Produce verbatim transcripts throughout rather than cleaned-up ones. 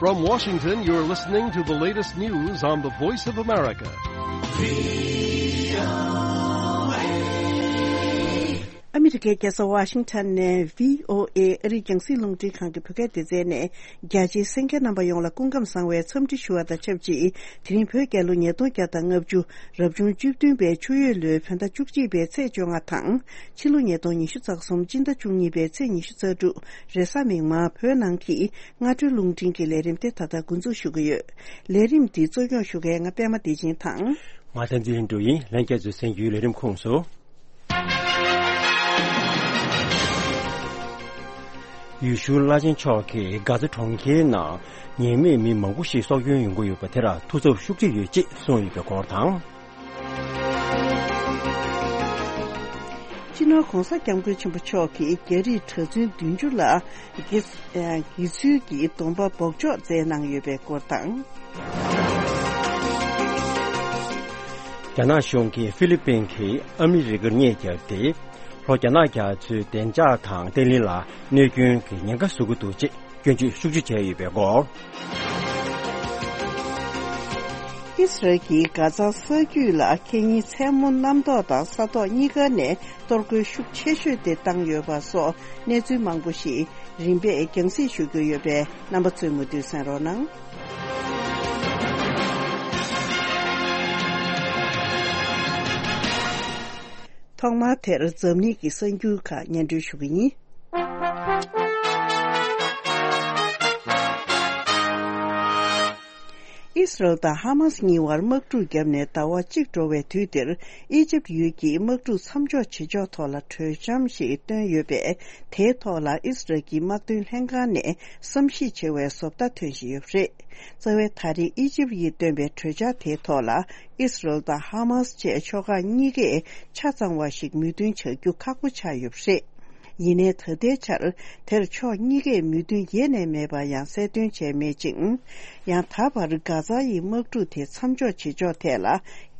From Washington, you're listening to the latest news on the Voice of America. ཨ་མི་རི་ཀའི་རྒྱལ་ས་ཝ་ཤིང་ཊོན་ནས་བྷི་ཨོ་ཨེ་ཨ་རིའི་རྒྱང་སྲིང་རླུང་འཕྲིན་ཁང་གི་བོད་སྐད་སྡེ་ཚན་ནས། རྒྱ་ཆེའི་གསན་མཁན་རྣམ་པ་ཡོངས་ལ་སྐུ་ཁམས་བཟང་བའི་འཚམས་འདྲི་ཞུ་བ་དང་ཆབས་ཅིག་དེ་རིང་བོད་རྒྱལ་ལོ་ཉིས་སྟོང་བརྒྱ་དང་ལྔ་བཅུ། རབ་བྱུང་བཅུ་བདུན་པའི་ཆུ་ཡོས་ལོའི་བོད་ཟླ་བཅུ་གཅིག་པའི་ཚེས་བཅོ་ལྔ་དང་། ཕྱི་ལོ་ཉིས་སྟོང་ཉི་ཤུ་རྩ་གསུམ་སྤྱི་ཟླ་བཅུ་གཉིས་པའི་ཚེས་ཉི་ཤུ་རྩ་དྲུག་རེས་གཟའ་མིག་དམར་བོད་ནང་གི་སྔ་དྲོའི་རླུང་འཕྲིན་གྱི་ལས་རིམ་དེ་ད་ལྟ་འགོ་འཛུགས་ཞུ་གི་ཡོད། ལས་རིམ་འདི་གཙོ་སྐྱོང་ཞུ་མཁན་ང་པད་མ་བདེ་ཆེན་དང་། ང་བསྟན་འཛིན་ལྷུན་གྲུབ་ཡིན། ལྷན་རྒྱས་ཚོས་གསན་རྒྱུའི་ལས་རིམ་ཁོངས་སུ། ཡུལ་ཤུལ་བླ་ཆེན་མཆོག་གིས་གྷ་ཛ་གྲོང་ཁྱེར་ནང་ཉེས་མེད་མི་མང་པོ་ཞིག་སྲོག་སྐྱོན་ཡོང་གི་ཡོད་པ་དེར་ཐུགས་འཚབ་ཤུགས་ཆེ་ཡོད་ཅེས་གསུངས་ཡོད་པའི་སྐོར་དང་། སྤྱི་ནོར་༧གོང་ས་༧སྐྱབས་མགོན་ཆེན་པོ་མཆོག་གིས་རྒྱ་རིགས་གྲྭ་བཙུན་བདུན་ཅུ་ལ་དགེ་དགེ་ཚུལ་གྱི་སྡོམ་པ་འབོགས་ཆོག་མཛད་གནང་ཡོད་པའི་སྐོར་དང་། རྒྱ་ནག་གཞུང་གིས་ཧྥི་ལི་པིན་གྱིས་ཨ་མི་རི་ཀར་རྙེད་བརྒྱབ་སྟེ། ལྷོ་རྒྱ་ནག་རྒྱ་མཚོའི་བདེ་འཇགས་དང་བརྟན་ལྷིང་ལ་གནོད་སྐྱོན་གྱི་ཉེན་ཁ་བཟོ་གི་འདུག་ཅེས་སྐྱོན་བརྗོད་ཤུགས་ཆེ་བྱས་ཡོད་པའི་སྐོར། ཨི་སི་རལ་གྱིས་གྷ་ཛ་ས་རྒྱུད་ལ་ཁེ་ཉིན་མཚན་མོ་གནམ་ཐོག་དང་ས་ཐོག་གཉིས་ཀ་ནས་གཏོར་རྒོལ་ཤུགས་ཆེ་ཤོས་དེ་བཏང་ཡོད་པ་སོགས་གནས་ཚུལ་མང་པོ་ཞིག་རིམ་པས་རྒྱང་སྲིང་ཞུ་རྒྱུ་ཡོད་པས་རྣམ་པ་ཚོས་མུ་མཐུད་གསན་རོགས་གནང་། ཐོག་མར་དེར་འཛམ་གླིང་གི་གསར་འགྱུར་ཁག་སྙན་སྒྲོན་ཞུ་གི་ཡིན། ཨི་སི་རལ་དང་ཧ་མ་སི་གཉིས་བར་དམག་འཁྲུག་བརྒྱབ་ནས་ཟླ་བ་གཅིག་འགྲོ་བའི་དུས་འདིར། ཨི་ཇིབ་ཡུལ་གྱིས་དམག་འཁྲུག་མཚམས་འཇོག་བྱེད་ཕྱོགས་ཐོག་ལ་གྲོས་འཆམ་ཞིག་བཏོན་ཡོད་པས། དེའི་ཐོག་ལ་ཨི་སི་རལ་གྱི་དམག་དོན་ལྷན་ཁང་ནས་བསམ་གཞིག་བྱེད་པའི་བཟོ་ལྟ་ཐོན་བཞིན་ཡོད་པ་རེད། རྩ་བའི་ད་རེས་ཨི་ཇིབ་ཡིས་བཏོན་པའི་གྲོས་འཆར་དེའི་ཐོག་ལ། ཨི་སི་རལ་དང་ཧ་མ་སི་བཅས་ཕྱོགས་ཁག་གཉིས་ཀས་ཆ་ཚང་བ་ཞིག་མོས་མཐུན་བྱ་རྒྱུ་ཁག་པོ་ཆགས་ཡོད་པ་རེད། ཡིན་ནའི་ད་ལྟའི་ཆར་དེར་ཕྱོགས་གཉིས་ཀས་མོས་མཐུན་ཡེ་ནས་མེད་པ་ཡང་གསལ་སྟོན་བྱས་མེད་ཅིང་། ཡང་ད་བར་གྷ་ཛ་ཡི་དམག་འཁྲུག་དེ་མཚམས་འཇོག་བྱེད་ཕྱོགས་ཐད་ལ་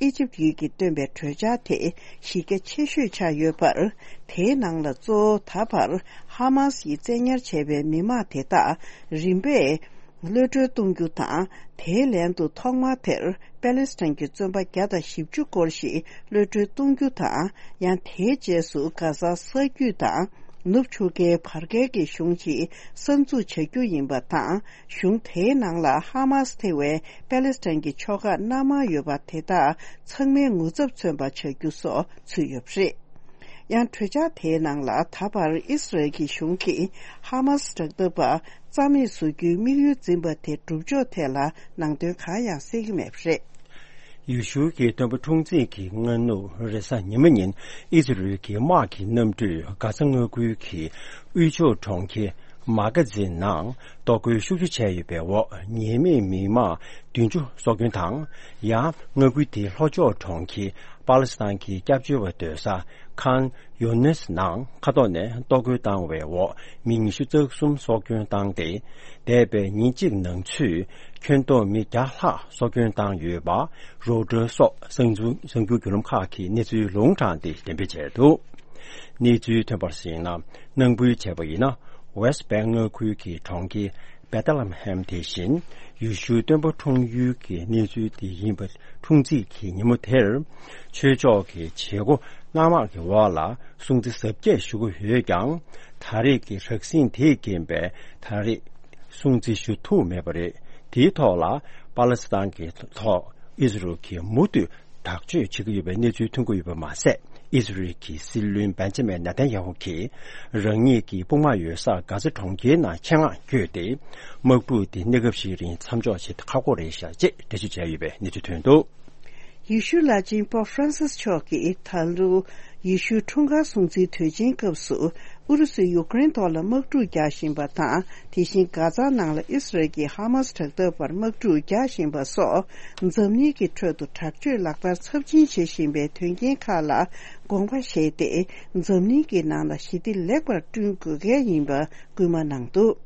ཨི་ཇིབ་ཡུལ་གྱིས་བཏོན་པའི་གྲོས་འཆར་དེ་གཞི་རྒྱ་ཆེ་ཤོས་ཆགས་ཡོད་པར། དེའི་ནང་ལ་གཙོ་བོ་ད་བར་ཧ་མ་སི་ཡིས་བཙན་ཉར་བྱས་པའི་མི་མང་དེ་དག་རིམ་པས། གློད་གྲོལ་གཏོང་རྒྱུ་དང་། དེའི་ལན་དུ་ཐོག་མར་དེར་པེ་ལེ་སི་ཐན་གྱི་བཙོན་པ་བརྒྱ་དང་བཞི་བཅུ་སྐོར་ཞིག་གློད་གྲོལ་གཏོང་རྒྱུ་དང་། ཡང་དེའི་རྗེས་སུ་གྷ་ཟ་ས་རྒྱུད་དང་ནུབ་ཆུ་ཁའི་བར་བརྒལ་གྱི་གཞུང་ཞིག་གསར་འཛུགས་བྱ་རྒྱུ་ཡིན་པ་དང་། གཞུང་དེའི་ནང་ལ་ཧ་མ་སི་ཐེ་བའི་པེ་ལེ་སི་ཐན་གྱི་ཕྱོགས་ཁག་སྣ་མང་ཡོད་པ་དེ་དག་ཚང་མའི་ངོ་ཚབ་མཚོན་པ་བྱ་རྒྱུ་སོགས་ཚུད་ཡོད་པ་རེད། ཡང་གྲོས་འཆར་དེའི་ནང་ལ་ད་བར་ཨི་སི་རལ་གྱི་གཞུང་གིས་ཧ་མ་སི་དྲག་འཐབ་པ་རྩ་མེད་བཟོ་རྒྱུའི་དམིགས་ཡུལ་འཛིན་པ་དེ་སྒྲུབ་ཕྱོགས་ཐད་ལ་ནང་དོན་གང་ཡང་གསལ་གྱི་མེད་པ་རེད། ཡུལ་ཤུལ་གྱི་སྟོན་པ་འཁྲུངས་ཚེས་ཀྱི་སྔ་ནུབ་རེས་གཟའ་ཉི་མ་ཉིན་ཨི་སི་རལ་གྱི་དམག་གི་གནམ་གྲུས་གྷ་ཛ་མངའ་ཁུལ་གྱི་དབུས་ཕྱོགས་གྲོང་ཁྱེར་མ་གྷ་ཛིན་ནང་གཏོར་རྒོལ་ཤུགས་ཆེ་བྱས་ཡོད་པའི་འོག་ཉེས་མེད་མི་མང་བདུན་ཅུ་སྲོག་སྐྱོན་དང་། ཡང་མངའ་ཁུལ་དེའི་ལྷོ་ཕྱོགས་གྲོང་ཁྱེར་པ་ལེ་སི་ཐན་གྱི་སྐྱབས་བཅོལ་བ་སྡོད་ས་ཁཱན་ཡུ་ནེས་ནང་མཁའ་ཐོག་ནས་གཏོར་རྒོལ་བཏང་བའི་འོག་མི་ཉི་ཤུ་རྩ་གསུམ་སྲོག་སྐྱོན་བཏང་སྟེ། འདས་པའི་ཉིན་གཅིག་ནང་ཚུད་ཁྱོན་བསྡོམས་མི་བརྒྱ་ལྷག་སྲོག་སྐྱོན་བཏང་ཡོད་པ་རོའི་ཊར་སོགས་གསར་འགྱུར་གསར་འགྱུར་བརྒྱུད་ལམ་ཁག་གིས་གནས་ཚུལ་ལུང་དྲངས་ཏེ་འགྲེམས་སྤེལ་བྱས་འདུག་གནས་ཚུལ་ཐོན་པར་གཞིགས་ན། སྣང་འབུལ་བྱས་པ་ཡིན་ན། ཝེ་སི་ཊི་བྷེང་མངའ་ཁུལ་གྱི་གྲོང་ཁྱེར་བེ་ཐ་ལམ་ཧེམ་དེ་བཞིན་ཡེ་ཤུའི་སྟོན་པ་འཁྲུངས་ཡུལ་གྱི་གནས་ཚུལ་དེ་ཡིན་པ། འཁྲུངས་ཚེས་ཀྱི་ཉིན་མོ་དེར་ཆོས་ཕྱོགས་ཀྱི་བྱེད་སྒོ་སྣ་མང་གི་འོག་ལ་སྲུང་བརྩི་གཟབ་རྒྱས་ཞུ་གི་ཡོད་ཀྱང་། ད་རེས་ཀྱི་རགས་ཟིང་དེས་རྐྱེན་པས་ད་རེས་སྲུང་བརྩི་ཞུ་ཐུབ་མེད་པ་རེད། དེའི་ཐོག་ལ་པ་ལེ་སི་ཐན་གྱི་ཐོག་ཨི་སི་རལ་གྱིས་མུ་མཐུད་དྲག་སྤྱོད་བྱེད་ཀྱི་ཡོད་པའི་གནས་ཚུལ་ཐོན་གྱི་ཡོད་པ་མ་ཟད། ཨི་སི་རལ་གྱི་སྲིད་བློན་བེན་ཇ་མིན་ནེ་ཐན་ཡ་ཧུ་གྱིས་རང་ཉིད་ཀྱི་དཔུང་དམག་ཡོད་ས་གྷ་ཛ་གྲོང་ཁྱེར་ནང་ཆེད་མངགས་བསྐྱོད་དེ། དམག་འཁྲུག་དེ་གནས་སྐབས་ཤིག་རིང་མཚམས་འཇོག་བྱེད་ཁག་པོ་རེད་ཤག་ཅེས་འགྲེལ་བརྗོད་བྱས་ཡོད་པའི་གནས་ཚུལ་ཐོན་འདུག་ཡེ་ཤུའི་བླ་ཆེན་པོབ་ཧྥ་རན་སིས་མཆོག་གིས་ད་ལོ་ཡེ་ཤུའི་འཁྲུངས་སྐར་སྲུང་བརྩིའི་དུས་ཆེན་སྐབས་སུ། ཨུ་རུ་སུས་ཡུཀ་རེན་ཐོག་ལ་དམག་འཁྲུག་རྒྱག་བཞིན་པ་དང་། དེ་བཞིན་གྷ་ཛ་ནང་ལ་ཨི་སི་རལ་གྱིས་ཧ་མ་སི་དྲག་འཐབ་པར་དམག་འཁྲུག་རྒྱག་བཞིན་པ་སོགས། འཛམ་གླིང་གི་ཁྲོད་དུ་དྲག་སྤྱོད་ལག་བསྟར་ཚབས་ཆེན་བྱེད་བཞིན་པའི་དོན་རྐྱེན་ཁག་ལ་དགོངས་པ་བཞེས་ཏེ། འཛམ་གླིང་གི་ནང་ལ་ཞི་བདེ་ལེགས་པར་བསྐྲུན་དགོས་གལ་ཡིན་པ་སྐུལ་མ་གནང་འདུག་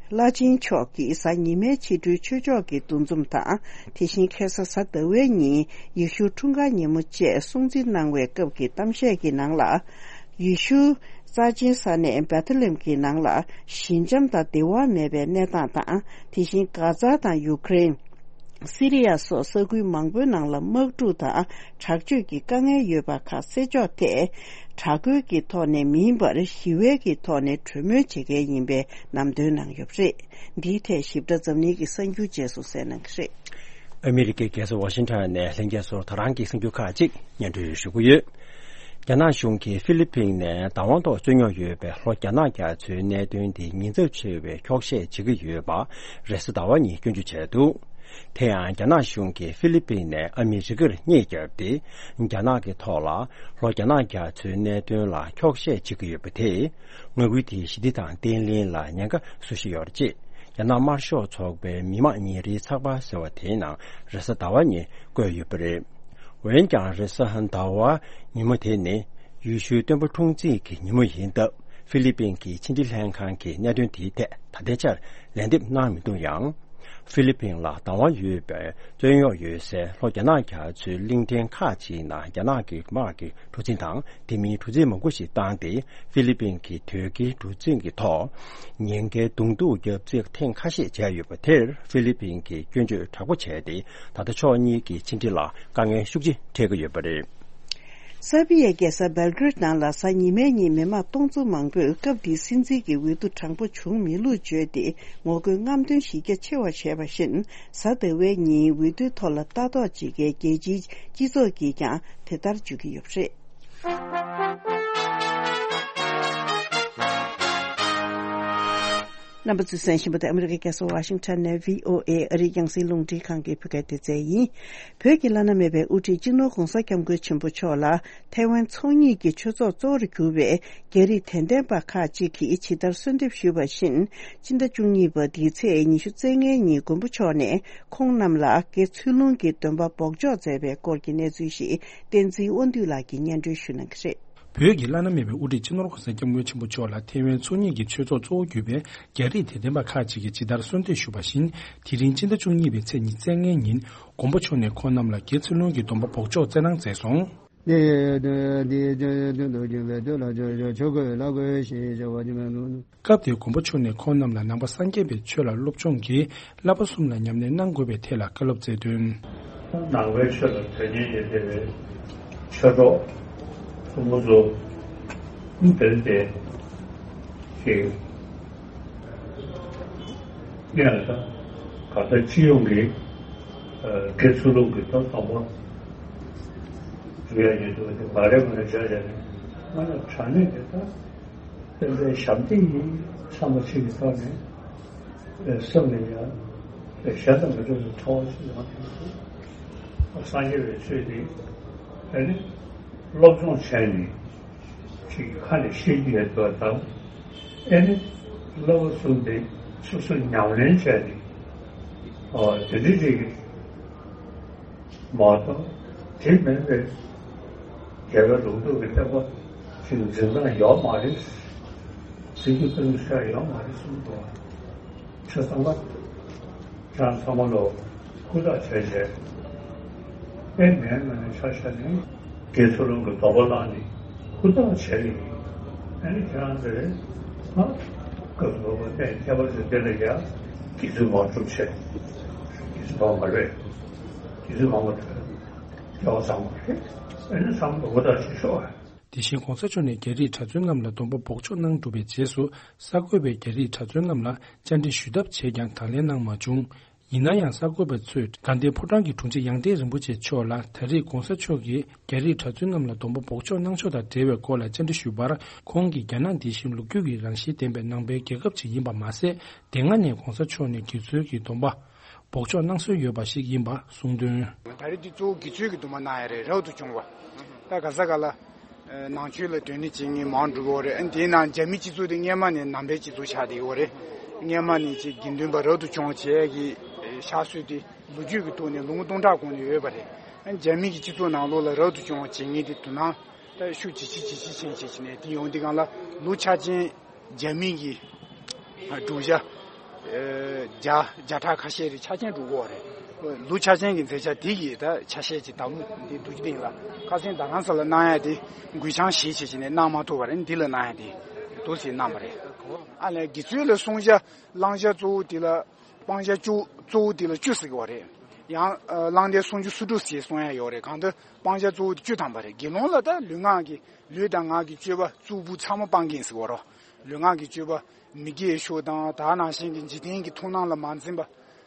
བླ་ཆེན་མཆོག་གིས་གཟའ་ཉི་མའི་ཕྱི་དྲོའི་ཆོས་ཕྱོགས་ཀྱི་འདུ་འཛོམས་དང་། དེ་བཞིན་ཁ་སང་གཟའ་ཟླ་བའི་ཉིན་ཡེ་ཤུའི་འཁྲུངས་སྐར་ཉིན་མོ་བཅས་སྲུང་བརྩི་གནང་བའི་སྐབས་ཀྱི་གཏམ་བཤད་ཀྱི་ནང་ལ། ཡེ་ཤུ་ རྩ་ཆེན་ས་གནས་བེ་ཐ་ལེམ་གྱི་ནང་ལ་ཞི་འཇམ་དང་བདེ་བ་མེད་པའི་གནས་སྟངས་དང་། དེ་བཞིན་གྷ་ཛ་དང་ཡུ་ཀེ་རེན། སི་རི་ཡ་སོགས་ས་ཁུལ་མང་པོའི་ནང་ལ་དམག་འཁྲུག་དང་དྲག་སྤྱོད་ཀྱི་དཀའ་ངལ་ཡོད་པ་ཁག་སེལ་ཕྱོགས་ཐད། དྲག་རྒོལ་གྱི་ཐོག་ནས་མིན་པར་ཞི་བའི་གི་ཐོག་ནས་གྲོས་མོལ་བྱེད་མཁན་ཡིན་པའི་ལམ་སྟོན་གནང་ཡོད་པ་རེད། འདིའི་ཐད་ཞིབ་ཕྲ་འཛམ་གླིང་གི་གསར་འགྱུར་རྗེས་སུ་གསན་གནང་གི་རེད། ཨ་མི་རི་ཀའི་རྒྱལ་ས་ཝ་ཤིང་ཊོན་ནས་ལྷན་རྒྱས་ཚོར་ད་རང་གི་གསར་འགྱུར་ཁག་ཅིག་སྙན་སྒྲོན་ཞུ་གི་ཡོད། རྒྱ་ནག་གཞུང་གིས་ཧྥི་ལི་པིན་ནས་བདག་དབང་ཐོག་རྩོད་རྙོག་ཡོད་པའི་ལྷོ་རྒྱ་ནག་རྒྱ་མཚོའི་གནད་དོན་དེ་ཉེན་ཚབས་ཆེ་བའི་འཁྱོག་བཤད་བྱེད་ཀྱི་ཡོད་པ་རེས་གཟའ་ཟླ་བ་ཉིན་སྐྱོན་བརྗོད་བྱས་འདུག་དེ་ཡང་རྒྱ་ནག་གཞུང་གིས་ཧྥི་ལི་པིན་ནས་ཨ་མི་རི་ཀར་རྙེད་བརྒྱབ་སྟེ། རྒྱ་ནག་གི་ཐོག་ལ་ལྷོ་རྒྱ་ནག་རྒྱ་མཚོའི་གནད་དོན་ལ་འཁྱོག་བཤད་བྱེད་ཀྱི་ཡོད་པ་དེས། མངའ་ཁུལ་དེའི་ཞི་བདེ་དང་བརྟན་ལྷིང་ལ་ཉེན་ཁ་བཟོ་བཞིན་ཡོད་རེད་ཅེས། རྒྱ་ནག་དམར་ཤོག་ཚོགས་པའི་མི་དམངས་ཉིན་རེའི་ཚགས་པར་ཟེར་བ་དེའི་ནང་རེས་གཟའ་ཟླ་བ་ཉིན་བཀོད་ཡོད་པ་རེད། འོན་ཀྱང་། རེས་གཟའ་ཟླ་བ་ཉིན་མོ་དེ་ནི་ཡུལ་ཤུལ་སྟོན་པ་འཁྲུངས་ཚེས་ཀྱི་ཉིན་མོ་ཡིན་སྟབས། ཧྥི་ལི་པིན་གྱི་ཕྱི་འབྲེལ་ལྷན་ཁང་གིས་གནད་དོན་དེའི་ཐད་ད་ལྟའི་ཆར་ལན་འདེབས་གནང་མི་འདུག་ཡང་། ཧྥི་ལི་པིན་ལ་བདག་དབང་ཡོད་པའི་རྩོད་རྙོག་ཡོད་སའི་ལྷོ་རྒྱ་ནག་རྒྱ་མཚོའི་གླིང་ཕྲན་ཁག་ཅིག་ནང་རྒྱ་ནག་གི་དམག་གི་གྲུ་གཟིངས་དང་དེ་མིན་གྲུ་གཟིངས་མང་པོ་ཞིག་བཏང་སྟེ། ཧྥི་ལི་པིན་གྱི་དོས་སྐྱེལ་གྲུ་གཟིངས་ཀྱི་ཐོག་ཉེན་ཁའི་གདོང་ཐུག་བརྒྱབ་རྩིས་ཐེངས་ཁ་ཤས་བྱས་ཡོད་པ་དེར་ཧྥི་ལི་པིན་གྱིས་སྐྱོན་བརྗོད་དྲག་པོ་བྱས་ཏེ། ད་ལྟ་ཕྱོགས་གཉིས་ཀྱི་ཕྱི་འབྲེལ་ལ་དཀའ་ངལ་ཤུགས་ཆེ་འཕྲད་ཀྱི་ཡོད་པ་རེད། སར་བྷི་ཡའི་རྒྱལ་ས་སྦེལ་ཀེ་རེད་ནང་ལ་གཟའ་ཉི་མའི་ཉིན་མི་མང་སྟོང་ཚོ་མང་པོས་སྐབས་འདིའི་སྲིད་འཛིན་གྱི་འོས་བསྡུ་དྲང་པོ་བྱུང་མེད་ལུགས་བརྗོད་དེ་ངོ་རྒོལ་རྔམ་སྟོན་གཞི་རྒྱ་ཆེ་བ་བྱས་པ་བཞིན། གཟའ་ཟླ་བའི་ཉིན་འོས་བསྡུའི་ཐོག་ལ་ལྟ་རྟོག་བྱེད་མཁན་རྒྱལ་སྤྱིའི་སྤྱི་ཚོགས་ཀྱིས་ཀྱང་དེ་ལྟར་བརྗོད་ཀྱི་ཡོད་པ་རེད། རྣམ་པ་ཚོས་གསན་བཞིན་པ་དེ་ཨ་མི་རི་ཀའི་རྒྱལ་ས་ཝ་ཤིང་ཊོན་ནས་བྷི་ཨོ་ཨེ་ཨ་རིའི་རྒྱང་སྲིང་རླུང་འཕྲིན་ཁང་གི་བོད་སྐད་སྡེ་ཚན་ཡིན། བོད་ཀྱི་བླ་ན་མེད་པའི་དབུ་ཁྲིད་སྤྱི་ནོར་༧གོང་ས་༧སྐྱབས་མགོན་ཆེན་པོ་མཆོག་ལ་ཐའེ་ཝན་ཚོགས་གཉིས་ཀྱི་ཆོས་ཚོགས་གཙོ་བོར་གྱུར་པའི་རྒྱ་རིགས་དད་ལྡན་པ་ཁག་ཅིག་གིས་ཇི་ལྟར་གསོལ་འདེབས་ཞུས་པ་བཞིན། སྤྱི་ཟླ་བཅུ་གཉིས་པ་འདིའི་ཚེས་ཉི་ཤུ་རྩ་ལྔའི་ཉིན་མགོན་པོ་མཆོག་ནས་ཁོང་རྣམས་ལ་དགེ་ཚུལ་སློང་གི་སྡོམ་པ་འབོགས་འཇོག་མཛད་པའི་སྐོར་གྱི་གནས་ཚུལ་ཞིག་བསྟན་འཛིན་དབང་འདུས་ལགས་ཀྱིས་སྙན་སྒྲོན་ཞུ་གནང་གི་རེད། བོད་ཀྱི་བླ་ན་མེད་པའི་དབུ་ཁྲིད་སྤྱི་ནོར་༧གོང་ས་༧སྐྱབས་མགོན་ཆེན་པོ་མཆོག་ལ་ཐའེ་ཝན་ཚོགས་གཉིས་ཀྱི་ཆོས་ཚོགས་གཙོ་བོ་གྱུར་པའི་རྒྱ་རིགས་དད་ལྡན་པ་ཁག་ཅིག་གིས་ཇི་ལྟར་གསོལ་འདེབས་ཞུས་པ་བཞིན། དེ་རིང་སྤྱི་ཟླ་བཅུ་གཉིས་པའི་ཚེས་ཉི་ཤུ་རྩ་ལྔའི་ཉིན་མགོན་པོ་མཆོག་ནས་ཁོང་རྣམས་ལ་དགེ་ཚུལ་སློང་གི་སྡོམ་པ་འབོགས་འཇོག་སྩལ་གནང་མཛད་སོང་། སྐབས་དེར་མགོན་པོ་མཆོག་ནས་ཁོང་རྣམས་ལ་ནང་པ་སངས་རྒྱས་པའི་ཆོས་ལ་སློབ་སྦྱོང་གིས་བསླབ་པ་གསུམ་ལ་ཉམས་ལེན་གནང་དགོས་པའི་ཐད་ལ་བཀའ་སློབ་སྩལ་དོན། ནང་པའི་ཆོས་ལ་དོན་གཉེར་ཡོད་བསྡད་པའི་ཆོས་གྲོགས་ཕྲུ་གུ་ཚོ་འདིར་བསྡད་ཅིག་ངས་ད་ག་ད་སྤྱི་ཡོངས་ཀྱི་དགེ་ཚུལ་སློང་གི་ཐོག་དང་པོ་འཇུ་ཡ་ཡོད་འདུག་དེ་མ་རེད་མ་རེད་བྱས་བྱས་ནས་ང་ལ་དྲང་གནས་དེ་ད། དཔེ་མཛད་ཞབས་འདེགས་ཡིན་བསམ་པ་ཞིག་གི་ཐོག་ནས་སེམས་ལ་ཡང་གཞན་དང་མི་འདྲ་བའི་ཚོར་བ་ཞིག་ཡོང་གི་འདུག་སངས་རྒྱས་པའི་ཆོས་འདི་ཨ་ནི་སློབ་སྦྱོང་བྱས་ནས་ཅིག་ཁ་ནས་ཤེས་ཀྱི་ཡོད་པ་དང་། ཨ་ནི་བསླབ་པ་གསུམ་དེ་སོ་སོ་ཉམས་ལེན་བྱས་ནས་དེ་འདྲ་ཅིག་མ་གཏོགས་དེ་མིན་པའི་རྒྱལ་བའི་ལུང་རྟོགས་ཀྱི་བསྟན་པ་ཞིག་འཛིན་སྟངས་ཡོད་མ་རེད། འཛིན་རྒྱུ་སྟངས་ཤར་ཡོད་མ་རེད་གསུངས་འདུག་ཆོས་ཚང་མ་ཁྱེད་རང་ཚང་མ་ལོ་ཧུར་ཐག་བྱས་བྱས་དཔེ་མེད་ངོས་ནས་ཆ་བཞག་ནས་དགེ་ཚུལ་སློང་གི་སྡོམ་པ་བླངས་ནས་ཧུར་ཐག་བྱས་ནས་ཨ་ནི་ཁྱེད་རང་ཚོས་ང་སྐབས་སུ་བབ་པ་གནས་ཁྱད་པར་ཅན་དེ་ལ་ཡང་དགེ་ཚུལ་མ་སྒྲུབ་བྱས་དགེ་ཚུལ་མ་མ་རེད། དེ་ཚོ་མང་པོ་ཐོས། སྐལ་བ་བཟང་པོ་རེད། ཨ་ནི་བསམ་བློ་འོ་ད་ཞིག་ཤོག་དེ་བཞིན་གོང་ས་མཆོག་ནས་རྒྱ་རིགས་གྲྭ་བཙུན་རྣམས་ལ་སྡོམ་པ་འབོགས་འཇོག་གནང་གྲུབ་པའི་རྗེས་སུ། གསར་འགོད་པས་རྒྱ་རིགས་གྲྭ་བཙུན་རྣམས་ལ་བཅར་འདྲི་ཞུས་ཐབས་བྱས་ཀྱང་དང་ལེན་གནང་མ་བྱུང་། ཡིན་ན་ཡང་གསར་འགོད་པ་ཚོས་དགའ་ལྡན་ཕོ་བྲང་གི་དྲུང་ཆེ་ཡང་སྟེང་རིན་པོ་ཆེ་མཆོག་ལ་ད་རེས་གོང་ས་མཆོག་གིས་རྒྱ་རིགས་གྲྭ་བཙུན་རྣམས་ལ་སྡོམ་པ་འབོགས་འཇོག་གནང་ཕྱོགས་དང་འབྲེལ་བའི་སྐོར་ལ་བཅར་འདྲི་ཞུས་པར། ཁོང་གིས་རྒྱ་ནག་འདི་བཞིན་ལོ་རྒྱུས་ཀྱི་རང་བཞིན་ལྡན་པའི་ནང་པའི་རྒྱལ་ཁབ་ཅིག་ཡིན་པ་མ་ཟད། དེ་སྔ་ནས་གོང་ས་མཆོག་ནས་དགེ་ཚུལ་གྱི་སྡོམ་པ་འབོགས་འཇོག་གནང་སྲོལ་ཡོད་པ་ཞིག་ཡིན་པ་གསུངས་དོན། ད་རེས་འདི་གཙོ་བོ་དགེ་ཚུལ་གྱི་སྡོམ་པ་གནང་ཡ་རེད། རབ་ཏུ་བྱུང་བ། ད་ག་ས་ག་ལ་ནང་ཆོས་ལ་དོན་གཉེར་བྱེད་མཁན་མང་འགྲོ་གི་ཡོད་རེད། ཨ་ནི་དེའི་ནང་རྒྱ་མི་སྤྱི་ཚོགས་དེ་སྔས་མ་ནས་ནང་པའི་སྤྱི་ཚོགས་ཆགས་བསྡད་ཡོད་རེད། སྔས་མ་ནས་ཅིག་དགེ་འདུན་པ་རབ་ཏུ་བྱུང་བ་བྱས་ཀྱི་ཕྱག་སྲོལ་དེ་ལོ་རྒྱུས་ཀྱི་ཐོག་ནས་ལོ་ངོ་སྟོང་ཕྲག་གོང་ནས་ཡོད་པ་རེད། ཨ་ནི་རྒྱ་མི་གི་སྤྱི་ཚོགས་ནང་ལོགས་ལ་རབ་ཏུ་བྱུང་བ་བྱེད་མཁན་དེ་དོ་སྣང་ད་ཤུགས་ཇེ་ཆེ་ཇེ་ཆེ་ཕྱིན་བྱས་ནས་དེ་ཡོང་དུས་སྒང་ལ་ལོ་ཆ་ཅན། རྒྱ་མི་གི་བསྒྲུབ་བྱ་བརྒྱ་བརྒྱ་ཕྲག་ཁ་ཤས་རེ་ཆ་རྐྱེན་འགྲོ་གི་ཡོད་རེད། ལུགས་ཆ་ཅན་གྱི་མཛད་འཆར་འདི་ཡི་ད་ཆ་ཤས་ཀྱི་བདག་མོ་འདི་འདུག་སྟེང་ལ་ཁ་སང་རྡ་རམ་ས་ལ་གནང་ཡ་དེ་འགུལ་བྱང་ཞེས་བྱས་བྱས་ནས་གནང་མ་ཐུབ་པ་རེད། འདི་ལ་གནང་ཡ་དེ་འདུག་སེ་གནང་པ་རེད། ཨ་ནི་དགེ་ཚུལ་ལ་གསུང་བྱ་བླང་བྱ་གཙོ་བོ་དེ་ལ་སྤང་བྱ་བཅུ་གཙོ་བོ་དེ་ལ་བཅུ་ཟེར་གྱི་ཡོད་རེད། ཡང་བླང་དོར་སུམ་ཅུ་སོ་དྲུག་ཟེར་གསུང་ཡ་ཡོད་རེད། གང་ལྟར་སྤང་བྱ་གཙོ་བོ་དེ་བཅུ་ཐམ་པ་རེད། དགེ་སློང་ལ་ད་ལུས་ངག་གི་ལུས་དང་ངག་གི་སྤྱོད་པ་གཙུག་ཕུད་ཚང་མ་སྤང་གི་ཡིན་ཟེར་གྱི་ཡོད་རེད། ལུས་ངག་གི་སྤྱོད་པ་མི་དགེ་བའི་ཕྱོགས་དང་ད་ནང་བཞིན་གྱི་འཇིག་རྟེན་གྱི་མཐོང་སྣང་ལ་མ་འཛེམ་པ་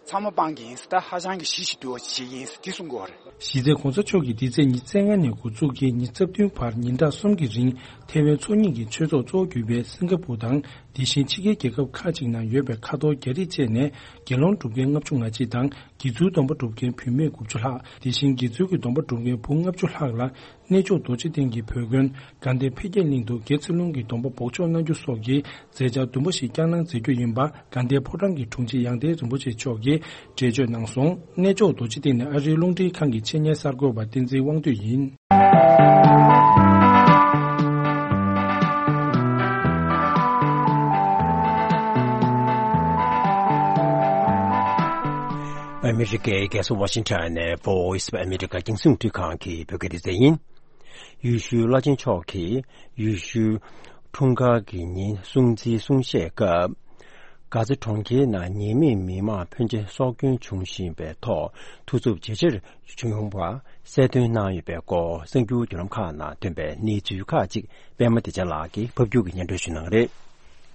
ཚང་མ་སྤང་གི་ཡིན་ཟེར། ད་ཧ་ཅང་གི་ཞི་ཞིང་དུལ་བ་ཞིག་ཡིན་ཟེར་དེ་གསུང་གི་ཡོད་རེད། གཞི་རྩའི་༸གོང་ས་མཆོག་གིས་འདི་ཚེས་ཉི་ཤུ་རྩ་ལྔ་ནས་འགོ་བཙུགས་ཀྱིས་ཉི་ཤུ་རྩ་བདུན་བར་ཉིན་གྲངས་གསུམ་གྱི་རིང་ཐའེ་ཝན་ཚོགས་གཉིས་ཀྱི་ཆོས་ཚོགས་གཙོ་བོ་གྱུར་པའི་སིང་ག་པུར་དང་དེ་བཞིན་ཕྱི་རྒྱལ་རྒྱལ་ཁབ་ཁག་ཅིག་ནང་ཡོད་པའི་ཁ་ཐོར་རྒྱ་རིགས་བཅས་ནས་དགེ་སློང་སྒྲུབ་མཁན་ལྔ་བཅུ་ང་གཅིག་དང་། དགེ་ཚུལ་སྡོམ་པ་སྒྲུབ་མཁན་བུད་མེད་དགུ་བཅུ་ལྷག་དེ་བཞིན་དགེ་ཚུལ་གྱི་སྡོམ་པ་སྒྲུབ་མཁན་བུ་ལྔ་བཅུ་ལྷག་ལ་གནས་མཆོག་རྡོ་རྗེ་གདན་གྱི་བོད་དགོན་དགའ་ལྡན་འཕེལ་རྒྱས་གླིང་དུ་དགེ་ཚུལ་སློང་གི་སྡོམ་པ་འབོགས་ཆོག་གནང་རྒྱུ་སོགས་ཀྱི་མཛད་འཆར་བདུན་པ་ཞིག་བསྐྱངས་གནང་མཛད་རྒྱུ་ཡིན་པ་དགའ་ལྡན་ཕོ་བྲང་གི་དྲུང་ཆེ་ཡང་སྟེང་རིན་པོ་ཆེ་མཆོག་གིས་འགྲེལ་བརྗོད་གནང་སོང་། གནས་མཆོག་རྡོ་རྗེ་གདན་ནས་ཨ་རིའི་རླུང་འཕྲིན་ཁང་གི་ཆེད་གཉེར་གསར་འགོད་པ་བསྟན་འཛིན་དབང་འདུས་ཡིན། ཨ་མི་རི་ཀའི་རྒྱལ་ས་ཝ་ཤིང་ཊོན་ནས་Voice of America་རྒྱང་སྲིང་རླུང་འཕྲིན་ཁང་གི་བོད་སྐད་སྡེ་ཚན་ཡིན། ཡེ་ཤུའི་བླ་ཆེན་མཆོག་གིས་ཡེ་ཤུའི་འཁྲུངས་སྐར་གྱི་ཉིན་སྲུང་བརྩིའི་གསུང་བཤད་སྐབས། གྷ་ཛ་གྲོང་ཁྱེར་ནང་ཉེས་མེད་མི་མང་ཕོན་ཆེ་སྲོག་སྐྱོན་བྱུང་བཞིན་པའི་ཐོག་ཐུགས་འཚུབ་ཇེ་ཆེར་བྱུང་བ་གསལ་སྟོན་གནང་ཡོད་པའི་སྐོར་གསར་འགྱུར་བརྒྱུད་ལམ་ཁག་ནང་ཐོན་པའི་གནས་ཚུལ་ཁག་ཅིག་པད་མ་བདེ་ཆེན་ལགས་ཀྱིས་ཕབ་སྒྱུར་གྱིས་སྙན་སྒྲོན་ཞུ་གནང་གི་རེད།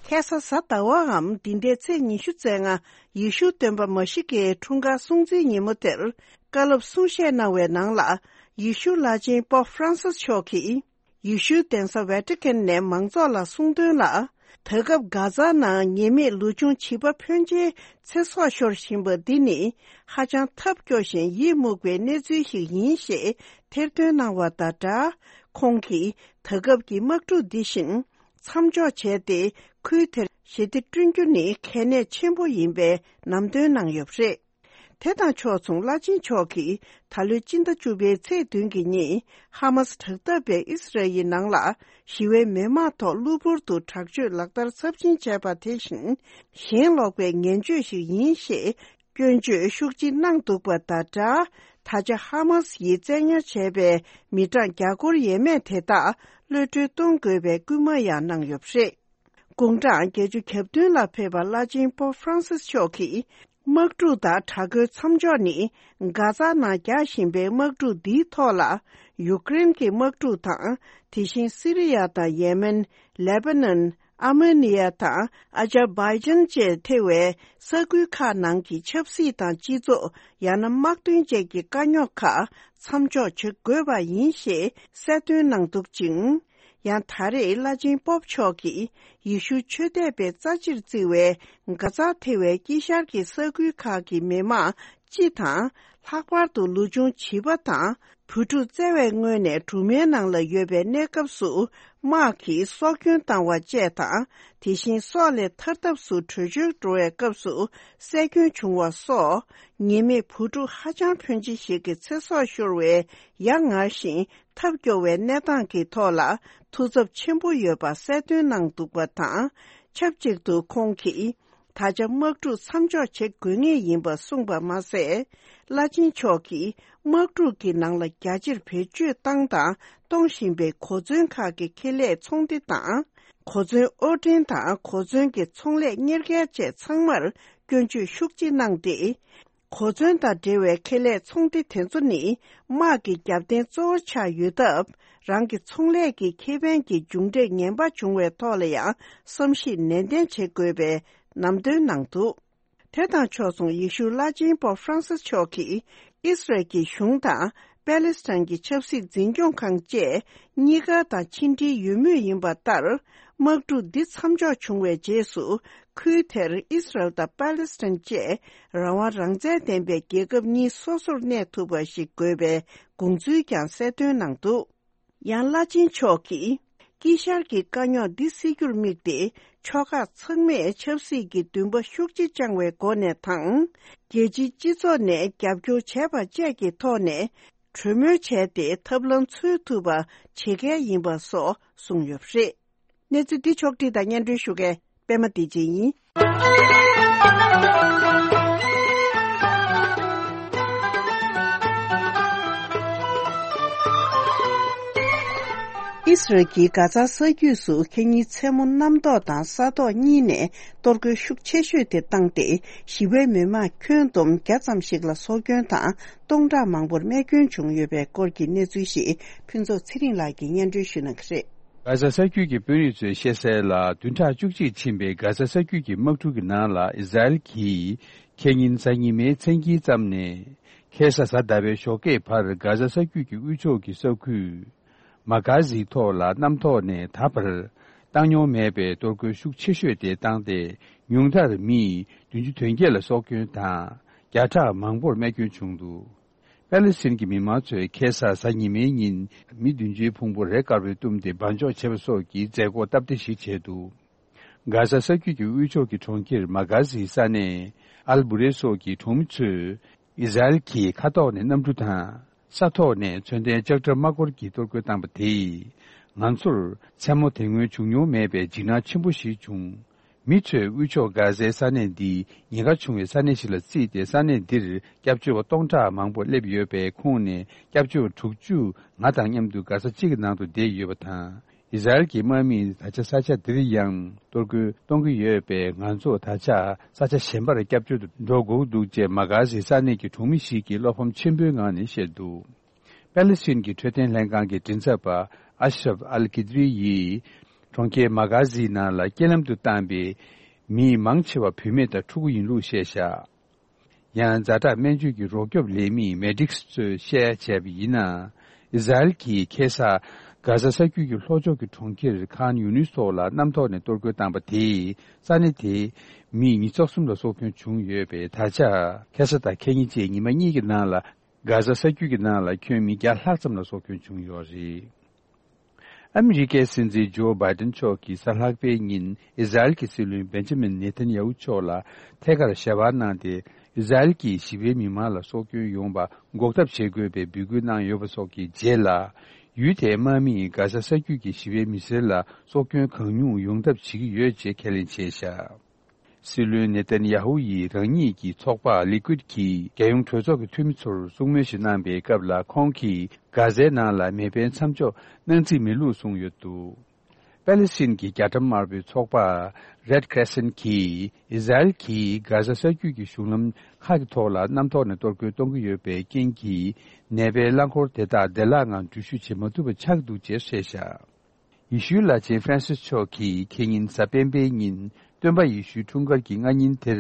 ཁ་སང་གཟའ་ཟླ་བའམ་འདི་ཟླའི་ཚེས་ཉི་ཤུ་རྩ་ལྔ་ཡེ་ཤུ་སྟོན་པ་མཱ་ཤི་ཀའི་འཁྲུངས་སྐར་སྲུང་བརྩིའི་ཉིན་མོ་དེར་བཀའ་སློབ་གསུང་བཤད་གནང་བའི་ནང་ལ་ཡེ་ཤུ་བླ་ཆེན་པོབ་ཧྥ་རན་སིས་མཆོག་གིས། ཡེ་ཤུའི་གདན་ས་ཝེ་ཏི་ཀན་ནས་མང་ཚོགས་ལ་གསུངས་དོན་ལ། ད་སྐབས་གྷ་ཛ་ནང་ཉེས་མེད་ལུས་སྦྱོང་བྱིས་པ་ཕོན་ཆེའི་ཚེ་སྲོག་ཤོར་བཞིན་པ་འདི་ནི་ཧ་ཅང་ཐབས་སྐྱོ་ཞིང་ཡིད་མུག་པའི་གནས་ཚུལ་ཞིག་ཡིན་ཞེས་ཐེར་འདོན་གནང་བ་དང་སྦྲགས། ཁོང་གིས་ད་སྐབས་ཀྱི་དམག་འཁྲུག་འདི་བཞིན་མཚམས་འཇོག་བྱས་ཏེ་ཁུལ་དེར་ཞི་བདེ་བསྐྲུན་རྒྱུ་ནི་གལ་གནད་ཆེན་པོ་ཡིན་པའི་ལམ་སྟོན་གནང་ཡོད་པ་རེད། དེ་དང་ཕྱོགས་མཚུངས་བླ་ཆེན་མཆོག་གིས་ད་ལོའི་སྤྱི་ཟླ་བཅུ་པའི་ཚེས་བདུན་གྱི་ཉིན་ཧ་མཱ་སི་དྲག་འཐབ་པས་ཨིས་ར་ཨེལ་ནང་ལ་ཞི་བའི་མི་མང་ཐོག་གློ་བུར་དུ་དྲག་སྤྱོད་ལག་བསྟར་ཚབས་ཆེན་བྱས་པ་དེ་བཞིན་ཞེན་ལོག་པའི་ངན་སྤྱོད་ཞིག་ཡིན་ཞེས་སྐྱོན་བརྗོད་ཤུགས་ཆེ་གནང་འདུག་པ་དང་སྦྲགས། ད་ཆ་ཧ་མཱ་སི་ཡིས་བཙན་ཉར་བྱས་པའི་མི་གྲངས་བརྒྱ་སྐོར་ཡས་མས་དེ་དག་གློད་གྲོལ་གཏོང་དགོས་པའི་སྐུལ་མ་ཡང་གནང་ཡོད་པ་རེད། དགུང་གྲངས་བརྒྱད་ཅུ་གྱ་བདུན་ལ་ཕེབས་པ་བླ་ཆེན་པོབ་ཧྥ་རན་སིས་མཆོག་གིས། དམག་འཁྲུག་དང་དྲག་རྒོལ་མཚམས་འཇོག་ནི། གྷ་ཛ་ནང་རྒྱག་བཞིན་པའི་དམག་འཁྲུག་འདིའི་ཐོག་ལ། ཡུཀ་རེན་གྱི་དམག་འཁྲུག་དང་། དེ་བཞིན་སི་རི་ཡ་དང་ཡེ་མེན། ལེ་པ་ནན། ཨར་མེ་ནི་ཡ་དང་། ཨ་ཛར་བྷའི་ཇན་བཅས་ཐེ་བའི་ས་ཁུལ་ཁག་ནང་གི་ཆབ་སྲིད་དང་སྤྱི་ཚོགས། ཡང་ན་དམག་དོན་བཅས་ཀྱི་དཀའ་རྙོག་ཁག་མཚམས་འཇོག་བྱེད་དགོས་པ་ཡིན་ཞེས་གསལ་སྟོན་གནང་འདུག་ཅིང་། ཡང་ད་རེས་བླ་ཆེན་པོབ་མཆོག་གིས་ཡེ་ཤུ་ཆོས་དད་པས་རྩ་ཆེར་བརྩི་བའི་གྷ་ཛ་ཐེ་བའི་དཀྱིལ་ཤར་གྱི་ས་ཁུལ་ཁག་གི་མི་མང་སྤྱི་དང་། ལྷག་པར་དུ་ལུས་སྦྱོང་བྱིས་པ་དང་བུ་ཕྲུག་བཙལ་བའི་སྔོན་ནས་སྦྲུམ་མའི་ནང་ལ་ཡོད་པའི་གནས་སྐབས་སུ་དམག་གིས་སྲོག་སྐྱོན་བཏང་བ་བཅས་དང་། དེ་བཞིན་སྲོག་ལས་ཐར་ཐབས་སུ་བྲོས་བྱོལ་འགྲོ་བའི་སྐབས་སུ་བསད་སྐྱོན་བྱུང་བ་སོགས་ཉེས་མེད་བུ་ཕྲུག་ཧ་ཅང་ཕོན་ཆེ་ཞིག་གི་ཚེ་སྲོག་ཤོར་བའི་ཡ་ང་ཞིང་། ཐབས་སྐྱོ་བའི་གནས་སྟངས་ཀྱི་ཐོག་ལ་ཐུགས་འཚབ་ཆེན་པོ་ཡོད་པ་གསལ་སྟོན་གནང་འདུག་པ་དང་། ཆབས་ཅིག་ཏུ་ཁོང་གིས་ད་ཆ་དམག་འཁྲུག་མཚམས་འཇོག་བྱེད་དགོས་ངེས་ཡིན་པ་གསུངས་པ་མ་ཟད། བླ་ཆེན་མཆོག་གིས་དམག་འཁྲུག་གི་ནང་ལ་རྒྱ་ཆེར་བེད་སྤྱོད་བཏང་དང་གཏོང་བཞིན་པའི་གོ་མཚོན་ཁག་གི་ཁེ་ལས་ཚོང་སྡེ་དང་། གོ་མཚོན་དབོར་འདྲེན་དང་གོ་མཚོན་གྱི་ཚོང་ལས་གཉེར་མཁན་བཅས་ཚང་མར་སྐྱོན་བརྗོད་ཤུགས་ཆེ་གནང་སྟེ། གོ་མཚོན་དང་འབྲེལ་བའི་ཁེ་ལས་ཚོང་སྡེ་དེ་ཚོ་ནི་དམག་གི་རྒྱབ་རྟེན་གཙོ་བོ་ཆགས་ཡོད་སྟབས། རང་གི་ཚོང་ལས་ཀྱི་ཁེ་ཕན་གྱི་མཇུག་འབྲས་ངན་པ་བྱུང་བའི་ཐོག་ལ་ཡང་བསམ་གཞིག་ནན་ཏན་བྱེད་དགོས་པའི་ལམ་སྟོན་གནང་འདུག་དེ་དང་ཕྱོགས་མཚུངས་ཡེ་ཤུ་བླ་ཆེན་པོབ་ཧྥ་རན་སིས་མཆོག་གིས་ཨིས་རལ་གྱི་གཞུང་དང་པེ་ལེ་སི་ཐན་གྱི་ཆབ་སྲིད་འཛིན་སྐྱོང་ཁང་བཅས་གཉིས་ཀ་དང་ཕྱི་འབྲེལ་ཡོད་མུས་ཡིན་པ་ལྟར། དམག་འཁྲུག་འདི་མཚམས་འཇོག་བྱུང་བའི་རྗེས་སུ། ཁུལ་དེར་ཨིས་རལ་དང་པ་ལེ་སི་ཐན་བཅས་རང་དབང་རང་བཙན་ལྡན་པའི་རྒྱལ་ཁབ་གཉིས་སོ་སོར་གནས་ཐུབ་པ་ཞིག་དགོས་པའི་དགོངས་ཚུལ་ཀྱང་གསལ་སྟོན་གནང་འདུག་ཡང་བླ་ཆེན་མཆོག་གིས། དཀྱིལ་ཤར་གྱི་དཀའ་རྙོག་འདི་སེལ་རྒྱུར་དམིགས་ཏེ། ཕྱོགས་ཁག་ཚང་མས་ཆབ་སྲིད་ཀྱི་འདུན་པ་ཤུགས་ཆེ་བཅངས་བའི་སྒོ་ནས་དང་། རྒྱལ་སྤྱིའི་སྤྱི་ཚོགས་ནས་རྒྱབ་སྐྱོར་བྱས་པ་བཅས་ཀྱི་ཐོག་ནས། གྲོས་མོལ་བྱས་ཏེ་ཐབས་ལམ་འཚོལ་ཐུབ་པ་བྱེད་གལ་ཡིན་པ་སོགས་གསུངས་ཡོད་པ་རེད། གནས་ཚུལ་འདི་ཕྱོགས་བསྒྲིགས་དང་སྙན་སྒྲོན་ཞུ་མཁན་པད་མ་བདེ་ཆེན་ཡིན། ཨི་སི་རལ་གྱིས་གྷ་ཛ་ས་རྒྱུད་སུ་ཁེ་ཉིན་མཚན་མོ་གནམ་ཐོག་དང་ས་ཐོག་གཉིས་ནས་གཏོར་རྒོལ་ཤུགས་ཆེ་ཤོས་དེ་བཏང་སྟེ། ཞི་བའི་མི་མང་ཁྱོན་བསྡོམས་བརྒྱ་ཙམ་ཞིག་ལ་སྲོག་སྐྱོན་དང་། སྟོང་ཕྲག་མང་པོར་རྨས་སྐྱོན་བྱུང་ཡོད་པའི་སྐོར་གྱི་གནས་ཚུལ་ཞིག་ཕུན་ཚོགས་ཚེ་རིང་ལགས་ཀྱིས་སྙན་སྒྲོན་ཞུ་གནང་གི་རེད། གྷ་ཛ་ས་རྒྱུད་ཀྱི་དཔོན་རིགས་ཚོས་བཤད་གསལ་ལ། བདུན་ཕྲག་བཅུ་གཅིག་ཕྱིན་པའི་གྷ་ཛ་ས་རྒྱུད་ཀྱི་དམག་འཁྲུག་གི་ནང་ལ། ཨི་ཟ་རེལ་གྱིས་ཁེ་ཉིན་གཟའ་ཉི་མའི་མཚན་དཀྱིལ་ཙམ་ནས་ཁེ་ས་གཟའ་ཟླ་བའི་ཞོགས་ཀས་བར་གྷ་ཛ་ས་རྒྱུད་ཀྱི་དབུས་ཕྱོགས་ཀྱི་ས་ཁུལ་མ་གྷ་ཟིའི་ཐོག་ལ་གནམ་ཐོག་ནས་ད་བར་བཏང་མྱོང་མེད་པའི་གཏོར་རྒོལ་ཤུགས་ཆེ་ཤོས་དེ་བཏང་སྟེ། ཉུང་མཐར་མི་བདུན་ཅུ་དོན་བརྒྱད་ལ་སྲོག་སྐྱོན་དང་། བརྒྱ་ཕྲག་མང་པོར་རྨས་སྐྱོན་བྱུང་འདུག་པེ་ལེ་སི་ཐན་གྱི་མི་མང་ཚོས་ཁེ་ས་གཟའ་ཉི་མའི་ཉིན་མི་བདུན་ཅུའི་ཕུང་པོ་རས་དཀར་པོས་བཏུམས་ཏེ་སྦ་འཇོག་བྱས་པ་སོགས་ཀྱི་མཛད་སྒོ་སྟབས་བདེ་ཞིག་བྱས་འདུག་གྷ་ཛ་ས་རྒྱུད་ཀྱི་དབུས་ཕྱོགས་ཀྱི་གྲོང་ཁྱེར་མ་གྷ་ཟིའི་ས་གནས་ཨལ་བུ་རེ་སོགས་ཀྱི་གྲོང་མི་ཚོས་ཨི་ཟ་རེལ་གྱིས་མཁའ་ཐོག་ནས་གནམ་གྲུ་དང་། ས་ཐོག་ནས་མཚོན་ལྡན་ལྕགས་ཁྲ་དམག་འཁོར་གྱིས་གཏོར་རྒོལ་བཏང་པ་དེས། ང་ཚོར་མཚན་མོ་དེ་སྔོན་བྱུང་མྱོང་མེད་པའི་འཇིགས་སྣང་ཆེན་པོ་ཞིག་བྱུང་། མི་ཚོས་དབུས་ཕྱོགས་གྷ་ཛའི་ས་གནས་འདི་ཉེན་ཁ་ཆུང་བའི་ས་གནས་ཤིག་ལ་བརྩིས་ཏེ། ས་གནས་འདིར་སྐྱབས་བཅོལ་བ་སྟོང་ཕྲག་མང་པོ་སླེབས་ཡོད་པའི་ཁོངས་ནས་སྐྱབས་བཅོལ་བ་དྲུག་ཅུ་ང་དང་མཉམ་དུ་གྷ་ས་གཅིག་གི་ནང་དུ་བསྡད་ཡོད་པ་དང་། ཨི་ཟ་རེལ་གྱི་དམག་མིས་ད་ཆ་ས་ཆ་འདིར་ཡང་གཏོར་རྒོལ་གཏོང་གི་ཡོད་པས། ང་ཚོ་ད་ཆ་ས་ཆ་གཞན་པར་སྐྱབས་བཅོལ་དུ་འགྲོ་དགོས་འདུག་ཅེས་མ་གྷ་ཟི་ས་གནས་ཀྱི་གྲོང་མི་ཞིག་གིས་བློ་ཕམ་ཆེན་པོའི་ངང་ནས་བཤད་འདུག་པེ་ལེ་སི་ཐན་གྱི་འཕྲོད་བསྟེན་ལྷན་ཁང་གི་མགྲིན་ཚབ་པ་ཨ་ཤ་རབ་ཨལ་ཀི་ཏི་རི་ཡིས། གྲོང་ཁྱེར་མ་གྷ་ཟི་ནང་ལ་རྐྱེན་ལམ་དུ་བཏང་པའི་མི་མང་ཆེ་བ་བུད་མེད་དང་ཕྲུ་གུ་ཡིན་ལུགས་བཤད་བཞག་ཡང་ཛ་དྲག་སྨན་བཅོས་ཀྱི་རོགས་སྐྱོབ་ལས་མི་མེ་ཌིག་སི་ཚོས་བཤད་བྱས་པ་ཡིན་ན། ཨི་ཟ་རེལ་གྱིས་ཁེ་ས་གྷ་ཟ་ས་རྒྱུད་ཀྱི་ལྷོ་ཕྱོགས་ཀྱི་གྲོང་ཁྱེར་ཁཱན་ཡུ་ནིས་ཐོག་ལ་གནམ་ཐོག་ནས་གཏོར་རྒོལ་བཏང་པ་དེས། ས་གནས་དེའི་མི་ཉིས་སྟོང་གསུམ་ལ་སྲོག་སྐྱོན་བྱུང་ཡོད་པས། ད་ཆ་ཁེ་ས་དང་ཁེ་ཉིན་བཅས་ཉི་མ་གཉིས་ཀྱི་ནང་ལ་གྷ་ཟ་ས་རྒྱུད་ཀྱི་ནང་ལ་ཁྱོན་མི་བརྒྱ་ལྷག་ཙམ་ལ་སྲོག་སྐྱོན་བྱུང་ཡོད་རེད། ཨ་མི་རི་ཀའི་སྲིད་འཛིན་ཇོ་བྷའི་ཏན་མཆོག་གིས་གཟའ་ལྷག་པའི་ཉིན་ཨི་ཟ་རེལ་གྱི་སྲིད་བློན་བེན་ཇ་མིན་ནེ་ཐན་ཡ་ཧུ་མཆོག་ལ་ཐད་ཀར་ཞལ་པར་གནང་སྟེ། ཨི་ཟ་རེལ་གྱིས་ཞི་བའི་མི་མང་ལ་སྲོག་སྐྱོན་ཡོང་བ་འགོག་ཐབས་བྱེད་དགོས་པའི་འབོད་སྐུལ་གནང་ཡོད་པ་སོགས་ཀྱི་རྗེས་ལ། ཡུལ་དེའི་དམག་མིས་གྷ་ཟ་ས་རྒྱུད་ཀྱི་ཞི་བའི་མི་སེར་ལ་སྲོག་སྐྱོན་གང་ཉུང་ཡོང་ཐབས་བྱེད་ཀྱི་ཡོད་ཅེས་ཁས་ལེན་བྱས་བཞག་སྲིད་བློན་ནེ་ཐན་ཡ་ཧུ་ཡིས་རང་ཉིད་ཀྱི་ཚོགས་པ་ལི་ཀུད་ཀྱི་རྒྱལ་ཡོངས་གྲོས་ཚོགས་ཀྱི་འཐུས་མི་ཚོར་གསུང་མོལ་ཞིག་གནང་པའི་སྐབས་ལ། ཁོང་གིས་གྷ་ཟའི་ནང་ལ་མེ་འཕེན་མཚམས་འཇོག་གནང་རྩིས་མེད་ལུགས་གསུངས་ཡོད་འདུག་པེ་ལེ་སི་ཐན་གྱི་རྒྱ་གྲམ་དམར་པོའི་ཚོགས་པ་Red Crescent གིས་ཨི་ཟ་རེལ་གྱིས་གྷ་ཟ་ས་རྒྱུད་ཀྱི་གཞུང་ལམ་ཁག་གི་ཐོག་ལ་གནམ་ཐོག་ནས་གཏོར་རྒོལ་གཏོང་གི་ཡོད་པའི་རྐྱེན་གྱིས། ནད་པའི་རླངས་འཁོར་དེ་དག་བདེ་བླག་ངང་འགྲུལ་བཞུད་བྱེད་མ་ཐུབ་པ་ཆགས་འདུག་ཅེས་བཤད་བཞག་ཡེ་ཤུའི་བླ་ཆེན་ཧྥ་རན་སིས་མཆོག་གིས་ཁེ་ཉིན་གཟའ་སྤེན་པའི་ཉིན་སྟོན་པ་ཡེ་ཤུའི་འཁྲུངས་སྐར་གྱི་སྔ་ཉིན་དེར་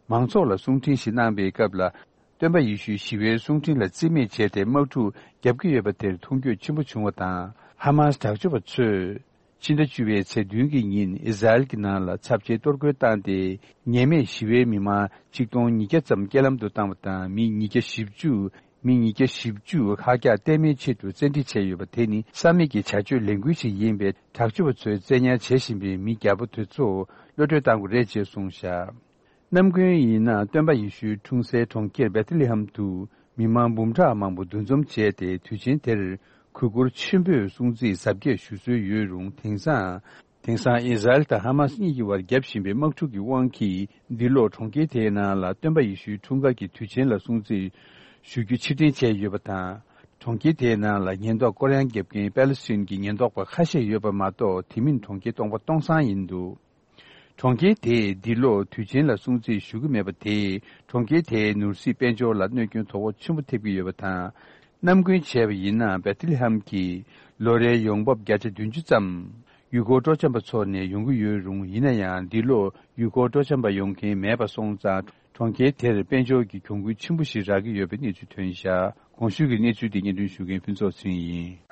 མང་ཚོགས་ལ་གསུང་འཕྲིན་ཞིག་གནང་པའི་སྐབས་ལ། སྟོན་པ་ཡེ་ཤུའི་ཞི་བའི་གསུང་འཕྲིན་ལ་རྩིས་མེད་བྱས་ཏེ་དམག་འཁྲུག་བརྒྱབ་ཀྱི་ཡོད་པ་དེར་མཐོང་འགྱོད་ཆེན་པོ་བྱུང་བ་དང་། ཧ་མཱས་དྲག་སྤྱོད་པ་ཚོས་ཕྱི་ཟླ་བཅུ་པའི་ཚེས་བདུན་གྱི་ཉིན་ཨི་ཟ་རེལ་གྱི་ནང་ལ་ཚབས་ཆེའི་གཏོར་རྒོལ་བཏང་སྟེ། ཉེས་མེད་ཞི་བའི་མི་མང་ཆིག་སྟོང་ཉིས་བརྒྱ་ཙམ་རྐྱེན་ལམ་དུ་བཏང་བ་དང་། མི་ཉིས་བརྒྱ་བཞི་བཅུ། མི་ཉིས་བརྒྱ་བཞི་བཅུ་ཁག་རྒྱག་གཏན་མེད་ཆེད་དུ་བཙན་ཁྲིད་བྱས་ཡོད་པ་དེ་ནི་བསམ་མེད་ཀྱི་བྱ་སྤྱོད་ལས་འགུལ་ཞིག་ཡིན་པས། དྲག་སྤྱོད་པ་ཚོས་བཙན་ཉར་བྱེད་བཞིན་པའི་མི་བརྒྱ་པོ་དེ་ཚོ་གློད་གྲོལ་གཏང་དགོས་རེད་ཅེས་གསུངས་བཞག་ནམ་རྒྱུན་ཡིན་ན་སྟོན་པ་ཡེ་ཤུའི་འཁྲུངས་སའི་གྲོང་ཁྱེར་བེ་ཐི་ལེ་ཧམ་དུ་མི་མང་འབུམ་ཕྲག་མང་པོ་འདུ་འཛོམས་བྱས་ཏེ། དུས་ཆེན་དེར་གུས་བཀུར་ཆེན་པོས་སྲུང་བརྩི་གཟབ་རྒྱས་ཞུ་སྲོལ་ཡོད་རུང་། དེང་སང་། དེང་སང་ཨི་ཟ་རེལ་དང་ཧ་མཱས་གཉིས་ཀྱི་བར་བརྒྱབ་བཞིན་པའི་དམག་འཁྲུག་གི་དབང་གིས། འདི་ལོ་གྲོང་ཁྱེར་དེའི་ནང་ལ་སྟོན་པ་ཡེ་ཤུའི་འཁྲུངས་སྐར་གྱི་དུས་ཆེན་ལ་སྲུང་བརྩི་ཞུ་རྒྱུ་ཕྱིར་འཐེན་བྱས་ཡོད་པ་དང་། གྲོང་ཁྱེར་དེའི་ནང་ལ་ཉེན་རྟོག་སྐོར་གཡང་བརྒྱབ་མཁན་པེ་ལེ་སི་ཐན་གྱི་ཉེན་རྟོག་པ་ཁ་ཤས་ཡོད་པ་མ་གཏོགས། དེ་མིན་གྲོང་ཁྱེར་སྟོང་པ་སྟོང་སང་ཡིན་འདུག་གྲོང་ཁྱེར་དེས་འདི་ལོ་དུས་ཆེན་ལ་སྲུང་བརྩི་ཞུ་གི་མེད་པ་དེས། གྲོང་ཁྱེར་དེའི་ནོར་སྲིད་དཔལ་འབྱོར་ལ་གནོད་སྐྱོན་དོ་ཕོག་ཆེན་པོ་ཐེབས་ཀྱི་ཡོད་པ་དང་། ནམ་རྒྱུན་བྱས་པ་ཡིན་ན། བེ་ཐི་ལེ་ཧམ་གྱི་ལོ་རེའི་ཡོང་འབབ་བརྒྱ་ཆ་བདུན་ཅུ་ཙམ་ཡུལ་སྐོར་སྤྲོ་འཆམ་པ་ཚོ་ནས་ཡོང་གི་ཡོད་རུང་། ཡིན་ན་ཡང་། འདི་ལོ་ཡུལ་སྐོར་སྤྲོ་འཆམ་པ་ཡོང་མཁན་མེད་པ་སོང་ཙང་། གྲོང་ཁྱེར་དེར་དཔལ་འབྱོར་གྱི་གྱོང་གུན་ཆེན་པོ་ཞིག་རག་གི་ཡོད་པའི་གནས་ཚུལ་ཐོན་བཞག་གོང་ཞུས་ཀྱི་གནས་ཚུལ་དེ་སྙན་སྒྲོན་ཞུ་མཁན་ཕུན་ཚོགས་ཚེ་རིང་ཡིན།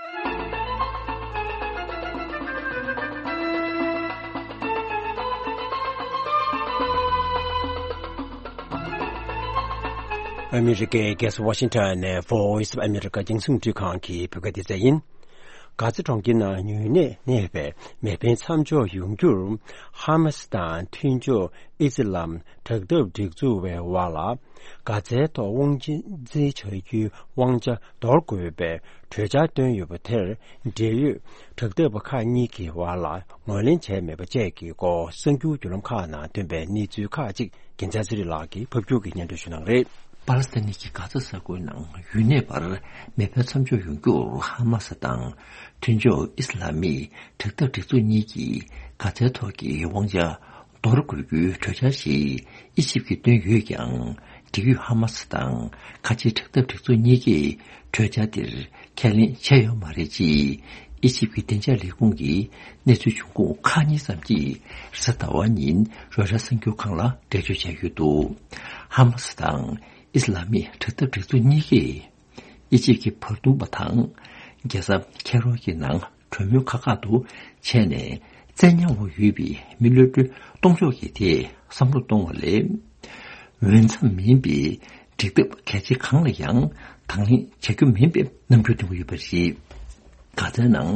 ཨ་མི་རི་ཀའི་རྒྱལ་ས་ཝ་ཤིང་ཊོན་ནས་Voice of America རྒྱང་སྲིང་འཕྲིན་ཁང་གི་བོད་སྐད་སྡེ་ཚན་ཡིན། གྷ་ཛ་གྲོང་ཁྱེར་ནང་ཉུང་གནས་གནས་པའི་མེ་འཕེན་མཚམས་འཇོག་ཡོང་རྒྱུར། ཧ་མ་སི་དང་མཐུན་ཕྱོགས་ཨི་སི་ལམ་དྲག་འཐབ་སྒྲིག་འཛུགས་བའི་བར་ལ། གྷ་ཛའི་ཐོག་དབང་འཛིན་བྱ་རྒྱུའི་དབང་ཆ་འདོར་དགོས་པའི་གྲོས་འཆར་བཏོན་ཡོད་པ་དེར། འབྲེལ་ཡོད་དྲག་འཐབ་པ་ཁག་གཉིས་ཀྱི་བར་ལ་ངོས་ལེན་བྱས་མེད་པ་བཅས་ཀྱི་སྐོར། གསར་འགྱུར་བརྒྱུད་ལམ་ཁག་ནང་ཐོན་པའི་གནས་ཚུལ་ཁག་ཅིག་རྒྱལ་མཚན་ཚེ་རིང་ལགས་ཀྱིས་ཕབ་སྒྱུར་གྱིས་སྙན་སྒྲོན་ཞུ་གནང་གི་རེད། པ་ལི་སི་ཐན་གྱི་གྷ་ཛ་ས་ཁུལ་ནང་ཡུན་གནས་བར་མེ་འཕེན་མཚམས་འཇོག་ཡོང་རྒྱུར་ཧ་མ་སི་དང་མཐུན་ཕྱོགས་ཨི་སི་ལ་མིའི་དྲག་འཐབ་སྒྲིག་འཛུགས་གཉིས་ཀྱིས་གྷ་ཛའི་ཐོག་གི་དབང་ཆ་འདོར་དགོས་རྒྱུའི་གྲོས་འཆར་ཞིག་ཨི་ཇིབ་ཀྱིས་བཏོན་ཡོད་ཀྱང་། འབྲེལ་ཡོད་ཧ་མ་སི་དང་ཁ་ཆེའི་དྲག་འཐབ་སྒྲིག་འཛུགས་གཉིས་ཀས་གྲོས་འཆར་དེར་ཁས་ལེན་བྱས་ཡོད་མ་རེད་ཅེས་ཨི་ཇིབ་ཀྱི་བདེ་འཇགས་ལས་ཁུངས་ཀྱི་གནས་ཚུལ་འབྱུང་ཁུངས་ཁག་གཉིས་ཙམ་གྱིས་རེས་གཟའ་ཟླ་བ་ཉིན་རོའི་ཊར་གསར་འགྱུར་ཁང་ལ་འགྲེལ་བརྗོད་བྱས་ཡོད་འདུག་ཧ་མ་སི་དང་ཨི་སི་ལ་མིའི་དྲག་འཐབ་སྒྲིག་འཛུགས་གཉིས་ཀས་ཨི་ཇིབ་ཀྱི་བར་འདུམ་པ་དང་རྒྱལ་ས་ཁེ་རོ་གི་ནང་གྲོས་མོལ་ཁག་ཁག་ཏུ་བྱས་ནས་བཙན་ཉར་འོག་ཡོད་པའི་མི་གློད་གྲོལ་གཏོང་ཕྱོགས་ཀྱི་ཐད་བསམ་བློ་གཏོང་བ་ལས། འོས་འཚམ་མིན་པའི་འགྲིག་ཐབས་གལ་ཆེ་གང་ལ་ཡང་དང་ལེན་བྱ་རྒྱུ་མིན་པའི་རྣམ་འགྱུར་སྟོན་གྱི་ཡོད་པ་རེད། གྷ་ཛའི་ནང་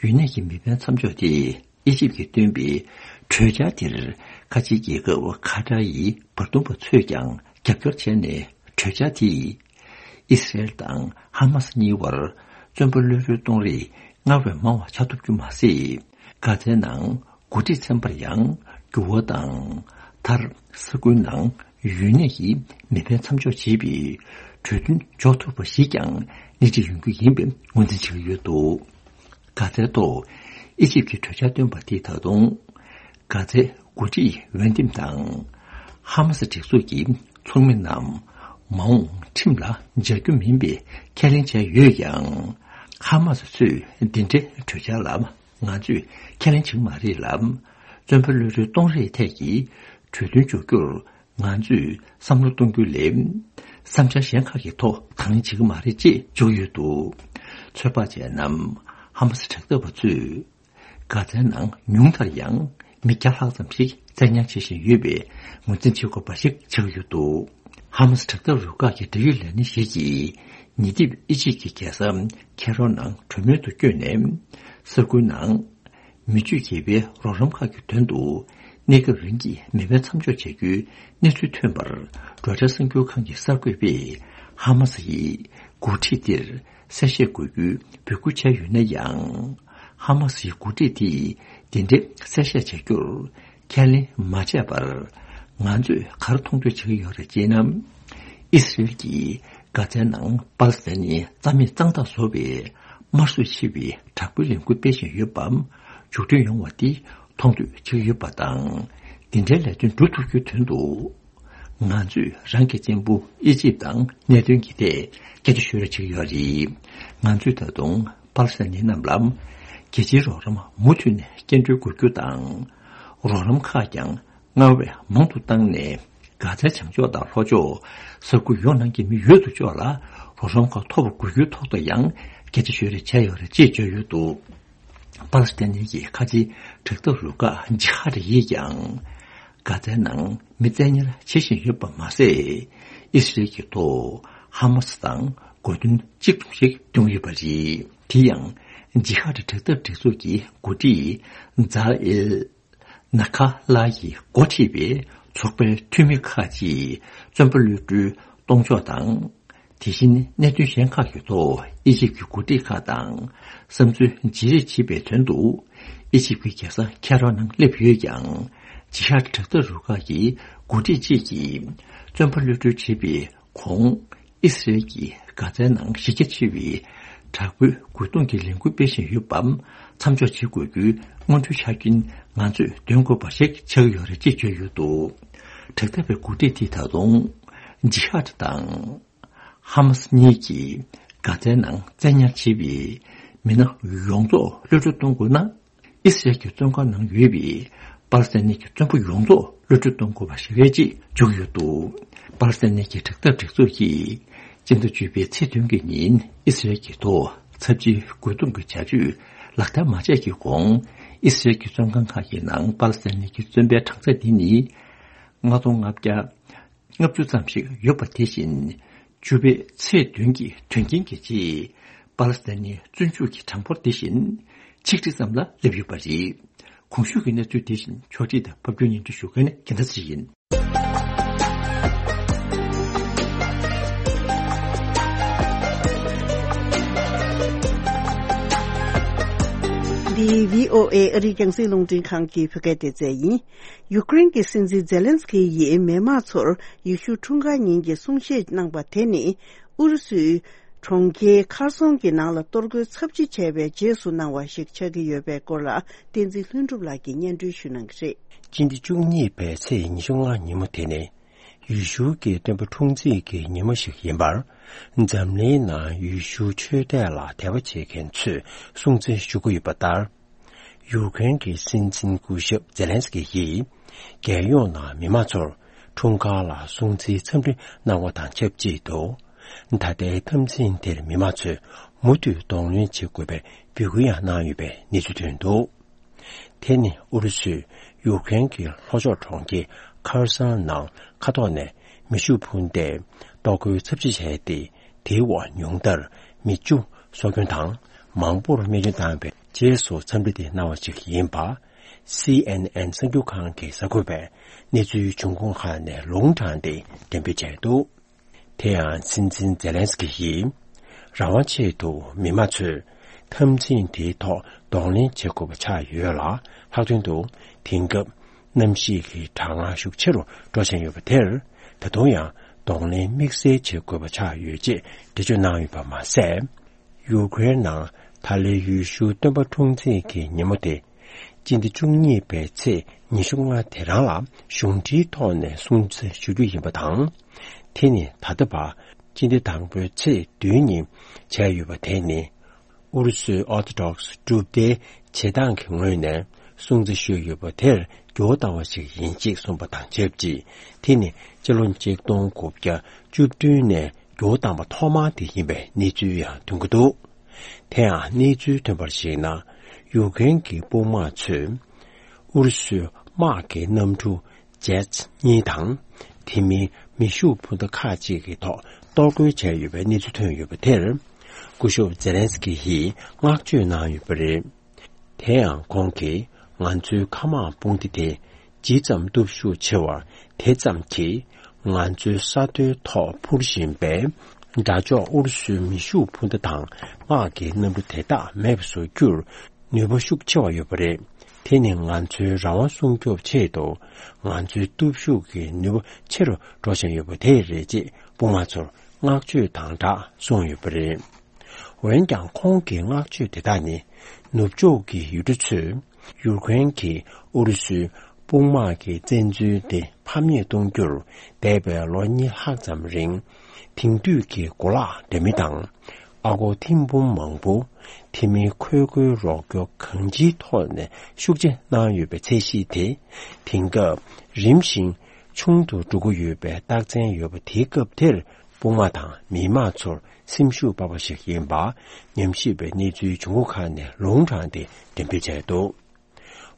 ཡུན་གནས་ཀྱི་མེ་འཕེན་མཚམས་འཇོག་དེ་ཨི་ཇིབ་ཀྱིས་བཏོན་པའི་གྲོས་འཆར་དེར་ཁ་ཆེའི་རྒྱལ་ཁབ་ཁ་ཏར་ཡི་བར་འདུམ་པ་ཚོས་ཀྱང་རྒྱབ་སྐྱོར་བྱས་ནས་གྲོས་འཆར་དེས་ཨི་སི་རེལ་དང་ཧ་མ་སི་གཉིས་བར་བཙོན་པ་གློད་གྲོལ་གཏོང་རེས་སྔར་བས་མང་བ་ཆགས་ཐུབ་རྒྱུ་མ་ཟད། གྷ་ཛའི་ནང་འགོ་ཁྲིད་ཚན་པར་ཡང་འགྱུར་བ་དང་། མཐར་ས་ཁུལ་ནང་ཡུན་གནས་ཀྱིས་མེ་འཕེན་མཚམས་འཇོག་བྱེད་པའི་གྲོས་མཐུན་འཇོག་ཐུབ་པ་ཞིག་ཀྱང་སྣེ་ཁྲིད་ཡོང་རྒྱུ་ཡིན་པའི་ངོས་འཛིན་བྱེད་ཀྱི་ཡོད་འདུག་གྷ་ཛའི་ཐོག་ཨི་ཇིབ་ཀྱིས་གྲོས་འཆར་བཏོན་པ་དེས་ད་དུང་གྷ་ཛའི་འགོ་ཁྲིད་འོས་འདེམས་དང་ཧ་མ་སི་སྒྲིག་འཛུགས་ཀྱི་ཚོགས་མི་རྣམས་མ་འོངས་ཁྲིམས་ལ་སྦྱར་རྒྱུ་མིན་པའི་ཁས་ལེན་བྱས་ཡོད་ཀྱང་། ཧ་མ་སི་ཚོས་འདི་འདྲའི་གྲོས་འཆར་ལ། ང་ཚོས་ཁས་ལེན་བྱེད་ཀྱི་མ་རེད་ལ། བཙོན་པ་གློད་གྲོལ་གཏོང་རེས་ཐད་ཀྱི་གྲོས་མཐུན་འཇོག་རྒྱུར་ང་ཚོས་བསམ་བློ་གཏོང་རྒྱུ་ལས། བསམ་འཆར་གཞན་ཁག་གི་ཐོག་དང་ལེན་བྱེད་ཀྱི་མ་རེད་ཅེས་བརྗོད་ཡོད་འདུག་ཚོད་དཔག་བྱས་ན། ཧ་མ་སི་དྲག་འཐབ་པ་ཚོས་གྷ་ཛའི་ནང་ཉུང་མཐར་ཡང་མི་བརྒྱ་ལྷག་ཙམ་ཞིག་བཙན་ཉར་བྱེད་བཞིན་ཡོད་པའི་ངོས་འཛིན་བྱེད་དགོས་པ་ཞིག་ཆགས་ཡོད་འདུག་ཧ་མ་སི་དྲག་འཐབ་རུ་ཁག་གི་འབྲེལ་ཡོད་ལས་སྣེ་ཞིག་གིས་ཉེ་དུས་ཨི་ཇིབ་ཀྱི་རྒྱལ་ས་ཁེ་རོ་ནང་གྲོས་མོལ་དུ་བསྐྱོད་ནས། ས་ཁུལ་ནང་མི་སྤྱོད་དགེ་བའི་རོགས་རམ་ཁག་གི་དོན་དུ་གནས་སྐབས་རིང་གི་མེ་འཕེན་མཚམས་འཇོག་བྱ་རྒྱུའི་གནས་ཚུལ་ཐོན་པར། རོའི་ཊར་གསར་འགྱུར་ཁང་གི་གསར་འགོད་པས་ཧ་མ་སི་ཡི་འགོ་ཁྲིད་དེར་གསལ་བཤད་དགོས་རྒྱུའི་འབོད་སྐུལ་བྱས་ཡོད་ན་ཡང་། ཧ་མ་སི་ཡི་འགོ་ཁྲིད་དེས་དེ་འདྲའི་གསལ་བཤད་བྱ་རྒྱུར་ཁས་ལེན་མ་བྱས་པར། ང་ཚོས་ག་རེ་མཐོང་ཐོས་བྱེད་ཀྱི་ཡོད་རེད་ཅེ་ན། ཨི་སི་རེལ་གྱིས་གྷ་ཛའི་ནང་པ་ལི་སི་ཐན་ནི་རྩ་མེད་གཙང་དག་བཟོ་བའི་དམར་གསོད་ཆེ་བའི་དྲག་པོའི་ལས་འགུལ་སྤེལ་བཞིན་ཡོད་པ་མཇུག་སྐྱོང་ཡོང་བ་དེ་མཐོང་ཐོས་བྱེད་ཀྱི་ཡོད་པ་དང་། འདི་འདྲའི་ལས་དོན་སྒྲུབ་ཐུབ་རྒྱུའི་དོན་དུ། ང་ཚོས་རང་གི་གཅེན་པོ་ཨི་ཇིབ་དང་གནད་དོན་གྱི་ཐད་སྐད་ཆ་ཤོད་རེས་བྱེད་ཀྱི་ཡོད་རེད། ང་ཚོས་ད་དུང་པ་ལི་སི་ཐན་རྣམས་ལ་རྒྱལ་སྤྱིའི་རོགས་རམ་མུ་མཐུད་ནས་སྐྱིན་འགྲུལ་དགོས་རྒྱུ་དང་། རོགས་རམ་ཁག་ཀྱང་སྔར་བས་མང་དུ་བཏང་ནས། གྷ་ཛའི་བྱང་ཕྱོགས་དང་ལྷོ་ཕྱོགས་ས་ཁུལ་ཡོངས་ནང་གི་མི་ཡོད་དོ་ཅོག་ལ་རོགས་རམ་ཁག་ཐོབ་པ་དགོས་རྒྱུའི་ཐོག་ཏུ་ཡང་སྐད་ཆ་ཤོད་རེས་བྱས་ཡོད་རེད་ཅེས་བརྗོད་ཡོད་འདུག་པ་ལི་སི་ཐན་གྱི་ཁ་ཆེའི་དྲག་འཐབ་རུ་ཁག་ཇི་ཧ་ཌི་ཡིས་ཀྱང་། གྷ་ཛའི་ནང་མི་བཙན་ཉར་བྱེད་བཞིན་ཡོད་པ་མ་ཟད། ཨི་སི་རེལ་གྱི་ཐོག་ཧ་མ་སི་དང་གོ་མཐུན་གཅིག་མཚུངས་ཤིག་བསྐྱོན་ཡོད་པ་རེད། དེ་ཡང་ཇི་ཧ་ཌི་དྲག་འཐབ་སྒྲིག་འཛུགས་ཀྱི་འགོ་ཁྲིད་ཛཱ་ཨེལ། ན་ཁ་ལ་ཡིས་འགོ་ཁྲིད་པའི་ཚོགས་པའི་འཐུས་མི་ཁག་ཅིག་བཙོན་པ་གློད་གྲོལ་གཏོང་ཕྱོགས་དང་། དེ་བཞིན་གནད་དོན་གཞན་ཁག་གི་ཐོག་ཨི་ཇིབ་ཀྱི་འགོ་ཁྲིད་ཁག་དང་བསམ་ཚུལ་བརྗེ་རེས་བྱེད་པའི་དོན་དུ། ཨི་ཇིབ་ཀྱི་རྒྱལ་ས་ཁེ་རོ་ནང་སླེབས་ཡོད་ཀྱང་། ཇི་ཧ་ཌི་དྲག་འཐབ་རུ་ཁག་གི་འགོ་ཁྲིད་ཅིག་གིས་བཙོན་པ་གློད་གྲོལ་བྱེད་པའི་གོང་། ཨི་སི་རེལ་གྱིས་གྷ་ཛའི་ནང་གཞི་རྒྱ་ཆེ་བའི་དྲག་པོའི་རྒོལ་རྡུང་གི་ལས་འགུལ་སྤེལ་བཞིན་ཡོད་པ་མཚམས་འཇོག་བྱེད་དགོས་རྒྱུའི་སྔོན་འགྲོའི་ཆ་རྐྱེན་ང་ཚོས་འདོན་དགོས་པ་ཞིག་ཆགས་ཡོད་རེད་ཅེས་བརྗོད་ཡོད་འདུག་དྲག་འཐབ་པའི་འགོ་ཁྲིད་དེས་ད་དུང་ཇི་ཧ་ཌི་དང་ཧ་མ་སི་གཉིས་ཀྱིས་གྷ་ཛའི་ནང་བཙན་ཉར་བྱས་པའི་མི་སྣ་ཡོངས་རྫོགས་གློད་གྲོལ་གཏོང་དགོས་ན། ཨི་སི་རལ་གྱི་བཙོན་ཁང་ནང་ཡོད་པའི་པ་ལི་སི་ཐན་གྱི་བཙོན་པ་ཡོངས་རྫོགས་གློད་གྲོལ་གཏོང་དགོས་པ་ཞིག་རེད་ཅེས་བརྗོད་ཡོད་འདུག་པ་ལི་སི་ཐན་གྱི་དྲག་འཐབ་སྒྲིག་འཛུགས་ཀྱིས་སྤྱི་ཟླ་བཅུ་པའི་ཚེས་བདུན་གྱི་ཉིན་ཨི་སི་རལ་གྱི་ཐོག་ཚབས་ཆེའི་རྒོལ་རྡུང་གི་བྱ་སྤྱོད་ལག་བསྟར་མ་བྱས་ཀྱི་གོང་། ཨི་སི་རལ་གྱི་བཙོན་ཁང་ཁག་གི་ནང་པ་ལི་སི་ཐན་གྱི་བཙོན་པའི་གྲངས་ཚད་འདི་ནི་ལྔ་སྟོང་ལྔ་བརྒྱ་ལྔ་བཅུ་ཙམ་ཞིག་ཡོད་པ་དེ་བཞིན། བཅུ་པའི་ཚེས་བདུན་གྱི་དོན་རྐྱེན་གྱི་རྗེས། པ་ལི་སི་ཐན་ནི་བཙོན་འཇུག་གི་གྲངས་འབོར་དེ་བཞིན་ཆིག་ཁྲི་ཙམ་ལ་སླེབས་ཡོད་པ་རེད། གོང་ཞུས་ཀྱི་གནས་ཚུལ་དེ་བཞིན་ཕྱོགས་སྒྲིག་དང་ཕབ་སྒྱུར་སྙན་སྒྲོན་ཞུ་མཁན་རྒྱལ་མཚན་ཚེ་རིང་ཡིན། འདི་བྷི་ཨོ་ཨེ་ཨ་རིའི་རྒྱང་སྲིང་རླུང་འཕྲིན་ཁང་གི་བོད་སྐད་སྡེ་ཚན་ཡིན། ཡུཀ་རེན་གྱི་སྲིད་འཛིན་ཛེ་ལན་སི་ཀི་ཡིས་མེ་མང་ཚོར་ཡེ་ཤུ་འཁྲུངས་སྐར་ཉིན་གྱི་གསུང་བཤད་གནང་པ་དེ་ནི། ཨུ་རུ་སུའི་གྲོང་ཁྱེར་ཁར་སོང་གི་ནང་ལ་གཏོར་རྒོལ་ཚབས་ཆེ་བྱས་པའི་རྗེས་སུ་གནང་བ་ཞིག་ཆགས་ཀྱི་ཡོད་པའི་སྐོར་ལ། བསྟན་འཛིན་ལྷུན་གྲུབ་ལགས་ཀྱིས་སྙན་སྒྲོན་ཞུ་གནང་གི་རེད། སྤྱི་ཟླ་བཅུ་གཉིས་པའི་ཚེས་ཉི་ཤུ་ལྔ་ཉིན་མོ་དེ་ནི། ཡེ་ཤུ་གི་སྟོན་པ་འཁྲུངས་ཚེས་ཀྱི་ཉིན་མོ་ཞིག་ཡིན་པར། འཛམ་གླིང་ནང་ཡེ་ཤུ་ཆོས་དད་ལ་དད་པ་བྱེད་མཁན་ཚོས་སྲུང་བརྩི་ཞུ་གི་ཡོད་པ་ལྟར། ཡུཀ་རེན་གྱི་སྲིད་འཛིན་སྐུ་ཞབས་ཛེ་ལན་སི་ཀི་ཡིས། རྒྱལ་ཡོངས་ནང་མི་མང་ཚོར་འཁྲུངས་སྐར་ལ་སྲུང་བརྩིའི་འཚམས་འདྲི་གནང་བ་དང་ཆབས་ཅིག་ཏུ། ད་ལྟའི་འཐབ་འཛིང་དེར་མི་མང་ཚོས་མུ་མཐུད་གདོང་ལེན་བྱེད་དགོས་པའི་འབོད་སྐུལ་ཡང་གནང་ཡོད་པའི་གནས་ཚུལ་ཐོན་འདུག་དེ་ནི་ཨུ་རུ་སུས་ཡུཀ་རེན་གྱི་ལྷོ་ཕྱོགས་གྲོང་ཁྱེར་ཁར་སང་ནང་མཁའ་ཐོག་ནས་མེ་ཤུགས་འཕུར་མདེལ་གཏོར་རྒོལ་ཚབས་ཆེ་བྱས་ཏེ། དེའི་འོག་ཉུང་མཐར་མི་བཅུ་སྲོག་སྐྱོན་དང་མང་པོར་རྨས་སྐྱོན་བཏང་བའི་རྗེས་སུ་འཚམས་འདྲི་དེ་གནང་བ་ཞིག་ཡིན་པ། སི་ཨེན་ཨེན་གསར་འགྱུར་ཁང་གི་གསར་འགོད་པས་གནས་ཚུལ་འབྱུང་ཁུངས་ཁག་ནས་ལུང་དྲངས་ཏེ་འགྲེམས་སྤེལ་བྱས་འདུག་དེ་ཡང་སྲིད་འཛིན་ཛེ་ལན་སི་ཀི་ཡིས། རང་དབང་ཆེད་དུ་མི་མང་ཚོས་འཐབ་འཛིང་དེའི་ཐོག་གདོང་ལེན་བྱེད་དགོས་པ་ཆགས་ཡོད་ལ། ལྷག་དོན་དུ་དེང་སྐབས་གནམ་གཤིས་ཀྱི་གྲང་ངར་ཤུགས་ཆེ་རུ་འགྲོ་བཞིན་ཡོད་པ་དེར། ད་དུང་ཡང་གདོང་ལེན་དམིགས་བསལ་བྱེད་དགོས་པ་ཆགས་ཡོད་ཅེས་འགྲེལ་བརྗོད་གནང་ཡོད་པ་མ་ཟད། ཡུཀ་རེན་ནང་ད་ལོའི་ཡེ་ཤུ་སྟོན་པ་འཁྲུངས་ཚེས་ཀྱི་ཉིན་མོ་དེ། སྤྱི་ཟླ་བཅུ་གཉིས་པའི་ཚེས་ཉི་ཤུ་ལྔ་དེ་རང་ལ་གཞུང་འབྲེལ་ཐོག་ནས་སྲུང་བརྩི་ཞུ་རྒྱུ་ཡིན་པ་དང་། དེ་ནི་ད་ལྟ་བར་སྤྱི་ཟླ་དང་པོའི་ཚེས་བདུན་ཉིན་བྱས་ཡོད་པ་དེ་ནི། ཨུ་རུ་སུའི་ཨོ་ཐོ་ཌོག་སི་གྲུབ་མཐའི་བྱེད་སྟངས་ཀྱི་ངོས་ནས་སྲུང་བརྩི་ཞུས་ཡོད་པ་དེར་འགྱུར་བ་བཏང་བ་ཞིག་ཡིན་ཅེས་གསུངས་པ་དང་ཆབས་ཅིག་དེ་ནི་སྤྱི་ལོ་ཆིག་སྟོང་དགུ་བརྒྱ་བཅུ་བདུན་ནས། འགྱུར་བ་བཏང་པ་ཐོག་མ་དེ་ཡིན་པའི་གནས་ཚུལ་ཡང་ཐོན་གྱི་འདུག་དེ་ཡང་གནས་ཚུལ་ཐོན་པར་གཞིགས་ན། ཡུཀ་རེན་གྱི་དཔུང་དམག་ཚོས་ཨུ་རུ་སུའི་དམག་གི་གནམ་གྲུ་ཇེཊ་གཉིས་དང་། དེ་མིན་མེ་ཤུགས་འཕུར་མདའ་ཁག་ཅིག་གི་ཐོག་གཏོར་རྒོལ་བྱས་ཡོད་པའི་གནས་ཚུལ་ཐོན་ཡོད་པ་དེར། སྐུ་ཞབས་ཛེ་ལན་སི་ཀི་ཡིས་བསྔགས་བརྗོད་གནང་ཡོད་པ་རེད། དེ་ཡང་ཁོང་གིས་ང་ཚོའི་མཁའ་དམག་དཔུང་སྡེ་དེ་ཇི་ཙམ་སྟོབས་ཤུགས་ཆེ་བ་དེ་ཙམ་གྱིས་ང་ཚོའི་ས་མཐོའི་ཐོག་འཕུར་བཞིན་པའི་དགྲ་ཕྱོགས་ཨུ་རུ་སུའི་མེ་ཤུགས་འཕུར་མདའ་དང་དམག་གི་གནམ་གྲུ་དེ་དག་མེད་པ་བཟོ་རྒྱུར་ནུས་པ་ཤུགས་ཆེ་བ་ཡོད་པ་རེད། དེ་ནི་ང་ཚོའི་རང་དབང་སྲུང་སྐྱོབ་ཆེད་དུ་ང་ཚོའི་སྟོབས་ཤུགས་ཀྱི་ནུས་པ་ཆེ་རུ་འགྲོ་བཞིན་ཡོད་པ་དེ་རེད་ཅེས་དཔུང་དམག་ཚོར་བསྔགས་བརྗོད་དང་སྦྲགས་གསུངས་ཡོད་པ་རེད། འོན་ཀྱང་ཁོང་གི་བསྔགས་བརྗོད་དེ་དག་ནི་ནུབ་ཕྱོགས་ཀྱི་ཡུལ་གྲུ་ཚོས་ཡུཀ་རེན་གྱི་ཨུ་རུ་སུའི་དཔུང་དམག་གི་བཙན་འཛུལ་དེ་ཕམ་ཉེས་གཏོང་རྒྱུར་འདས་པའི་ལོ་གཉིས་ལྷག་ཙམ་རིང་དེང་དུས་ཀྱི་གོ་ལག་འདྲ་མིན་དང་ཨ་སྒོར་ཐེར་འབུམ་མང་པོ་དེ་མིན་འཁོར་སྒོའི་རོགས་སྐྱོར་གང་ཅིའི་ཐོག་ནས་ཤུགས་ཆེ་གནང་ཡོད་པའི་ཚད་གཞི་དེ་དེང་སྐབས་རིམ་བཞིན་ཆུང་དུ་འགྲོ་གི་ཡོད་པའི་རྟགས་མཚན་ཡོད་པ་དེའི་སྐབས་དེར། དཔུང་དམག་དང་མི་དམངས་ཚོར་སེམས་ཤུགས་སྤར་བ་ཞིག་ཡིན་པ་ཉམས་ཞིབ་པའི་གནས་ཚུལ་འབྱུང་ཁུངས་ཁག་ནས་ལུང་དྲངས་ཏེ་འགྲེམས་སྤེལ་བྱས་འདུག་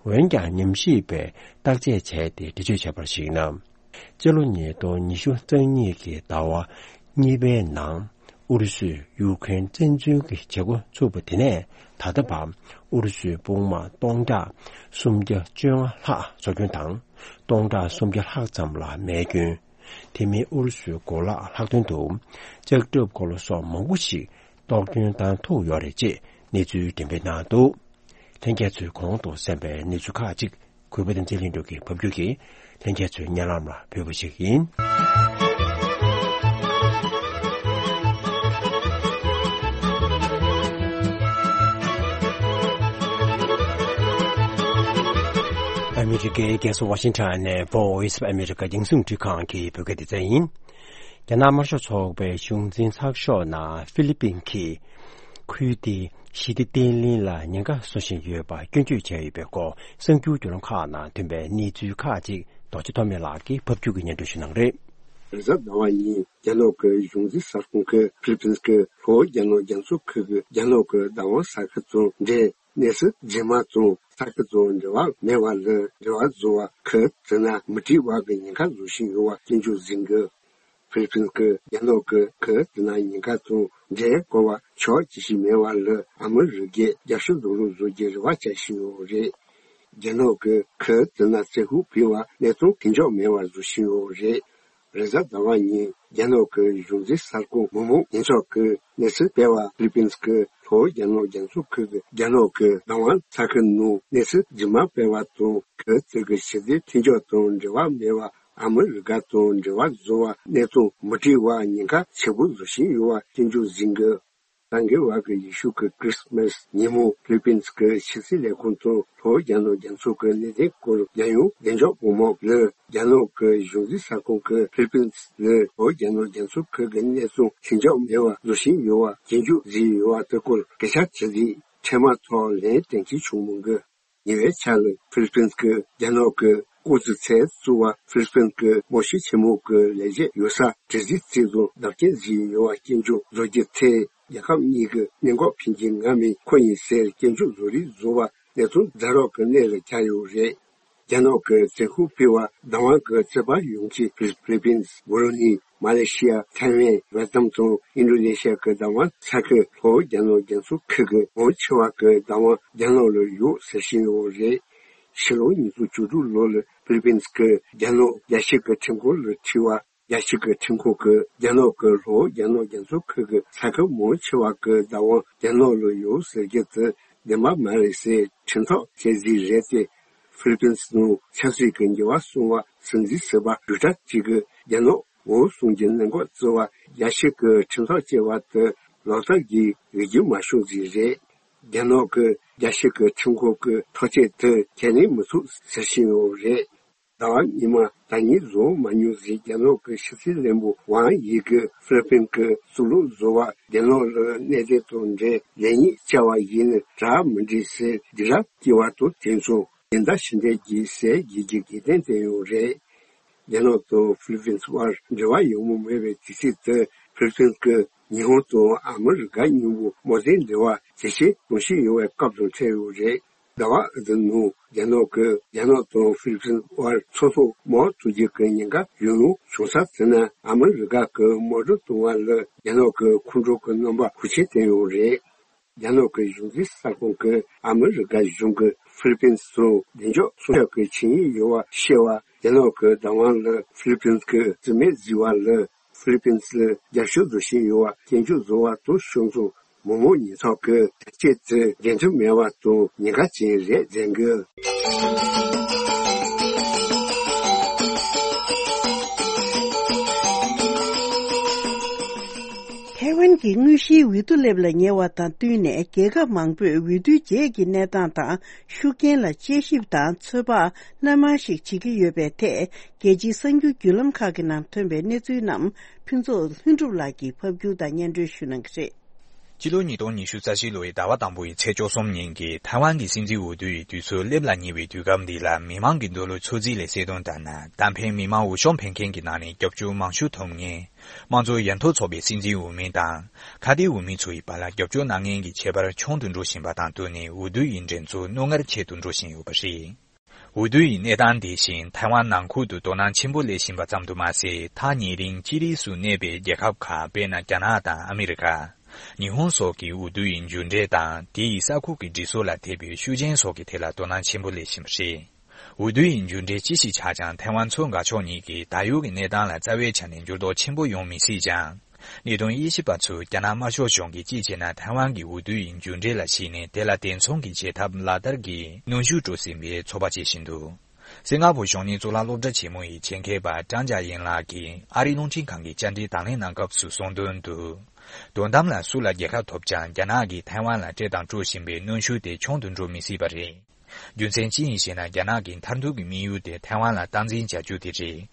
འོན་ཀྱང་ཉམས་ཞིབ་པས་བརྟག་དཔྱད་བྱས་ཏེ་འགྲེལ་བརྗོད་བྱས་པར་གཞིགས་ན། སྤྱི་ལོ་ཉིས་སྟོང་ཉི་ཤུ་རྩ་གཉིས་ཀྱི་ཟླ་བ་གཉིས་པའི་ནང་ཨུ་རུ་སུས་ཡུཀ་རེན་བཙན་འཛུལ་གྱི་བྱེད་སྒོ་ཚུགས་པ་དེ་ནས་ད་ལྟ་བར་ཨུ་རུ་སུའི་དཔུང་དམག་སྟོང་ཕྲག་སུམ་བརྒྱ་བཅོ་ལྔ་ལྷག་སྲོག་སྐྱོན་དང་སྟོང་ཕྲག་སུམ་བརྒྱ་ལྷག་ཙམ་ལ་རྨས་སྐྱོན། དེ་མིན་ཨུ་རུ་སུའི་གོ་ལག་ལྷག་དོན་དུ་ལྕགས་ཁྲབ་འཁོར་ལོ་སོགས་མང་པོ་ཞིག་གཏོར་སྐྱོན་བཏང་ཐུབ་ཡོད་རེད་ཅེས་གནས་ཚུལ་འགྲེམས་སྤེལ་གནང་འདུག་ལྷན་རྒྱས་ཚོས་གོང་དུ་གསན་པའི་གནས་ཚུལ་ཁག་ཅིག་གུས་པ་བསྟན་འཛིན་ལྷུན་གྲུབ་ཀྱིས་ཕབ་སྒྱུར་གྱིས་ལྷན་རྒྱས་ཚོའི་སྙན་ལམ་ལ་ཕུལ་བ་ཞིག་ཡིན། ཨ་མི་རི་ཀའི་རྒྱལ་ས་ཝ་ཤིང་ཊོན་ནས་Voice of America་རྒྱང་སྲིང་རླུང་འཕྲིན་ཁང་གི་བོད་སྐད་སྡེ་ཚན་ཡིན། རྒྱ་ནག་དམར་ཤོག་ཚོགས་པའི་གཞུང་འཛིན་ཚགས་ཤོག་ནང་ཧྥི་ལི་པིན་གྱིས་ཁུལ་དེའི་ཞི་བདེ་བརྟན་ལྷིང་ལ་ཉེན་ཁ་བཟོ་བཞིན་ཡོད་པ་སྐྱོན་བརྗོད་བྱས་ཡོད་པའི་སྐོར་གསར་འགྱུར་བརྒྱུད་ལམ་ཁག་ནང་ཐོན་པའི་གནས་ཚུལ་ཁག་ཅིག་རྡོ་རྗེ་ཐོགས་མེད་ལགས་ཀྱིས་ཕབ་སྒྱུར་གྱིས་སྙན་སྒྲོན་ཞུ་གནང་རེད། རེས་གཟའ་ཟླ་བ་ཉིན་རྒྱ་ནག་གི་གཞུང་འཛིན་ས་ཁོངས་ཁུལ་ཧྥི་ལི་པིན་གྱི་ལྷོ་རྒྱ་ནག་རྒྱ་མཚོ་ཁུལ་གྱི་རྒྱ་ནག་གི་བདག་དབང་ས་ཁུལ་དང་འབྲེལ་གནས་ཚུལ་རྗེས་མ་དང་ས་ཁུལ་དང་འབྲེལ་བ་མེད་པ་ལ་འབྲེལ་བ་བཟོ་བ་ཁུལ་དེ་ན་མི་སྒྲིག་པ་གི་ཉེན་ཁ་བཟོ་བཞིན་ཡོད་པ་སྐྱོན་བརྗོད་ཟིན་གི། ཧྥི་ལི་པིན་གྱི་རྒྱ་ནག་གི་ཁུལ་དེ་ན་ཉེན་ཁ་དང་འབྲེལ་གོ་བ་ཆོག་ཅི་ཞིག་མེད་པ་ལ་ཨ་མི་རི་ཀས་རྒྱབ་ཤུགས་བཟོ་རོགས་བཟོ་རྒྱུའི་རེ་བ་བྱ་བཞིན་ཡོད་རེད། རྒྱ་ནག་གི་ཁུལ་དེ་ན་བཙན་ཤུགས་སྤེལ་བ་གནས་སྟངས་གང་མགྱོགས་མེད་པ་བཟོ་བཞིན་ཡོད་རེད། རེས་གཟའ་ཟླ་བ་ཉིན་རྒྱ་ནག་གི་གཞུང་འཛིན་གསར་ཁང་མི་མང་ཉེན་ཚོགས་ཀྱིས་གནས་ཚུལ་སྤེལ་བར། ཧྥི་ལི་པིན་གྱི་ལྷོ་རྒྱ་ནག་རྒྱ་མཚོ་ཁུལ་གྱི་རྒྱ་ནག་གི་བདག་དབང་ས་ཁུལ་ནང་གནས་ཚུལ་རྗེས་མ་སྤེལ་བ་དང་། ཁུལ་དེ་གི་ཕྱི་སྲིད་མཐུན་ཕྱོགས་དང་འབྲེལ་བ་མེད་པར་ཨ་མི་རི་ཀ་དང་འབྲེལ་བ་བཟོ་བར་གནས་སྟངས་མི་འཁྲུག་པར་ཉེན་ཁ་ཆེ་པོ་བཟོ་བཞིན་ཡོད་པ་སྐྱོན་བརྗོད་གཟིགས་འགོད། ད་གི་བར་གྱི་ཡེ་ཤུ་གི་ཁྲི་སི་མ་སི་ཉིན་མོ་ཧྥི་ལི་པིན་གྱི་ཕྱི་སྲིད་ལས་ཁུངས་དང་ལྷོ་རྒྱ་ནག་རྒྱ་མཚོ་གི་གནད་དོན་སྐོར་རྒྱལ་ཡོངས་བདེ་འཇགས་སྤོ་མོ་ལ་རྒྱ་ནག་གི་གཞུང་འཛིན་གསར་ཁང་གིས་ཧྥི་ལི་པིན་ལ་ལྷོ་རྒྱ་ནག་རྒྱ་མཚོ་ཁུལ་གྱི་གནས་སྟངས་ལྷིང་འཇགས་མེད་པ་བཟོ་བཞིན་ཡོད་པ་སྐྱོན་བརྗོད་བཟོས་ཡོད་པ་དེ་སྐོར་སྐད་ཆ་དྲིས་རྗེས་འཕྲལ་མ་ཐོག་ལན་གཏན་འཁེལ་བྱུང་མི་འདུག་ཉེ་བའི་ཆར་ལ་ཧྥི་ལི་པིན་གྱིས་རྒྱ་ནག་གི་ལྐོག་ཟ་ཚེ་བཙུགས་པ་ཧྥི་ལི་པིན་གྱི་མོ་ཤི་ཆེན་མོ་གི་ལས་བྱེད་ཡོད་ས་དྲི་རྩད་བྱས་དང་བརྡབ་སྐྱོན་བཟོས་ཡོད་པ་སྐྱོན་བརྗོད་བཟོ་རྒྱུ་དེ། རྒྱལ་ཁབ་གཉིས་ཀྱི་གནད་འགག་ཕན་ཚུན་ངོ་མས་མཁོ་ཡིན་ཟེར་སྐྱོན་བརྗོད་བཟོ་རིགས་བཟོ་བ་གནས་ཚུལ་ཛ་དྲག་གི་གནས་ལ་གྱར་ཡོད་རེད། རྒྱ་ནག་གི་བཙན་ཤེད་སྤེལ་བར་བདག་དབང་གི་རྩོད་པ་ཡོང་མཁན་ཧྥི་ལི་པིན། བྷུ་རུ་ནི། མ་ལེ་ཤི་ཡ། ཐའེ་ཝན། ཝེ་ཏི་ནམ་དང་ཨིན་ཌོ་ནེ་ཤི་ཡ་གི་བདག་དབང་ས་ཁུལ་ལྷོ་རྒྱ་ནག་རྒྱ་མཚོ་ཁུལ་གྱི་མང་ཆེ་བ་གི་བདག་དབང་རྒྱ་ནག་ལ་ཡོད་ཟེར་བཞིན་ཡོད་རེད། ཕྱི་ལོ་ཉིས་སྟོང་བཅུ་དྲུག་ལོ་ལ་ཧྥི་ལི་པིན་གྱིས་རྒྱ་ནག་རྒྱལ་སྤྱི་གི་ཁྲིམས་ཁང་ལ་ཁྲིད་པ། རྒྱལ་སྤྱི་གི་ཁྲིམས་ཁང་གིས་རྒྱ་ནག་གི་ལྷོ་རྒྱ་ནག་རྒྱ་མཚོ་ཁུལ་གྱི་ས་ཁུལ་མང་ཆེ་བ་གི་བདག་དབང་རྒྱ་ནག་ལ་ཡོད་ཟེར་རྒྱུ་དེ་བདེན་པ་མ་རེད་ཟེར་ཁྲིམས་ཐག་བཅད་རྩིས་རེད་དེ། ཧྥི་ལི་པིན་ནང་ཆབ་སྲིད་ཀྱི་འགྱུར་བ་སོང་བ་སུན་གཙེར་ཟེར་བ་གྲུབ་གྲབས་ཅིག་གིས་རྒྱ་ནག་འོག་སོང་རྒྱུ་གནད་འགག་བརྩི་བ་རྒྱལ་སྤྱི་གི་ཁྲིམས་ཐག་བཅད་པ་དེ་ལག་བསྟར་གྱི་འོས་བསྡུ་མ་བྱུང་ཟིག་རེད། རྒྱ་ནག་གི་རྒྱལ་སྤྱི་གི་ཁྲིམས་ཁང་གི་ཐག་བཅད་དེ་ཁས་ལེན་མི་ཐུབ་ཟེར་བཞིན་ཡོད་རེད། ཟླ་བ་སྔོན་མ་ཟླ་ཉིན་བཟོ་མ་མྱོང་ཟིག་རྒྱ་ནག་གི་ཕྱི་སྲིད་བློན་པོ་ཝང་ཡི་གིས་ཧྥི་ལི་པིན་གྱི་གཙུག་ལག་བཟོ་བ་རྒྱ་ནག་ལ་གནད་དོན་དང་འབྲེལ་ལེགས་ཉེས་བཅར་བ་ཡིན་ན་དྲག་མི་འགྲིག་ཟེར་སྡིགས་ར་སྐྱེ་བ་དང་དེ་མཚུངས་དེ་འདྲ་ཞིག་འདྲ་གྱིས་ཟེར་རྒྱལ་གྱི་དགེ་ལྡན་བསྟན་ཡོད་རེད། རྒྱ་ནག་དང་ཧྥི་ལི་པིན་བར་འབྲེལ་བ་ཡོང་མུས་མེད་པའི་དུས་ཚོད་དེ་ཧྥི་ལི་པིན་གྱིས་ཉི་ཧོང་དང་ཨ་མི་རི་ཀ་མཉམ་པོ་དམག་དོན་འབྲེལ་བ་ཇེ་ཆེར་གཏོང་བཞིན་ཡོད་པའི་སྐབས་དང་འཕྲད་ཡོད་རེད། ཟླ་བ་འདི་ནང་རྒྱ་ནག་གིས་རྒྱ་ནག་དང་ཧྥི་ལི་པིན་བར་མཚོ་ཐོག་དམག་འཁྲུག་རྒྱུ་གི་ཉེན་ཁ་ཡང་ཡང་བྱུང་ས་དེ་ནི་ཨ་མི་རི་ཀ་གིས་དམག་འཁྲུག་གཏོང་བ་ལ་རྒྱ་ནག་གིས་ཁོང་ཁྲོ་གི་རྣམ་པ་ཤུགས་ཆེ་བསྟན་ཡོད་རེད། རྒྱ་ནག་གི་གཞུང་འཛིན་གསར་ཁང་གིས་ཨ་མི་རི་ཀ་གཞུང་གིས་ཧྥི་ལི་པིན་ནང་བདེ་འཇགས་སྲུང་སྐྱོབ་ཀྱི་ཆིངས་ཡིག་ཡོད་པ་བཤད་པ། རྒྱ་ནག་གི་བདག་དབང་ལ་ཧྥི་ལི་པིན་གྱིས་རྩིས་མེད་བཟོས་པ་ལ་ཧྥི་ལི་པིན་ལ་རྒྱབ་སྐྱོར་བཟོ་བཞིན་ཡོད་པ་སྐྱོན་བརྗོད་བཟོ་བ་དང་ཕྱོགས་མཚུངས་མི་མང་ཉེན་ཚོགས་ཀྱིས་ཐག་གཅོད་དེ་འགྲན་བསྡུར་མེད་པ་དང་ཉེན་ཁ་ཅན་རེད་ཟེར་འགོད། ཐའེ་ཝན་གྱི་དངོས་གཞིའི་འོས་བསྡུ་སླེབས་ལ་ཉེ་བ་དང་བསྟུན་ནས་རྒྱལ་ཁབ་མང་པོས་འོས་བསྡུའི་རྗེས་ཀྱི་གནས་སྟངས་དང་ཤུགས་རྐྱེན་ལ་དཔྱད་ཞིབ་དང་ཚོད་དཔག་སྣ་མང་ཞིག་བྱེད་ཀྱི་ཡོད་པའི་ཐད། རྒྱལ་སྤྱིའི་གསར་འགྱུར་བརྒྱུད་ལམ་ཁག་གི་ནང་ཐོན་པའི་གནས་ཚུལ་རྣམས་ཕུན་ཚོགས་ལྷུན་གྲུབ་ལགས་ཀྱིས་ཕབ་སྒྱུར་དང་སྙན་སྒྲོན་ཞུ་གནང་གི་རེད། སྤྱི་ལོ་ཉིས་སྟོང་ཉི་ཤུ་རྩ་བཞི་ལོའི་ཟླ་བ་དང་པོའི་ཚེས་བཅུ་གསུམ་ཉིན་གྱི་ཐའེ་ཝན་གྱི་སྲིད་འཛིན་འོས་བསྡུ་ཡི་དུས་ཚོད་སླེབས་ལ་ཉེ་བའི་དུས་སྐབས་འདི་ལ་མི་མང་གི་འདོད་བློ་ཚོད་རྩིས་ལས་གསལ་དོན་ལྟར་ན། གཏན་འཁེལ་མི་མང་འོས་ཤོག་འཕེན་མཁན་གྱི་ནང་ནས་རྒྱབ་སྐྱོར་མང་ཤོས་ཐོབ་མཁན། དམངས་གཙོ་ཡར་ཐོན་ཚོགས་པའི་སྲིད་འཛིན་འོས་མི་དང་། ཁ་གཏད་འོས་མི་ཚོ་ཡི་བར་ལ་རྒྱབ་སྐྱོར་གནང་མཁན་གྱི་ཁྱད་པར་ཆུང་དུ་འགྲོ་བཞིན་པ་དང་བསྟུན་ནས་འོས་བསྡུ་ཡི་འགྲན་རྩོད་རྣོ་ངར་ཆེ་དུ་འགྲོ་བཞིན་ཡོད་པ་རེད། འོས་བསྡུ་ཡི་གནས་སྟངས་འདི་བཞིན་ཐའེ་ཝན་ནང་ཁུལ་དུ་དོ་སྣང་ཆེན་པོ་སླེབས་བཞིན་པ་ཙམ་དུ་མ་ཟད། ཐག་ཉེ་རིང་ཅི་རིགས་སུ་གནས་པའི་རྒྱལ་ཁབ་ཁག་དཔེར་ན་རྒྱ་ནག་དང་ཨ་མི་རི་ཀ། ཉི་ཧོང་སོགས་ཀྱི་འོས་བསྡུ་ཡི་མཇུག་འབྲས་དང་དེ་ཡི་ས་ཁུལ་གྱི་སྒྲིག་སྲོལ་ལ་དད་པའི་ཤུགས་རྐྱེན་སོགས་ཀྱི་ཐད་ལ་དོ་སྣང་ཆེན་པོ་སླེབས་བཞིན་པ་རེད། འོས་བསྡུ་ཡི་མཇུག་འབྲས་ཅི་ཞིག་ཆགས་ཀྱང་ཐའེ་ཝན་མཚོ་འགག་ཕྱོགས་གཉིས་ཀྱི་ད་ཡོད་ཀྱི་གནས་སྟངས་ལ་རྩ་བའི་ཆ་ནས་འགྱུར་ལྡོག་ཆེན་པོ་ཡོང་མི་སྲིད་ཀྱང་། གནད་དོན་དབྱེ་ཞིབ་པ་ཚོས་རྒྱ་ནག་དམར་ཤོག་གཞུང་གིས་གཅིག་བྱས་ན་ཐའེ་ཝན་གྱི་འོས་བསྡུ་ཡི་མཇུག་འབྲས་ལ་གཞིགས་ནས་དེ་ལ་དེ་མཚུངས་ཀྱི་བྱེད་ཐབས་ལག་བསྟར་གྱིས་གནོན་ཤུགས་སྤྲོད་སྲིད་པའི་ཚོད་དཔག་བྱེད་བཞིན་འདུག་སིང་ག་ཕོར་གཞོན་ནུའི་གཙུག་ལག་སློབ་གྲྭ་ཆེན་མོ་ཡི་ཆེད་མཁས་པ་ཀྲང་ཅཱ་ཡིན་ལགས་ཀྱིས་ཨ་རིའི་རླུང་འཕྲིན་ཁང་གི་བཅར་འདྲི་དང་ལེན་གནང་སྐབས་སུ་གསུངས་དོན་དུ། དོན་དམ་ལ་སུ་ལ་རྒྱལ་ཁ་ཐོབ་ཀྱང་རྒྱ་ནག་གིས་ཐའེ་ཝན་ལ་སྤྲད་དང་སྤྲོད་བཞིན་པའི་གནོན་ཤུགས་དེ་ཆུང་དུ་འགྲོ་མི་སྲིད་པ་རེད། རྒྱུ་མཚན་ཅི་ཡིན་ཞེ་ན། རྒྱ་ནག་གི་མཐར་ཐུག་གི་དམིགས་ཡུལ་དེ་ཐའེ་ཝན་ལ་སྟངས་འཛིན་བྱ་རྒྱུ་དེ་རེད།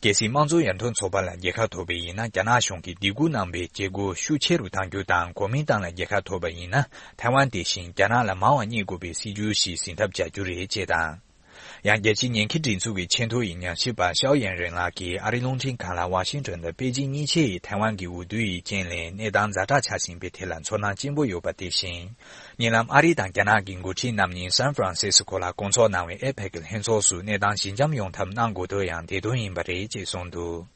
གལ་སྲིད་དམངས་གཙོ་ཡར་ཐོན་ཚོགས་པ་ལ་རྒྱལ་ཁ་ཐོབ་པ་ཡིན་ན། རྒྱ་ནག་གཞུང་གིས་སྡིགས་སྐུལ་གནང་བའི་བྱེད་སྒོ་ཤུགས་ཆེ་རུ་གཏང་རྒྱུ་དང་། གོ་མིན་ཏང་ལ་རྒྱལ་ཁ་ཐོབ་པ་ཡིན་ན། ཐའེ་ཝན་དེ་བཞིན་རྒྱ་ནག་ལ་མང་བ་བསྙེག་དགོས་པའི་སྲིད་ཇུས་ཤིག་འཛིན་ཐབས་བྱ་རྒྱུ་རེད་ཅེས་དང་། ཡང་རྒྱལ་སྤྱིའི་ཉེན་ཁའི་སྒྲིག་འཛུགས་ཀྱི་ཆེས་མཐོ་ཡི་ཉམས་ཞིབ་པ་ཤའོ་ཡན་རེན་ལགས་ཀྱིས་ཨ་རིའི་རླུང་འཕྲིན་ཁང་ལ་ཝ་ཤིང་ཊོན་དང་པེ་ཅིང་གཉིས་ཆའི་ཐའེ་ཝན་གྱི་འོས་བསྡུ་ཡི་རྐྱེན་ལས་གནས་སྟངས་ཛ་དྲག་ཆགས་བཞིན་པའི་ཐད་ལ་ཚོར་སྣང་ཆེན་པོ་ཡོད་པ་དེ་བཞིན། ཉེ་ལམ་ཨ་རི་དང་རྒྱ་ནག་གི་འགོ་ཁྲིད་རྣམ་གཉིས་སན་ཧྥ་རན་སིས་ཀོ་ལ་སྐོང་ཚོགས་གནང་བའི་ཨེ་པེག་གི་ལྷན་ཚོགས་སུ་གནས་སྟངས་ཞི་འཇམ་ཡོང་ཐབས་གནང་དགོས་དོན་ཡང་དེ་དོན་ཡིན་པ་རེད་ཅེས་གསུངས་འདུག་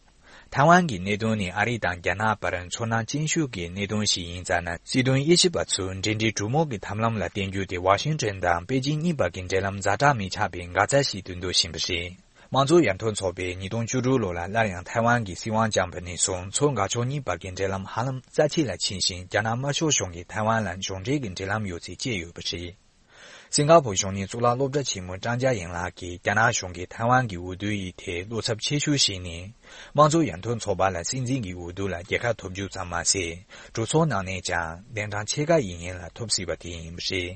ཐའེ་ཝན་གྱི་གནད་དོན་ནི་ཨ་རི་དང་རྒྱ་ནག་བར་ཚོར་སྣང་ཅན་ཤོས་ཀྱི་གནད་དོན་ཞིག་ཡིན་ཙང་ན། སྲིད་དོན་དབྱེ་ཞིབ་པ་ཚོས་འབྲེལ་འདྲིས་གྲོས་མོལ་གྱི་ཐབས་ལམ་ལ་བརྟེན་རྒྱུ་དེ་ཝ་ཤིང་ཊོན་དང་པེ་ཅིང་གཉིས་བར་གྱི་འབྲེལ་ལམ་ཛ་དྲག་མི་ཆགས་པའི་འགག་རྩ་ཞིག་ཏུ་འདོད་བཞིན་པ་རེད། དམངས་གཙོ་ཡར་ཐོན་ཚོགས་པས་ཉིས་སྟོང་བཅུ་དྲུག་ལོ་ལ་སླར་ཡང་ཐའེ་ཝན་གྱི་སྲིད་དབང་བསྐྱངས་པ་ནས་བཟུང་མཚོ་འགག་ཕྱོགས་གཉིས་བར་གྱི་འབྲེལ་ལམ་ཧ་ལམ་རྩ་ཆེ་ལ་ཕྱིན་ཞིང་། རྒྱ་ནག་དམར་ཤོག་གཞུང་གིས་ཐའེ་ཝན་ལ་གཞུང་འབྲེལ་གྱི་འབྲེལ་ལམ་ཡོད་ཚུལ་བཅས་ཡོད་པ་རེད། སིང་ག་ཕོར་གཞུང་གཉེར་གཙུག་ལག་སློབ་གྲྭ་ཆེན་མོའི་ཀྲང་ཅཱ་ཡན་ལགས་ཀྱིས་རྒྱ་ནག་གཞུང་གིས་ཐའེ་ཝན་གྱི་འོས་བསྡུ་ཡི་ཐད་བློ་འཚབ་ཆེ་ཤོས་ཤིག་ནི། དམངས་གཙོ་ཡར་ཐོན་ཚོགས་པ་ལ་སྲིད་འཛིན་གྱི་འོས་བསྡུ་ལ་རྒྱལ་ཁ་ཐོབ་རྒྱུ་ཙམ་མ་ཟད། གྲོས་ཚོགས་ནང་ནས་ཀྱང་གདན་གྲངས་ཕྱེད་ཀ་ཡིན་ཡན་ལ་ཐོབ་སྲིད་པ་དེ་ཡིན་པ་རེད།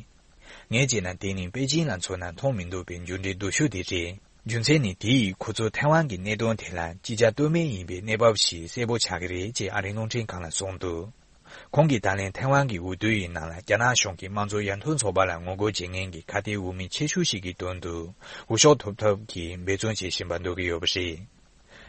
ངས་བྱས་ན་དེ་ནི་པེ་ཅིང་ལ་མཚོན་ན་མཐོང་མི་འདོད་པའི་འགྱུར་འགྲོས་སྡུག་ཤོས་དེ་རེད། རྒྱུ་མཚན་ནི་དེ་ཡིས་ཁོ་ཚོ་ཐའེ་ཝན་གྱི་གནད་དོན་དེ་ལ་ཅི་བྱ་གཏོལ་མེད་ཡིན་པའི་གནས་བབ་ཞིག་གསལ་པོ་ཆགས་ཀྱི་རེད་ཅེས་ཨ་རིའི་རླུང་འཕྲིན་ཁང་ལ་གསུངས་འདུག་ཁོང་གིས་ད་ལན་ཐའེ་ཝན་གྱི་འོས་བསྡུ་ཡི་ནང་ལ་རྒྱ་ནག་གཞུང་གིས་དམངས་གཙོ་ཡར་ཐོན་ཚོགས་པ་ལ་ངོ་རྒོལ་བྱེད་མཁན་གྱི་ཁ་གཏད་འོས་མི་ཆེ་ཤོས་ཤིག་གི་དོན་དུ་འོས་ཤོག་ཐོབ་ཐབས་ཀྱི་འབད་བརྩོན་བྱེད་བཞིན་པ་འདུག་གི་ཡོད་པ་རེད།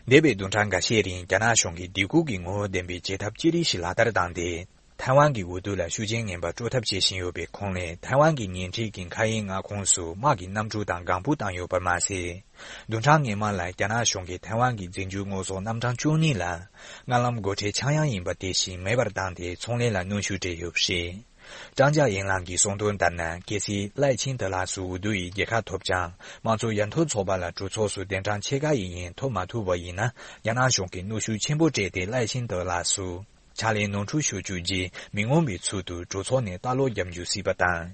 འདས་པའི་བདུན་ཕྲག་འགའ་ཤས་རིང་རྒྱ་ནག་གཞུང་གིས་སྡིགས་མཁུར་གྱི་ངོ་བོ་ལྡན་པའི་བྱེད་ཐབས་ཅི་རིགས་ཤིག་ལག་བསྟར་བཏང་སྟེ། ཐའེ་ཝན་གྱི་འོས་བསྡུ་ལ་ཤུགས་རྐྱེན་ངན་པ་སྤྲོད་ཐབས་བྱེད་བཞིན་ཡོད་པའི་ཁོངས་ལས་ཐའེ་ཝན་གྱི་ཉེ་འཁྲིས་ཀྱི་མཁའ་དབྱིངས་མངའ་ཁོངས་སུ་དམག་གི་གནམ་གྲུ་དང་ལྒང་བུ་བཏང་ཡོད་པ་མ་ཟད། བདུན་ཕྲག་སྔོན་མ་ལ་རྒྱ་ནག་གཞུང་གིས་ཐའེ་ཝན་གྱི་འཛིན་སྐྱོང་དངོས་ཟོག་རྣམ་གྲངས་བཅུ་གཉིས་ལ་མངའ་ལམ་སྒོ་ཁྲལ་ཆག་ཡང་ཡིན་པ་དེ་བཞིན་མེད་པར་བཏང་སྟེ་ཚོང་ལས་ལ་གནོན་ཤུགས་སྤྲད་ཡོད་པ་རེད། ཀྲང་ཅཱ་ཡན་ལགས་ཀྱིས་གསུངས་དོན་ལྟར་ན། གལ་སྲིད་ལའེ་ཆིང་ཏེ་ལགས་སུ་འོས་བསྡུ་ཡི་རྒྱལ་ཁ་ཐོབ་ཀྱང་། དམངས་གཙོ་ཡར་ཐོན་ཚོགས་པ་ལ་གྲོས་ཚོགས་སུ་གདན་གྲངས་ཕྱེད་ཀ་ཡི་ཡན་ཐོབ་མ་ཐུབ་པ་ཡིན་ན། རྒྱ་ནག་གཞུང་གིས་གནོན་ཤུགས་ཆེན་པོ་སྤྲད་དེ་ལའེ་ཆིང་ཏེ་ལགས་སུ་ཕྱག་ལས་ནོར་འཁྲུལ་ཤོར་རྒྱུ་བརྗེད་མི་མངོན་པའི་ཚུལ་དུ་གྲོས་ཚོགས་ནས་ལྟ་ཀློག་བརྒྱབ་འཇུག་སྲིད་པ་དང་།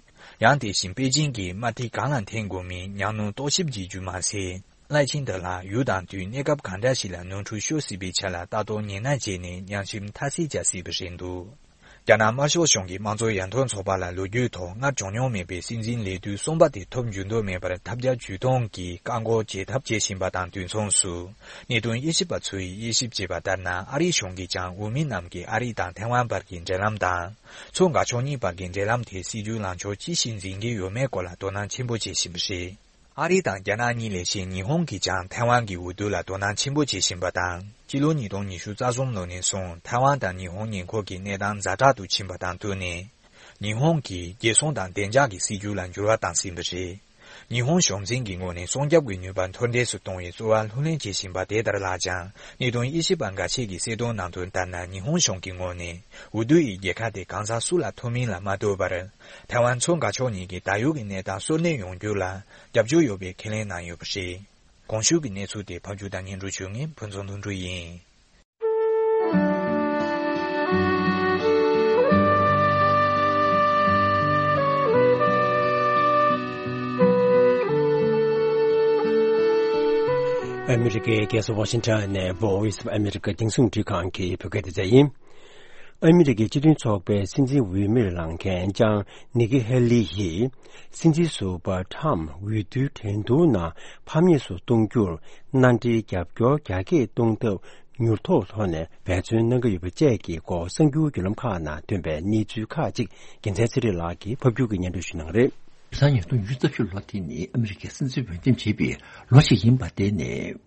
ཡང་དེ་བཞིན་པེ་ཅིང་གིས་དམར་ཐིག་གང་ལ་འཐེན་དགོས་མིན་ཉམས་མྱོང་རྟོག་ཞིབ་བྱེད་རྒྱུ་མ་ཟད། ལའེ་ཆིང་ཏེ་ལགས་ཡུལ་དང་དུས་གནས་སྐབས་གང་འདྲ་ཞིག་ལ་ནོར་འཁྲུལ་ཤོར་སྲིད་པའི་ཆ་ལ་ལྟ་རྟོག་ཉི་ན་བྱས་ནས་ཉམས་ཞིབ་མཐར་སྐྱེལ་བྱ་སྲིད་པ་རེད་འདུག་རྒྱ་ནག་དམར་ཤོག་གཞུང་གིས་དམངས་གཙོ་ཡར་ཐོན་ཚོགས་པ་ལ་ལོ་རྒྱུས་ཐོག་སྔར་བྱུང་མྱོང་མེད་པའི་སྲིད་འཛིན་ལས་དུས་གསུམ་པ་དེ་ཐོབ་འཇུག་འདོད་མེད་པར་ཐབས་བརྒྱ་ཇུས་སྟོང་གིས་བཀག་འགོག་བྱེད་ཐབས་བྱེད་བཞིན་པ་དང་དུས་མཚུངས་སུ། གནད་དོན་དབྱེ་ཞིབ་པ་ཚོས་དབྱེ་ཞིབ་བྱས་པ་ལྟར་ན། ཨ་རིའི་གཞུང་གིས་ཀྱང་འོས་མི་རྣམས་ཀྱིས་ཨ་རི་དང་ཐའེ་ཝན་བར་གྱི་འབྲེལ་ལམ་དང་། མཚོ་འགག་ཕྱོགས་གཉིས་བར་གྱི་འབྲེལ་ལམ་དེ་སྲིད་ཇུས་ལངས་ཕྱོགས་ཅི་ཞིག་འཛིན་གྱི་ཡོད་མེད་སྐོར་ལ་དོ་སྣང་ཆེན་པོ་བྱེད་བཞིན་པ་རེད། ཨ་རི་དང་རྒྱ་ནག་གཉིས་ལས་གཞན་ཉི་ཧོང་གིས་ཀྱང་ཐའེ་ཝན་གྱི་འོས་བསྡུ་ལ་དོ་སྣང་ཆེན་པོ་བྱེད་བཞིན་པ་དང་། སྤྱི་ལོ་ཉིས་སྟོང་ཉི་ཤུ་རྩ་གསུམ་ལོ་ནས་བཟུང་ཐའེ་ཝན་དང་ཉི་ཧོང་ཉེ་འཁོར་གྱི་གནས་སྟངས་ཛ་དྲག་ཏུ་ཕྱིན་པ་དང་བསྟུན་ནས། ཉི་ཧོང་གིས་རྒྱལ་སྲུང་དང་བདེ་འཇགས་ཀྱི་སྲིད་ཇུས་ལ་འགྱུར་བ་བཏང་ཟིན་པ་རེད། ཉི་ཧོང་གཞུང་འཛིན་གྱི་ངོས་ནས་སྲུང་སྐྱོབ་ཀྱི་ནུས་པ་མཐོར་འདེགས་སུ་གཏོང་བའི་རྩོལ་བ་ལྷུར་ལེན་བྱེད་བཞིན་པ་དེ་ལྟར་ལགས་ཀྱང་། གནད་དོན་དབྱེ་ཞིབ་པ་འགའ་ཤས་ཀྱིས་གསལ་སྟོན་གནང་དོན་ལྟར་ན། ཉི་ཧོང་གཞུང་གི་ངོས་ནས་འོས་བསྡུ་ཡི་རྒྱལ་ཁ་དེ་གང་ཟག་སུ་ལ་ཐོབ་མིན་ལ་མ་ལྟོས་པར། ཐའེ་ཝན་མཚོ་འགག་ཕྱོགས་གཉིས་ཀྱི་ད་ཡོད་ཀྱི་གནས་སྟངས་གསོ་སྣོན་ཡོང་རྒྱུ་ལ་རྒྱབ་སྐྱོར་ཡོད་པའི་ཁས་ལེན་གནང་ཡོད་པ་རེད། གོང་ཞུས་ཀྱི་གནས་ཚུལ་དེ་ཕབ་སྒྱུར་དང་སྙན་སྒྲོན་ཞུ་མཁན་ཕུན་ཚོགས་དོན་གྲུབ་ཡིན། ཨ་མི་རི་ཀའི་རྒྱལ་ས་ཝ་ཤིང་ཊོན་ནས་Voice of America་རྒྱང་སྲིང་རླུང་འཕྲིན་ཁང་གི་བོད་སྐད་སྡེ་ཚན་ཡིན། ཨ་མི་རི་ཀའི་སྤྱི་མཐུན་ཚོགས་པའི་སྲིད་འཛིན་འོས་མིར་ལངས་མཁན་ལྕམ་ནི་ཀི་ཧེ་ལི་ཡིས། སྲིད་འཛིན་ཟུར་པ་ཊམ་འོས་བསྡུའི་འགྲན་བསྡུར་ནང་ཕམ་ཉེས་སུ་གཏོང་རྒྱུར་མནའ་འབྲེལ་རྒྱབ་སྐྱོར་རྒྱ་སྐྱེད་གཏོང་ཐབས་མྱུར་ཐོག་ཐོག་ནས་འབད་བརྩོན་གནང་གི་ཡོད་པ་བཅས་ཀྱི་སྐོར་གསར་འགྱུར་བརྒྱུད་ལམ་ཁག་ནང་ཐོན་པའི་གནས་ཚུལ་ཁག་ཅིག་རྒྱལ་མཚན་ཚེ་རིང་ལགས་ཀྱིས་ཕབ་སྒྱུར་གྱིས་སྙན་སྒྲོན་ཞུ་གནང་གི་རེད། དེང་སང་ཉིས་སྟོང་ཉི་ཤུ་རྩ་བཞི་ལོ་དེ་ནི་ཨ་མི་རི་ཀའི་སྲིད་འཛིན་འོས་འདེམས་བྱེད་པའི་ལོ་ཞིག་ཡིན་པ་དེ་ནས།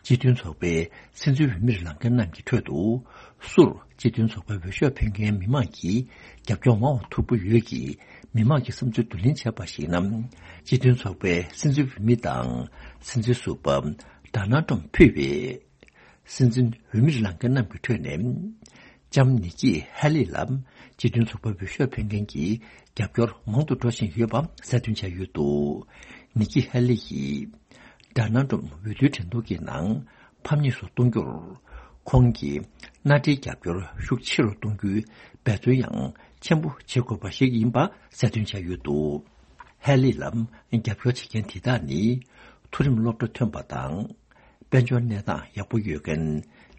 སྤྱི་མཐུན་ཚོགས་པའི་སྲིད་འཛིན་འོས་མིར་ལངས་མཁན་རྣམས་ཀྱི་ཁྲོད་དུ། སུར་སྤྱི་མཐུན་ཚོགས་པའི་འོས་ཤོག་འཕེན་མཁན་མི་མང་གིས་རྒྱབ་སྐྱོར་མང་བ་ཐོབ་ཀྱི་ཡོད་ཀྱི། མི་མང་གི་བསམ་ཚུལ་བསྡུ་ལེན་བྱས་པར་གཞིགས་ན། སྤྱི་མཐུན་ཚོགས་པའི་སྲིད་འཛིན་འོས་མི་དང་སྲིད་འཛིན་ཟུར་པ་ཌོ་ནལ་ཊམ་ཕུད་པའི། སྲིད་འཛིན་འོས་མིར་ལངས་མཁན་རྣམས་ཀྱི་ཁྲོད་ནས། ལྕམ་ནི་ཀི་ཧེ་ལི་ལ་སྤྱི་མཐུན་ཚོགས་པའི་འོས་ཤོག་འཕེན་མཁན་གྱི་རྒྱབ་སྐྱོར་མང་དུ་འགྲོ་བཞིན་ཡོད་པ་གསལ་སྟོན་བྱས་ཡོད་འདུག་ནི་ཀི་ཧེ་ལི་ཡིས་ཌོ་ནལ་ཊམ་འོས་བསྡུའི་འགྲན་བསྡུར་གྱི་ནང་ཕམ་ཉེས་སུ་གཏོང་རྒྱུར། ཁོང་གིས་མནའ་འབྲེལ་རྒྱབ་སྐྱོར་ཤུགས་ཆེ་རུ་གཏོང་རྒྱུའི་འབད་བརྩོན་ཡང་ཆེན་པོ་བྱེད་དགོས་པ་ཞིག་ཡིན་པ་གསལ་སྟོན་བྱས་ཡོད་འདུག་ཧེ་ལི་ལ་རྒྱབ་སྐྱོར་བྱེད་མཁན་དེ་དག་ནི་མཐོ་རིམ་སློབ་གྲྭ་ཐོན་པ་དང་། དཔལ་འབྱོར་གནས་སྟངས་ཡག་པོ་ཡོད་མཁན།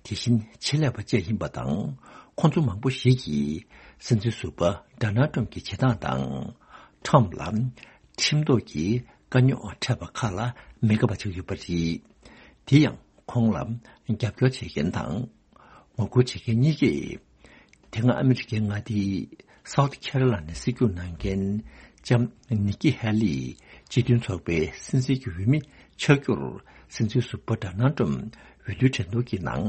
དེ་བཞིན་ཆེད་ལས་པ་བཅས་ཡིན་པ་དང་། ཁོང་ཚོ་མང་པོ་ཞིག་གིས་སྲིད་འཛིན་ཟུར་པ་ཌོ་ནལ་ཊམ་གྱི་བྱེད་སྟངས་དང་། ཊམ་ལ་ཁྲིམས་ཐོག་གི་དཀའ་རྙོག་འཕྲད་པ་ཁག་ལ་མི་དགའ་བ་ཆགས་ཡོད་པ་རེད། དེ་ཡང་ཁོང་ལ་རྒྱབ་སྐྱོར་བྱེད་མཁན་དང་། ངོ་རྒོལ་བྱེད་མཁན་གཉིས་ཀས། དེ་སྔ་ཨ་མི་རི་ཀའི་མངའ་སྡེའི་སའུ་ཐི་ཁེ་རོ་ལ་ནའི་སྲིད་སྐྱོང་གནང་མཁན་ལྕམ་ནི་ཀི་ཧེ་ལི་སྤྱི་མཐུན་ཚོགས་པའི་སྲིད་འཛིན་གྱི་འོས་མི་ཆགས་རྒྱུར་སྲིད་འཛིན་ཟུར་པ་ཌོ་ནལ་ཊམ་འོས་བསྡུའི་འགྲན་བསྡུར་གྱི་ནང་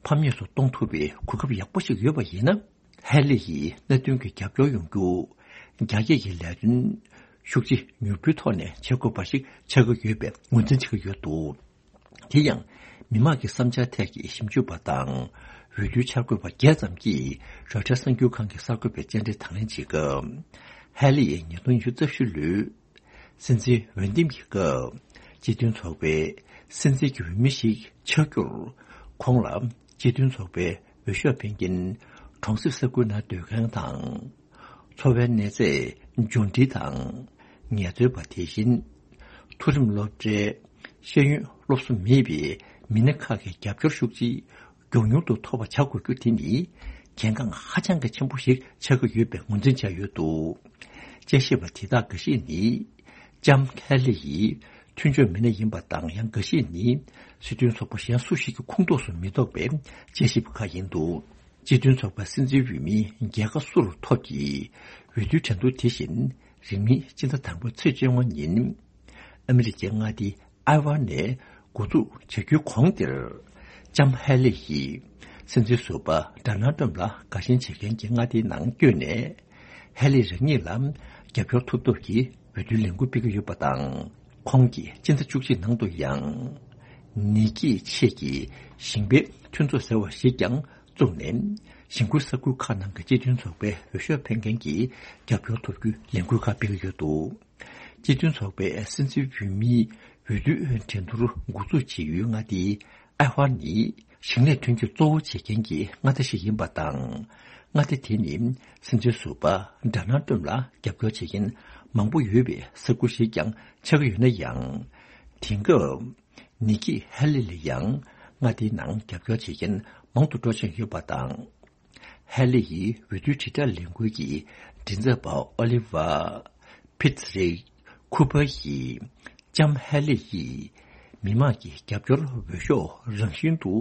ཕམ་ཉེས་སུ་གཏོང་ཐུབ་པའི་གོ་སྐབས་ཡག་པོ་ཞིག་ཡོད་པ་ཡིན་ན། ཧེ་ལི་ཡིས་གནད་དོན་གྱི་རྒྱབ་སྐྱོར་ཡོང་རྒྱུ། རྒྱ་སྐྱེད་ཀྱི་ལས་དོན་ཤུགས་ཆེ་མྱུར་པོའི་ཐོག་ནས་བྱེད་དགོས་པ་ཞིག་ཆགས་ཀྱི་ཡོད་པའི་ངོས་འཛིན་བྱེད་ཀྱི་ཡོད་འདུག་དེ་ཡང་། མི་མང་གི་བསམ་འཆར་ཐད་ཀྱི་ཞིབ་འཇུག་པ་དང་། འོས་བསྡུའི་འཆར་འགོད་པ་བརྒྱད་ཙམ་གྱིས་རོའི་ཊར་གསར་འགྱུར་ཁང་གི་གསར་འགོད་པའི་བཅར་འདྲི་དང་ལེན་བྱེད་སྐབས། ཧེ་ལི་ཡིས་ཉིས་སྟོང་ཉི་ཤུ་རྩ་བཞི་ལོའི་སྲིད་འཛིན་འོས་འདེམས་ཀྱི་སྐབས། སྤྱི་མཐུན་ཚོགས་པའི་ སྲིད་འཛིན་གྱི་འོས་མི་ཞིག་ཆགས་རྒྱུར། ཁོང་ལ་སྤྱི་མཐུན་ཚོགས་པའི་འོས་ཤོག་འཕེན་མཁན་གྲོང་གསེབ་ས་ཁུལ་ནང་སྡོད་མཁན་དང་། འཚོ་བའི་གནས་ཚད་འབྱོར་འབྲིང་དང་། ངལ་རྩོལ་པ། དེ་བཞིན་མཐོ་རིམ་སློབ་གྲྭའི་ཤེས་ཡོན་སློབ་གསོ་མེད་པའི་མི་སྣ་ཁག་གི་རྒྱབ་སྐྱོར་ཤུགས་ཆེ་མགྱོགས་མྱུར་དུ་ཐོབ་པ་བྱ་དགོས་རྒྱུ་དེ་ནི་གལ་འགངས་ཧ་ཅང་གི་ཆེན་པོ་ཞིག་ཆགས་ཀྱི་ཡོད་པའི་ངོས་འཛིན་བྱས་ཡོད་འདུག་དཔྱད་ཞིབ་པ་དེ་དག་འགའ་ཤས་ནི། ལྕམ་ཧེ་ལི་ཡི་མཐུན་ཕྱོགས་མི་སྣ་ཡིན་པ་དང་། ཡང་འགའ་ཤས་ནི་སྲིད་དོན་ཚོགས་པ་གཞན་སུ་ཞིག་གི་ཁོངས་གཏོགས་སུ་མི་གཏོགས་པའི་དཔྱད་ཞིབ་པ་ཁག་ཡིན་འདུག་སྤྱི་མཐུན་ཚོགས་པའི་སྲིད་འཛིན་འོས་མི་རྒྱལ་ཁ་སུ་རུ་ཐོབ་ཀྱི་འོས་བསྡུའི་འགྲན་བསྡུར་དེ་བཞིན་རིང་མིན་སྤྱི་ཟླ་དང་པོའི་ཚེས་བཅོ་ལྔ་ཉིན། ཨ་མི་རི་ཀའི་མངའ་སྡེ་ཨའེ་ཝ་ནས་འགོ་འཛུགས་བྱ་རྒྱུའི་གོང་དེར། ལྕམ་ཧེ་ལི་ཡིས་སྲིད་འཛིན་ཟུར་པ་ཌོ་ནལ་ཊམ་ལ་དགའ་ཞེན་བྱེད་མཁན་གྱི་མངའ་སྡེའི་ནང་བསྐྱོད་ནས། ཧེ་ལི་རང་ཉིད་ལ་རྒྱབ་སྐྱོར་ཐོབ་ཐབས་ཀྱི་འོས་བསྡུའི་ལས་འགུལ་སྤེལ་གྱི་ཡོད་པ་དང་། ཁོང་གིས་སྤྱི་ཟླ་བཅུ་གཅིག་ནང་དུ་ཡང་། ནིག་ཀིའི་ཆེད་ཀྱི་ཞིང་པའི་མཐུན་ཚོགས་ཟེར་བ་ཞིག་ཀྱང་བཙུགས་ནས། ཞིང་ཁུལ་ས་ཁུལ་ཁག་ནང་གི་སྤྱི་མཐུན་ཚོགས་པའི་འོས་ཤོག་འཕེན་མཁན་གྱི་རྒྱབ་སྐྱོར་ཐོབ་རྒྱུའི་ལས་འགུལ་ཁག་སྤེལ་གྱི་ཡོད་འདུག་སྤྱི་མཐུན་ཚོགས་པའི་སྲིད་འཛིན་འོས་མིའི་འོས་བསྡུའི་འགྲན་བསྡུར་འགོ་འཛུགས་བྱེད་ཡུལ་མངའ་སྡེའི་ཨའེ་ཝ་ནི་ཞིང་ལས་ཐོན་སྐྱེད་གཙོ་བོ་བྱེད་མཁན་གྱི་མངའ་སྡེ་ཞིག་ཡིན་པ་དང་། མངའ་སྡེ་དེ་ནི་སྲིད་འཛིན་ཟུར་པ་ཌོ་ནལ་ཊམ་ལ་རྒྱབ་སྐྱོར་བྱེད་མཁན་མང་པོ་ཡོད་པའི་ས་ཁུལ་ཞིག་ཀྱང་ཆགས་ཀྱི་ཡོད་ན་ཡང་། དེང་སྐབས་ནིག་ཀི་ཧེ་ལི་ལ་ཡང་མངའ་སྡེའི་ནང་རྒྱབ་སྐྱོར་བྱེད་མཁན་མང་དུ་འགྲོ་བཞིན་ཡོད་པ་དང་། ཧེ་ལི་ཡི་འོས་བསྡུའི་དྲིལ་བསྒྲགས་ལས་འགུལ་གྱི་མགྲིན་ཚབ་པ་ཨོ་ལི་ཝ། ཕིཊ་རི་ཁུ་པར་ཡིས། ལྕམ་ཧེ་ལི་ཡིས་མི་མང་གི་རྒྱབ་སྐྱོར་འོས་ཤོག་རང་བཞིན་དུ་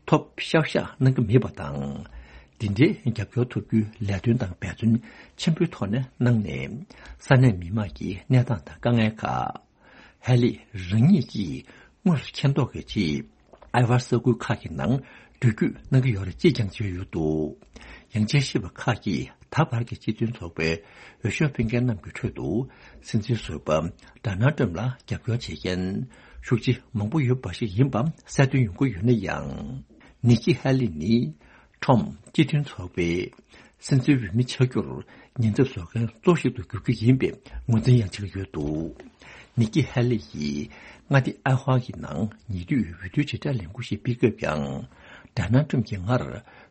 ཐོབ་ཤག་ཤག་གནང་གི་མེད་པ་དང་། འདི་འདྲའི་རྒྱབ་སྐྱོར་ཐོབ་རྒྱུའི་ལས་དོན་དང་འབད་བརྩོན་ཆེན་པོའི་ཐོག་ནས་གནང་ནས། ས་གནས་མི་མང་གི་གནས་སྟངས་དང་དཀའ་ངལ་ཁག་ཧེ་ལི་རང་ཉིད་ཀྱིས་དངོས་སུ་མཁྱེན་རྟོགས་ཀྱི་ཆེད། ཨའེ་ཝ་ས་ཁུལ་ཁག་གི་ནང་འགྲུལ་སྐྱོད་གནང་གི་ཡོད་རེད་ཅེས་ཀྱང་བརྗོད་ཡོད་འདུག་ཡང་དཔྱད་ཞིབ་པ་ཁག་གིས་ད་བར་གྱི་སྤྱི་མཐུན་ཚོགས་པའི་འོས་ཤོག་འཕེན་མཁན་རྣམས་ཀྱི་ཁྲོད་དུ། སྲིད་འཛིན་ཟུར་པ་ཌོ་ནལ་ཊམ་ལ་རྒྱབ་སྐྱོར་བྱེད་མཁན་ཤུགས་ཆེ་མང་པོ་ཡོད་པ་ཞིག་ཡིན་པ་གསལ་སྟོན་ཡོང་གི་ཡོད་ན་ཡང་། ནིག་ཀི་ཧེ་ལི་ནི། ཁྲོམ་སྤྱི་མཐུན་ཚོགས་པའི་སྲིད་འཛིན་འོས་མི་ཆགས་རྒྱུར་ཉེན་ཚབས་བཟོ་མཁན་གཙོ་ཞིག་ཏུ་འགྱུར་རྒྱུ་ཡིན་པའི་ངོས་འཛིན་ཡང་བྱེད་ཀྱི་ཡོད་འདུག་ནིག་ཀི་ཧེ་ལི་ཡིས་མངའ་སྡེ་ཨའེ་ཝ་གི་ནང་ཉེ་དུས་འོས་བསྡུའི་དྲིལ་བསྒྲགས་ལས་འགུལ་ཞིག་སྤེལ་སྐབས་ཀྱང་། ཌོ་ནལ་ཊམ་གྱིས་སྔར་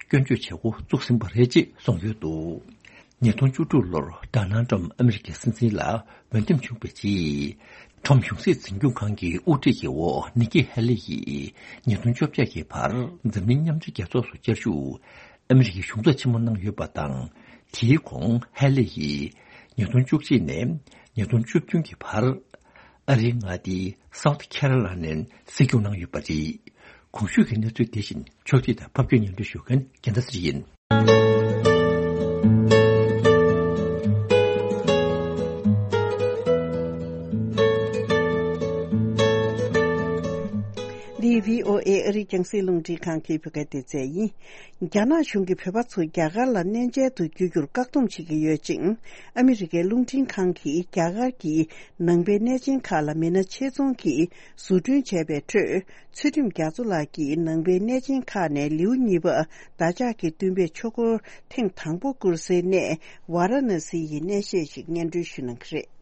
སྐྱོན་བརྗོད་བྱེད་འགོ་བཙུགས་ཟིན་པ་རེད་ཅེས་གསུངས་ཡོད་འདུག་ཉིས་སྟོང་བཅུ་དྲུག་ལོར་ཌོ་ནལ་ཊམ་ཨ་མི་རི་ཀའི་སྲིད་འཛིན་ལ་འོས་འདེམས་བྱུང་བའི་རྗེས། ཁྲོམ་གཞུང་སྲིད་འཛིན་སྐྱོང་ཁང་གི་དབུ་ཁྲིད་ཀྱི་འོག་ནིག་ཀི་ཧེ་ལི་ཡིས་ཉིས་སྟོང་བཅོ་བརྒྱད་ཀྱི་བར་འཛམ་གླིང་མཉམ་འབྲེལ་རྒྱལ་ཚོགས་སུ་བཅའ་བཞུགས། ཨ་མི་རི་ཀའི་གཞུང་ཚབ་ཆེན་མོ་གནང་ཡོད་པ་དང་། དེའི་གོང་ཧེ་ལི་ཡིས་ཉིས་སྟོང་བཅུ་གཅིག་ནས་ཉིས་སྟོང་བཅུ་བདུན་གྱི་བར་ཨ་རིའི་མངའ་སྡེའི་སའུ་ཐི་ཁེ་རོ་ལ་ནས་སྲིད་སྐྱོང་གནང་ཡོད་པ་རེད། གོང་ཞུས་ཀྱི་གནས་ཚུལ་དེ་བཞིན་ཕྱོགས་སྒྲིག་དང་ཕབ་སྒྱུར་སྙན་སྒྲོན་ཞུ་མཁན་རྒྱལ་མཚན་ཚེ་རིང་ཡིན། འདི་བྷི་ཨོ་ཨེ་ཨ་རིའི་རྒྱང་སྲིང་རླུང་འཕྲིན་ཁང་གི་བོད་སྐད་སྡེ་ཚན་ཡིན། རྒྱ་ནག་གཞུང་གིས་བོད་པ་ཚོ་རྒྱ་གར་ལ་གནས་མཇལ་དུ་བསྐྱོད་རྒྱུར་བཀག་སྡོམ་བྱེད་ཀྱི་ཡོད་ཅིང་། ཨ་མི་རི་ཀའི་རླུང་འཕྲིན་ཁང་གིས་རྒྱ་གར་གྱི་ནང་པའི་གནས་ཆེན་ཁག་ལ་མི་སྣ་ཆེད་རྫོང་གིས་བཟོ་སྐྲུན་བྱས་པའི་ཁྲོད། ཚུལ་ཁྲིམས་རྒྱ་མཚོ་ལགས་ཀྱིས་ནང་པའི་གནས་ཆེན་ཁག་ནས་ལེའུ་གཉིས་པ་བདག་ཅག་གི་སྟོན་པས་ཆོས་འཁོར་ཐེངས་དང་པོ་བསྐོར་སའི་གནས་ཝཱ་ར་ཎ་སི་ཡི་གནས་བཤད་ཞིག་སྙན་སྒྲོན་ཞུ་གནང་གི་རེད།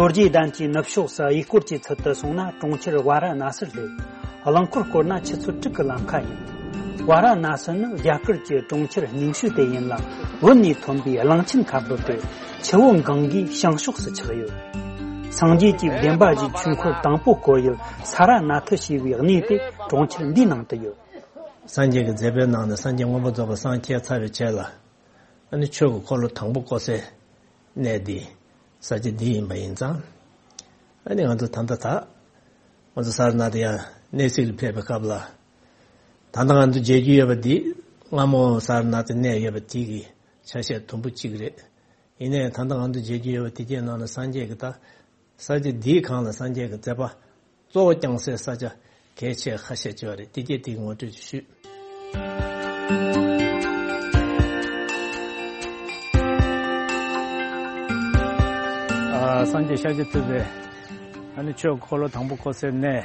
རྡོ་རྗེ་གདན་གྱི་ནུབ་ཕྱོགས་སུ་གཡས་སྐོར་གྱི་ཚུལ་དུ་སོང་ན་གྲོང་ཁྱེར་ཝཱ་ར་ཎ་སི་སླེབས། རླངས་འཁོར་བསྐོར་ན་ཆུ་ཚོད་དྲུག་གི་ལམ་ཁ་ཡིན། ཝཱ་ར་ཎ་སི་ནི་རྒྱ་གར་གྱི་གྲོང་ཁྱེར་རྙིང་ཤོས་དེ་ཡིན་ལ། བོད་ནས་ཐོན་པའི་གླང་ཆེན་ཁ་འབབ་སྟེ། ཆུ་བོ་གངྒཱའི་བྱང་ཕྱོགས་སུ་ཆགས་ཡོད། སངས་རྒྱས་ཀྱིས་བདེན་པ་བཞིའི་ཆོས་འཁོར་དང་པོ་བསྐོར་ཡུལ་ས་ར་ནཱ་ཐ་ཞེས་པའི་གནས་དེ་གྲོང་ཁྱེར་འདིའི་ནང་དུ་ཡོད། སངས་རྒྱས་ཀྱི་མཛད་པའི་ནང་ནས་སངས་རྒྱས་མངོན་པར་རྫོགས་པར་སངས་རྒྱས་ཚར་བའི་རྗེས་ལ། ཨ་ནི་ཆོས་ཀྱི་འཁོར་ལོ་དང་པོ་བསྐོར་སའི་གནས་འདི། ས་ཆ་འདི་ཡིན་པ་ཡིན་ཙང་། ཨ་ནི་ང་ཚོ་ད་ལྟ་ད། ང་ཚོ་ས་ར་ནཱ་ཐ་ཡང་གནས་གཟིགས་ལ་ཕེབས་པའི་སྐབས་ལ། ད་ལྟ་ང་ཚོ་མཇལ་རྒྱུ་ཡོད་པ་འདི། སྔ་མོ་ས་ར་ནཱ་ཐ་གནས་ཡོད་པ་དེ་གི་ཆ་ཤས་དུམ་བུ་གཅིག་རེད། ཡིན་ནའི་ད་ལྟ་ང་ཚོ་མཇལ་རྒྱུ་ཡོད་པ་དེ་གའི་ནང་ལ་སངས་རྒྱས་ཀྱི་ད། ས་ཆ་འདིའི་སྒང་ལ་སངས་རྒྱས་ཀྱི་མཛད་པ་གཙོ་བོ་བསྐྱངས་སའི་ས་ཆ་གལ་ཆེ་ཁ་ཤས་ཅིག་ཡོད་རེད། དེ་གས་དེ་ངོ་སྤྲོད་ཅིག་ཞུས། སངས་རྒྱས་ཤཱཀྱ་ཐུབ་པས་ཨ་ནི་ཆོས་འཁོར་ལོ་དང་པོ་བསྐོར་སའི་གནས།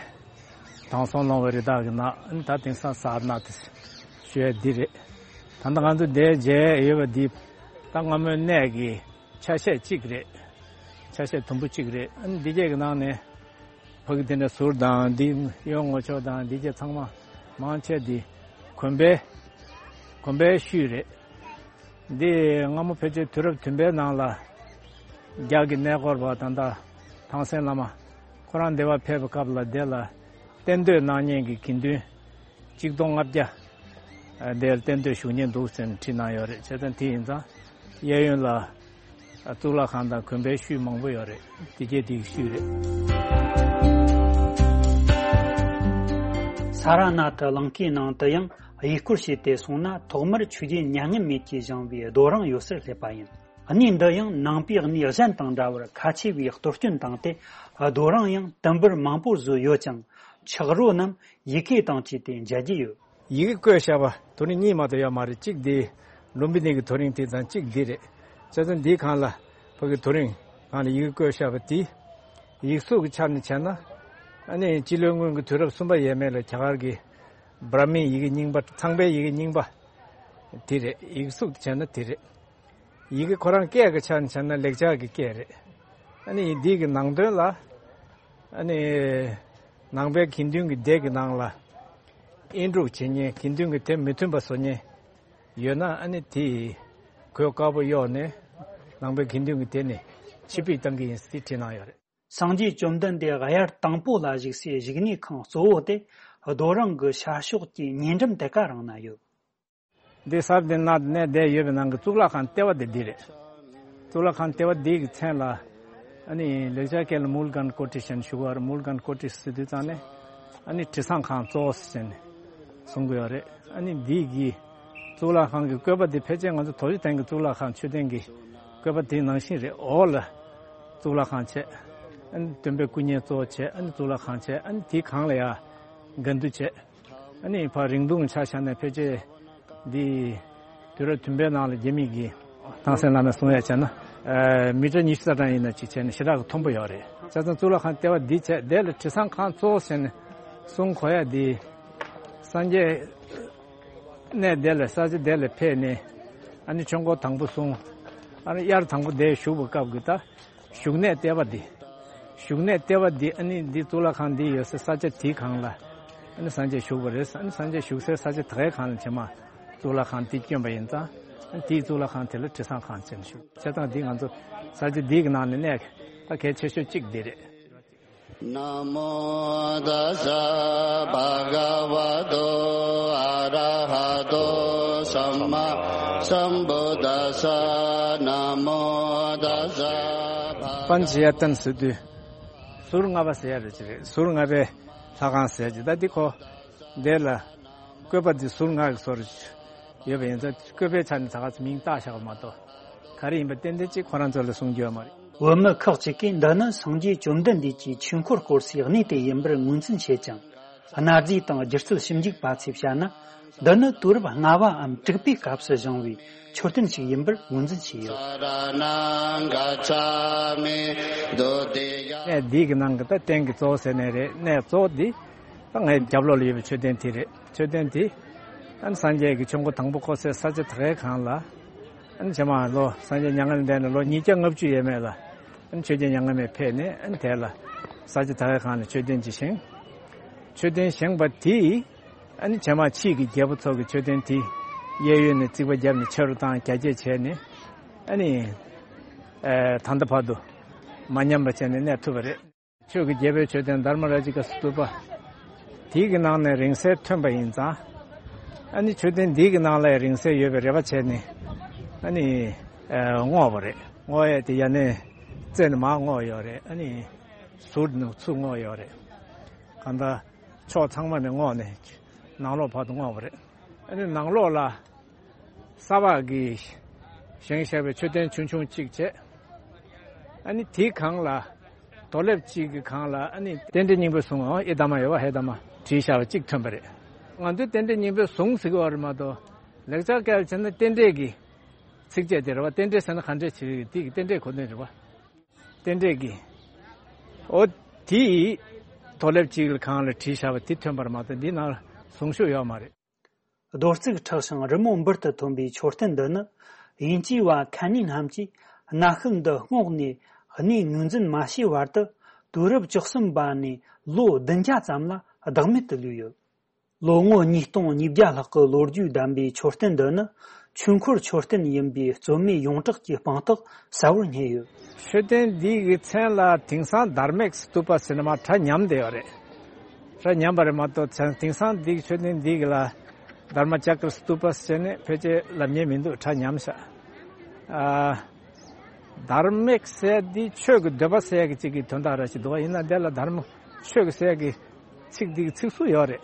དྲང་སྲོང་ལོང་བའི་རི་དྭགས་ཀྱི་ནགས། ཨ་ནི་ད་དེང་སང་ས་ར་ནཱ་ཐ་ཞུ་ཡས་འདི་རེད། ད་ལྟ་ང་ཚོ་འདིར་མཇལ་ཡོད་པ་འདི་ད་སྔ་མོའི་གནས་ཀྱི་ཆ་ཤས་གཅིག་རེད། ཆ་ཤས་དུམ་བུ་གཅིག་རེད། ཨ་ནི་འདི་གས་ཀྱི་ནང་ནས་ཕ་གི་དེ་འདྲ་ཟུར་དང་འདི་གཡོན་ངོས་ཕྱོགས་དང་འདི་གས་ཚང་མ་མང་ཆེ་འདི་དགོན་པའི་དགོན་པའི་ཤུལ་རེད། འདི་སྔ་མོ་ཕལ་ཆེར་དུས་རབས་བདུན་པའི་ནང་ལ་རྒྱ་གི་གནས་སྐོར་བ་ད་ལྟ་ཐང་སན་བླ་མ་ཁོ་རང་འདི་བར་ཕེབས་པའི་སྐབས་ལ་དེ་ལ་གཏན་སྡོད་གནང་མཁན་གྱི་དགེ་འདུན་གཅིག་སྟོང་ལྔ་བརྒྱ་དེར་གཏན་སྡོད་བཞུགས་མཁན་འདུག་ཟེར་ནས་བྲིས་གནང་ཡོད་རེད། བྱས་ཙང་དེ་ཡིན་ཙང་གཡས་གཡོན་ལ་གཙུག་ལག་ཁང་དང་དགོན་པའི་ཤུལ་མང་པོ་ཡོད་རེད། དེ་གས་དེའི་ཤུལ་རེད། ས་ར་ནཱ་ཐ་ལང་ཀའི་ནང་དུ་ཡང་ཡུལ་སྐོར་བྱས་ཏེ་སོང་ན། ཐོག་མར་ཆོས་རྒྱལ་མྱ་ངན་མེད་ཀྱིས་བཞེངས་པའི་རྡོ་རིང་ཡོད་སར་སླེབས་པ་ཡིན། གནས་འདི་ཡང་ནང་པའི་གནས་གཞན་དང་འདྲ་བར་ཁ་ཆེ་བའི་གཏོར་སྐྱོན་བཏང་སྟེ། རྡོ་རིང་ཡང་དུམ་བུར་མང་པོ་བཟོས་ཡོད་ཀྱང་། ཆག་རོ་རྣམས་ཡི་གེ་དང་བཅས་ཏེ་མཇལ་རྒྱུ་ཡོད། ཡི་གེ་བརྐོས་བཞག་པ་དོ་རིང་གཉིས་མ་གཏོགས་ཡོད་མ་རེད། གཅིག་དེ་ལུམ་བི་ནི་གི་དོ་རིང་དེ་དང་གཅིག་འདི་རེད། བྱས་ཙང་འདིའི་སྒང་ལ་ཕ་གི་དོ་རིང་སྒང་ལ་ཡི་གེ་བརྐོས་བཞག་པ་དེ། ཡིག་གཟུགས་ཀྱི་ཆ་ནས་བྱས་ན། ཨ་ནི་སྤྱི་ལོའི་སྔོན་གྱི་དུས་རབས་གསུམ་པ་ཡས་མས་ལ་རྒྱ་གར་གྱི་བྷྲ་མིའི་ཡི་གེ་རྙིང་པ། ཚངས་པའི་ཡི་གེ་རྙིང་པ་དེ་རེད། ཡིག་གཟུགས་དེ་བྱས་ན་དེ་རེད། ཡི་གེ་ཁོ་རང་སྐད་ཀྱི་ཆ་ནས་བྱས་ན་ལེགས་སྦྱར་གྱི་སྐད་རེད། ཨ་ནི་འདི་གི་ནང་དོན་ལ། ཨ་ནི་ནང་པའི་དགེ་འདུན་གྱི་སྡེ་གི་ནང་ལ་དབྱེན་དཀྲུག་བྱེད་མཁན། དགེ་འདུན་གྱི་དེ་མི་མཐུན་པ་བཟོ་མཁན་ཡོད་ན། ཨ་ནི་དེ་གོས་དཀར་པོ་གཡོགས་ནས་ནང་པའི་དགེ་འདུན་གྱི་སྡེ་ནས་ཕྱིར་ཕུད་བཏང་གི་ཡིན་ཟེར་བྲིས་གནང་ཡོད་རེད། སངས་རྒྱས་བཅོམ་ལྡན་འདས་དབྱར་དང་པོ་ལ་བཞུགས་སའི་བཞུགས་གནས་ཁང་གཙོ་བོ་དེ་རྡོ་རིང་གི་ཤར་ཕྱོགས་ཀྱི་ཉེ་འགྲམ་དེ་ག་རང་ན་ཡོད། འདི་ས་ར་ནཱ་ཐ་ནས་བསྡད་ཡོད་པའི་ནང་གི་གཙུག་ལག་ཁང་ལྟེ་བ་དེ་འདི་རེད། གཙུག་ལག་ཁང་ལྟེ་བ་འདི་གི་མཚན་ལ་ཨ་ནི་ལེགས་སྦྱར་སྐད་ལ་མུལ་གན་ཀོ་ཊི་ཞེས་ཞུ་གི་ཡོད་རེད། མུལ་གན་ཀོ་ཊི་ཟེར་དུས་ཙང་ནས་ཨ་ནི་དྲི་བཟང་ཁང་གཙོ་བོ་ཟེར་ནས་གསུང་གི་ཡོད་རེད། ཨ་ནི་འདི་གི་གཙུག་ལག་ཁང་གི་བཀོད་པ་འདི་ཕལ་ཆེར་ང་ཚོ་དོ་ཇོ་ཐང་གི་གཙུག་ལག་ཁང་མཆོད་རྟེན་གྱི་བཀོད་པ་དེ་ནང་བཞིན་རེད། འོག་ལ་གཙུག་ལག་ཁང་བྱས། ཨ་ནི་སྟོན་པའི་སྐུ་བརྙན་གཙོ་བོ་བྱས། ཨ་ནི་གཙུག་ལག་ཁང་བྱས། ཨ་ནི་དེའི་སྒང་ལ་ཡ་དགའ་འདུ་བྱས། ཨ་ནི་ཕར་རིང་ཐུང་ཆ་བཞག་ན་ཕལ་ཆེར་འདི་དུས་རབས་བདུན་པའི་ནང་ལ་རྒྱ་མི་གི་ཐང་སན་བླ་མས་གསུང་ཡ་བྱས་ན། ཨ་མི་ཊར་ཉི་ཤུ་རྩ་གྲངས་ཡིན་ན་ཅིག་བྱས་ན་ཞེ་དྲག་གི་མཐོན་པོ་ཡོད་རེད། བྱས་ཙང་གཙུག་ལག་ཁང་ལྟེ་བ་འདི་བྱས། དེ་ལ་དྲི་བཟང་ཁང་གཙོ་བོ་ཟེར་ནས་གསུང་གོ་ཡ་འདི། སངས་རྒྱས་གནས་དེ་ལ་ས་ཆ་དེ་ལ་ཕེབས་ནས་ཨ་ནི་ཆོས་འཁོར་དང་པོ་གསུངས། ཨ་ནི་དབྱར་དང་པོ་དེ་བཞུགས་པའི་སྐབས་ཀྱི་ད་བཞུགས་གནས་ལྟེ་བ་འདི། བཞུགས་གནས་ལྟེ་བ་འདི་ཨ་ནི་འདི་གཙུག་ལག་ཁང་འདི་ཡོད་སའི་ས་ཆ་དེའི་སྒང་ལ་ཨ་ནི་སངས་རྒྱས་བཞུགས་པ་རེད། ཨ་ནི་སངས་རྒྱས་བཞུགས་སའི་ས་ཆ་དེ་གའི་སྒང་ལ་ཕྱི་མ་གཙུག་ལག་ཁང་འདི་བསྐྱོན་པ་ཡིན་ཙང་། ཨ་ནི་དེའི་གཙུག་ལག་ཁང་དེ་ལ་དྲི་བཟང་ཁང་ཟེར་ནས་ཞུ། བྱས་ཙང་འདི་ང་ཚོ་ས་ཆ་འདི་གི་ནང་ནས་གནས་ད་གལ་ཆེ་ཤོས་གཅིག་འདི་རེད། นะโมตัสสะ ภะคะวะโต อะระหะโต สัมมาสัมพุทธัสสะ นะโมตัสสะ པཎ་ཆེན་ཡར་ལྟན་ཟེར་དུས་ཟུར་ལྔ་པ་ཟེར་ཡ་རེད་ཅི་རེད། ཟུར་ལྔ་པའི་ལྷ་ཁང་ཟེར་ཡ་ཅི། ད་འདི་ཁོ་འདི་ལ་བཀོད་པ་འདི་ཟུར་ལྔ་གི་བཟོ་རེད། ཡོད་པ་ཡིན་ཙང་བཀོད་པའི་ཆ་ནས་ད་ག་ཚོད་མིང་བཏགས་བཞག་པ་མ་གཏོགས་ག་རེ་ཡིན་པ་ཏན་ཏན་གཅིག་ཁོ་རང་ཚོ་ལ་གསུང་རྒྱུ་ཡོད་མ་རེད། བོད་མི་ཁག་ཅིག་གིས་འདི་ནི་སངས་རྒྱས་བཅོམ་ལྡན་འདས་ཀྱི་ཆོས་འཁོར་བསྐོར་སའི་གནས་དེ་ཡིན་པར་ངོས་འཛིན་བྱེད་ཅིང་། གནའ་རྫས་དང་སྒྱུ་རྩལ་ཞིབ་འཇུག་པ་ཚོས་བཤད་ན། འདི་ནི་དུས་རབས་ལྔ་པའམ་དྲུག་པའི་སྐབས་སུ་བཞེངས་པའི་མཆོད་རྟེན་ཞིག་ཡིན་པར་ངོས་འཛིན་བྱས་ཡོད། གནས་འདི་གི་ནང་གི་ད་རྟེན་གྱི་གཙོ་བོ་ཟེར་ནའི་རེད། གནས་གཙོ་བོ་འདི་ད་ངའི་རྒྱབ་ལོགས་ལ་ཡོད་པའི་མཆོད་རྟེན་དེ་རེད། མཆོད་རྟེན་དེ་ཨ་ནི་སངས་རྒྱས་ཀྱི་ཆོས་འཁོར་དང་པོ་བསྐོར་སའི་ས་ཆ་དེ་གའི་སྒང་ལ། ཨ་ནི་ཕྱི་མ་ལོ་སངས་རྒྱས་མྱ་ངན་ལས་འདས་ནས་ལོ་ཉིས་བརྒྱ་ལྔ་བཅུ་ཡས་མས་ལ། ཨ་ནི་ཆོས་རྒྱལ་མྱ་ངན་མེད་ཕེབས་ནས་ཨ་ནི་དེ་ལ་ས་ཆ་དེ་གའི་སྒང་ལ་མཆོད་རྟེན་ཅིག་བཞེངས། མཆོད་རྟེན་བཞེངས་པ་དེས་ཨ་ནི་ཕྱི་མ་ཕྱིས་ཀྱི་རྒྱལ་པོ་ཚོ་གི་མཆོད་རྟེན་དེ་གཡས་གཡོན་ནས་རྩིག་པ་བརྒྱབ་ནས་ཆེ་རུ་བཏང་རྒྱ་སྐྱེད་བྱས་ནས་ཨ་ནི་ཨ་ད་ལྟ་བར་དུ་མ་ཉམས་པ་བྱས་ནས་གནས་ཐུབ་པ་རེད། ཆོས་ཀྱི་རྒྱལ་པོའི་མཆོད་རྟེན་དྷརྨ་རཱ་ཇི་ཀ་སྟུ་པ། དེའི་གི་ནང་ནས་རིང་བསྲེལ་ཐོན་པ་ཡིན་ཙང་། ཨ་ནི་མཆོད་རྟེན་འདིའི་གི་ནང་ལ་རིང་བསྲེལ་ཡོད་པའི་རེ་བ་བྱས་ནས་ཨ་ནི་ཨ་བསྔོགས་པ་རེད། བསྔོགས་ཡས་དེ་ཡ་ནས་རྩེ་ནས་མར་བསྔོགས་ཡོད་རེད། ཨ་ནི་ཟུར་ནས་ཚུར་བསྔོགས་ཡོད་རེད། གང་ལྟར་ཕྱོགས་ཚང་མ་ནས་བསྔོགས་ནས་ནང་ལོགས་བར་དུ་བསྔོགས་པ་རེད། ཨ་ནི་ནང་ལོགས་ལ་ས་ཕག་གིས་བཞེངས་བཞག་པའི་མཆོད་རྟེན་ཆུང་ཆུང་གཅིག་བྱས། ཨ་ནི་དེའི་སྒང་ལ་རྡོ་ལེབ་གཅིག་གི་སྒང་ལ་ཨ་ནི་རྟེན་འབྲེལ་སྙིང་པོའི་གཟུངས། ཨེ་དྷརྨ་ཡོད་པ། ཧེ་དྷརྨ་བྲིས་བཞག་པ་གཅིག་ཐོན་པ་རེད། ང་ཚོའི་རྟེན་འབྲེལ་སྙིང་པོའི་གཟུངས་ཟེར་གི་ཡོད་རེད་མ་གཏོགས་ལེགས་སྦྱར་སྐད་ལ་བྱས་ན་རྟེན་འབྲེལ་གྱི་ཚིགས་བཅད་དེ་རེད་བ། རྟེན་འབྲེལ་ཟེར་ན་ག་འདྲས་བྱེད་ཀྱི་དེ་གི་རྟེན་འབྲེལ་གོ་དོན་རེད་བ། རྟེན་འབྲེལ་གྱི། ཨོ། དེའི་ཐོག་ལེབ་གཅིག་ལ་གང་ལ་བྲིས་བཞག་པ་དེ་ཐོན་པར་མ་གཏོགས་འདི་ནང་གཟུངས་གཞུག་ཡོད་མ་རེད། རྡོ་བརྩིགས་མཁྲེགས་ཤིང་རི་མོ་འབུར་དུ་ཐོན་པའི་མཆོད་རྟེན་འདི་ནི། དབྱིན་ཇིའི་བ་ཁན་ནི་རྣམས་ཀྱིས་གནའ་ཤུལ་འདི་སྔོག་ནས་གནས་ངོས་འཛིན་མ་བྱས་བར་དུ། དུས་རབས་བཅུ་གསུམ་པ་ནས་ལོ་བདུན་བརྒྱ་ཙམ་ལ་བདག་མེད་དུ་ལུས་ཡོད། ལོ་ངོ་ཉིས་སྟོང་ཉིས་བརྒྱ་ལྷག་གི་ལོ་རྒྱུས་ལྡན་པའི་མཆོད་རྟེན་འདི་ནི། ཆོས་འཁོར་མཆོད་རྟེན་ཡིན་པའི་རྩོད་མེད་ཡོངས་གྲགས་ཀྱི་དཔང་རྟགས་གསལ་བོར་རྙེད་ཡོད། མཆོད་རྟེན་འདི་གི་མཚན་ལ་དེང་སང་དྷརྨིཀ་སྟུ་པ་ཟེར་ནས་མར་གྲ་ཉམས་བསྡད་ཡོད་རེད། གྲ་ཉམས་པ་རེད་མ་གཏོགས་མཚན་དེང་སང་འདི་གི་མཆོད་རྟེན་འདི་གི་ལ་དྷརྨ་ཅཀྲ་སྟུ་པ་ཟེར་ནས་ཕལ་ཆེར་ལབ་མཁན་མི་འདུག་གྲ་ཉམས་ཤག་ཨ། དྷརྨིཀ་ཟེར་འདི་ཆོས་ཀྱི་འདོད་པ་ཟེར་གྱི་གཅིག་གི་དོན་དག་ར་ཞིག་འདུག་བ། ཡིན་ན་འདི་ལ་དྷརྨ་ཆོས་ཀྱི་ཟེར་གྱི་ཚིག་འདི་གི་ཚིག་ཟུར་ཡོད་རེད།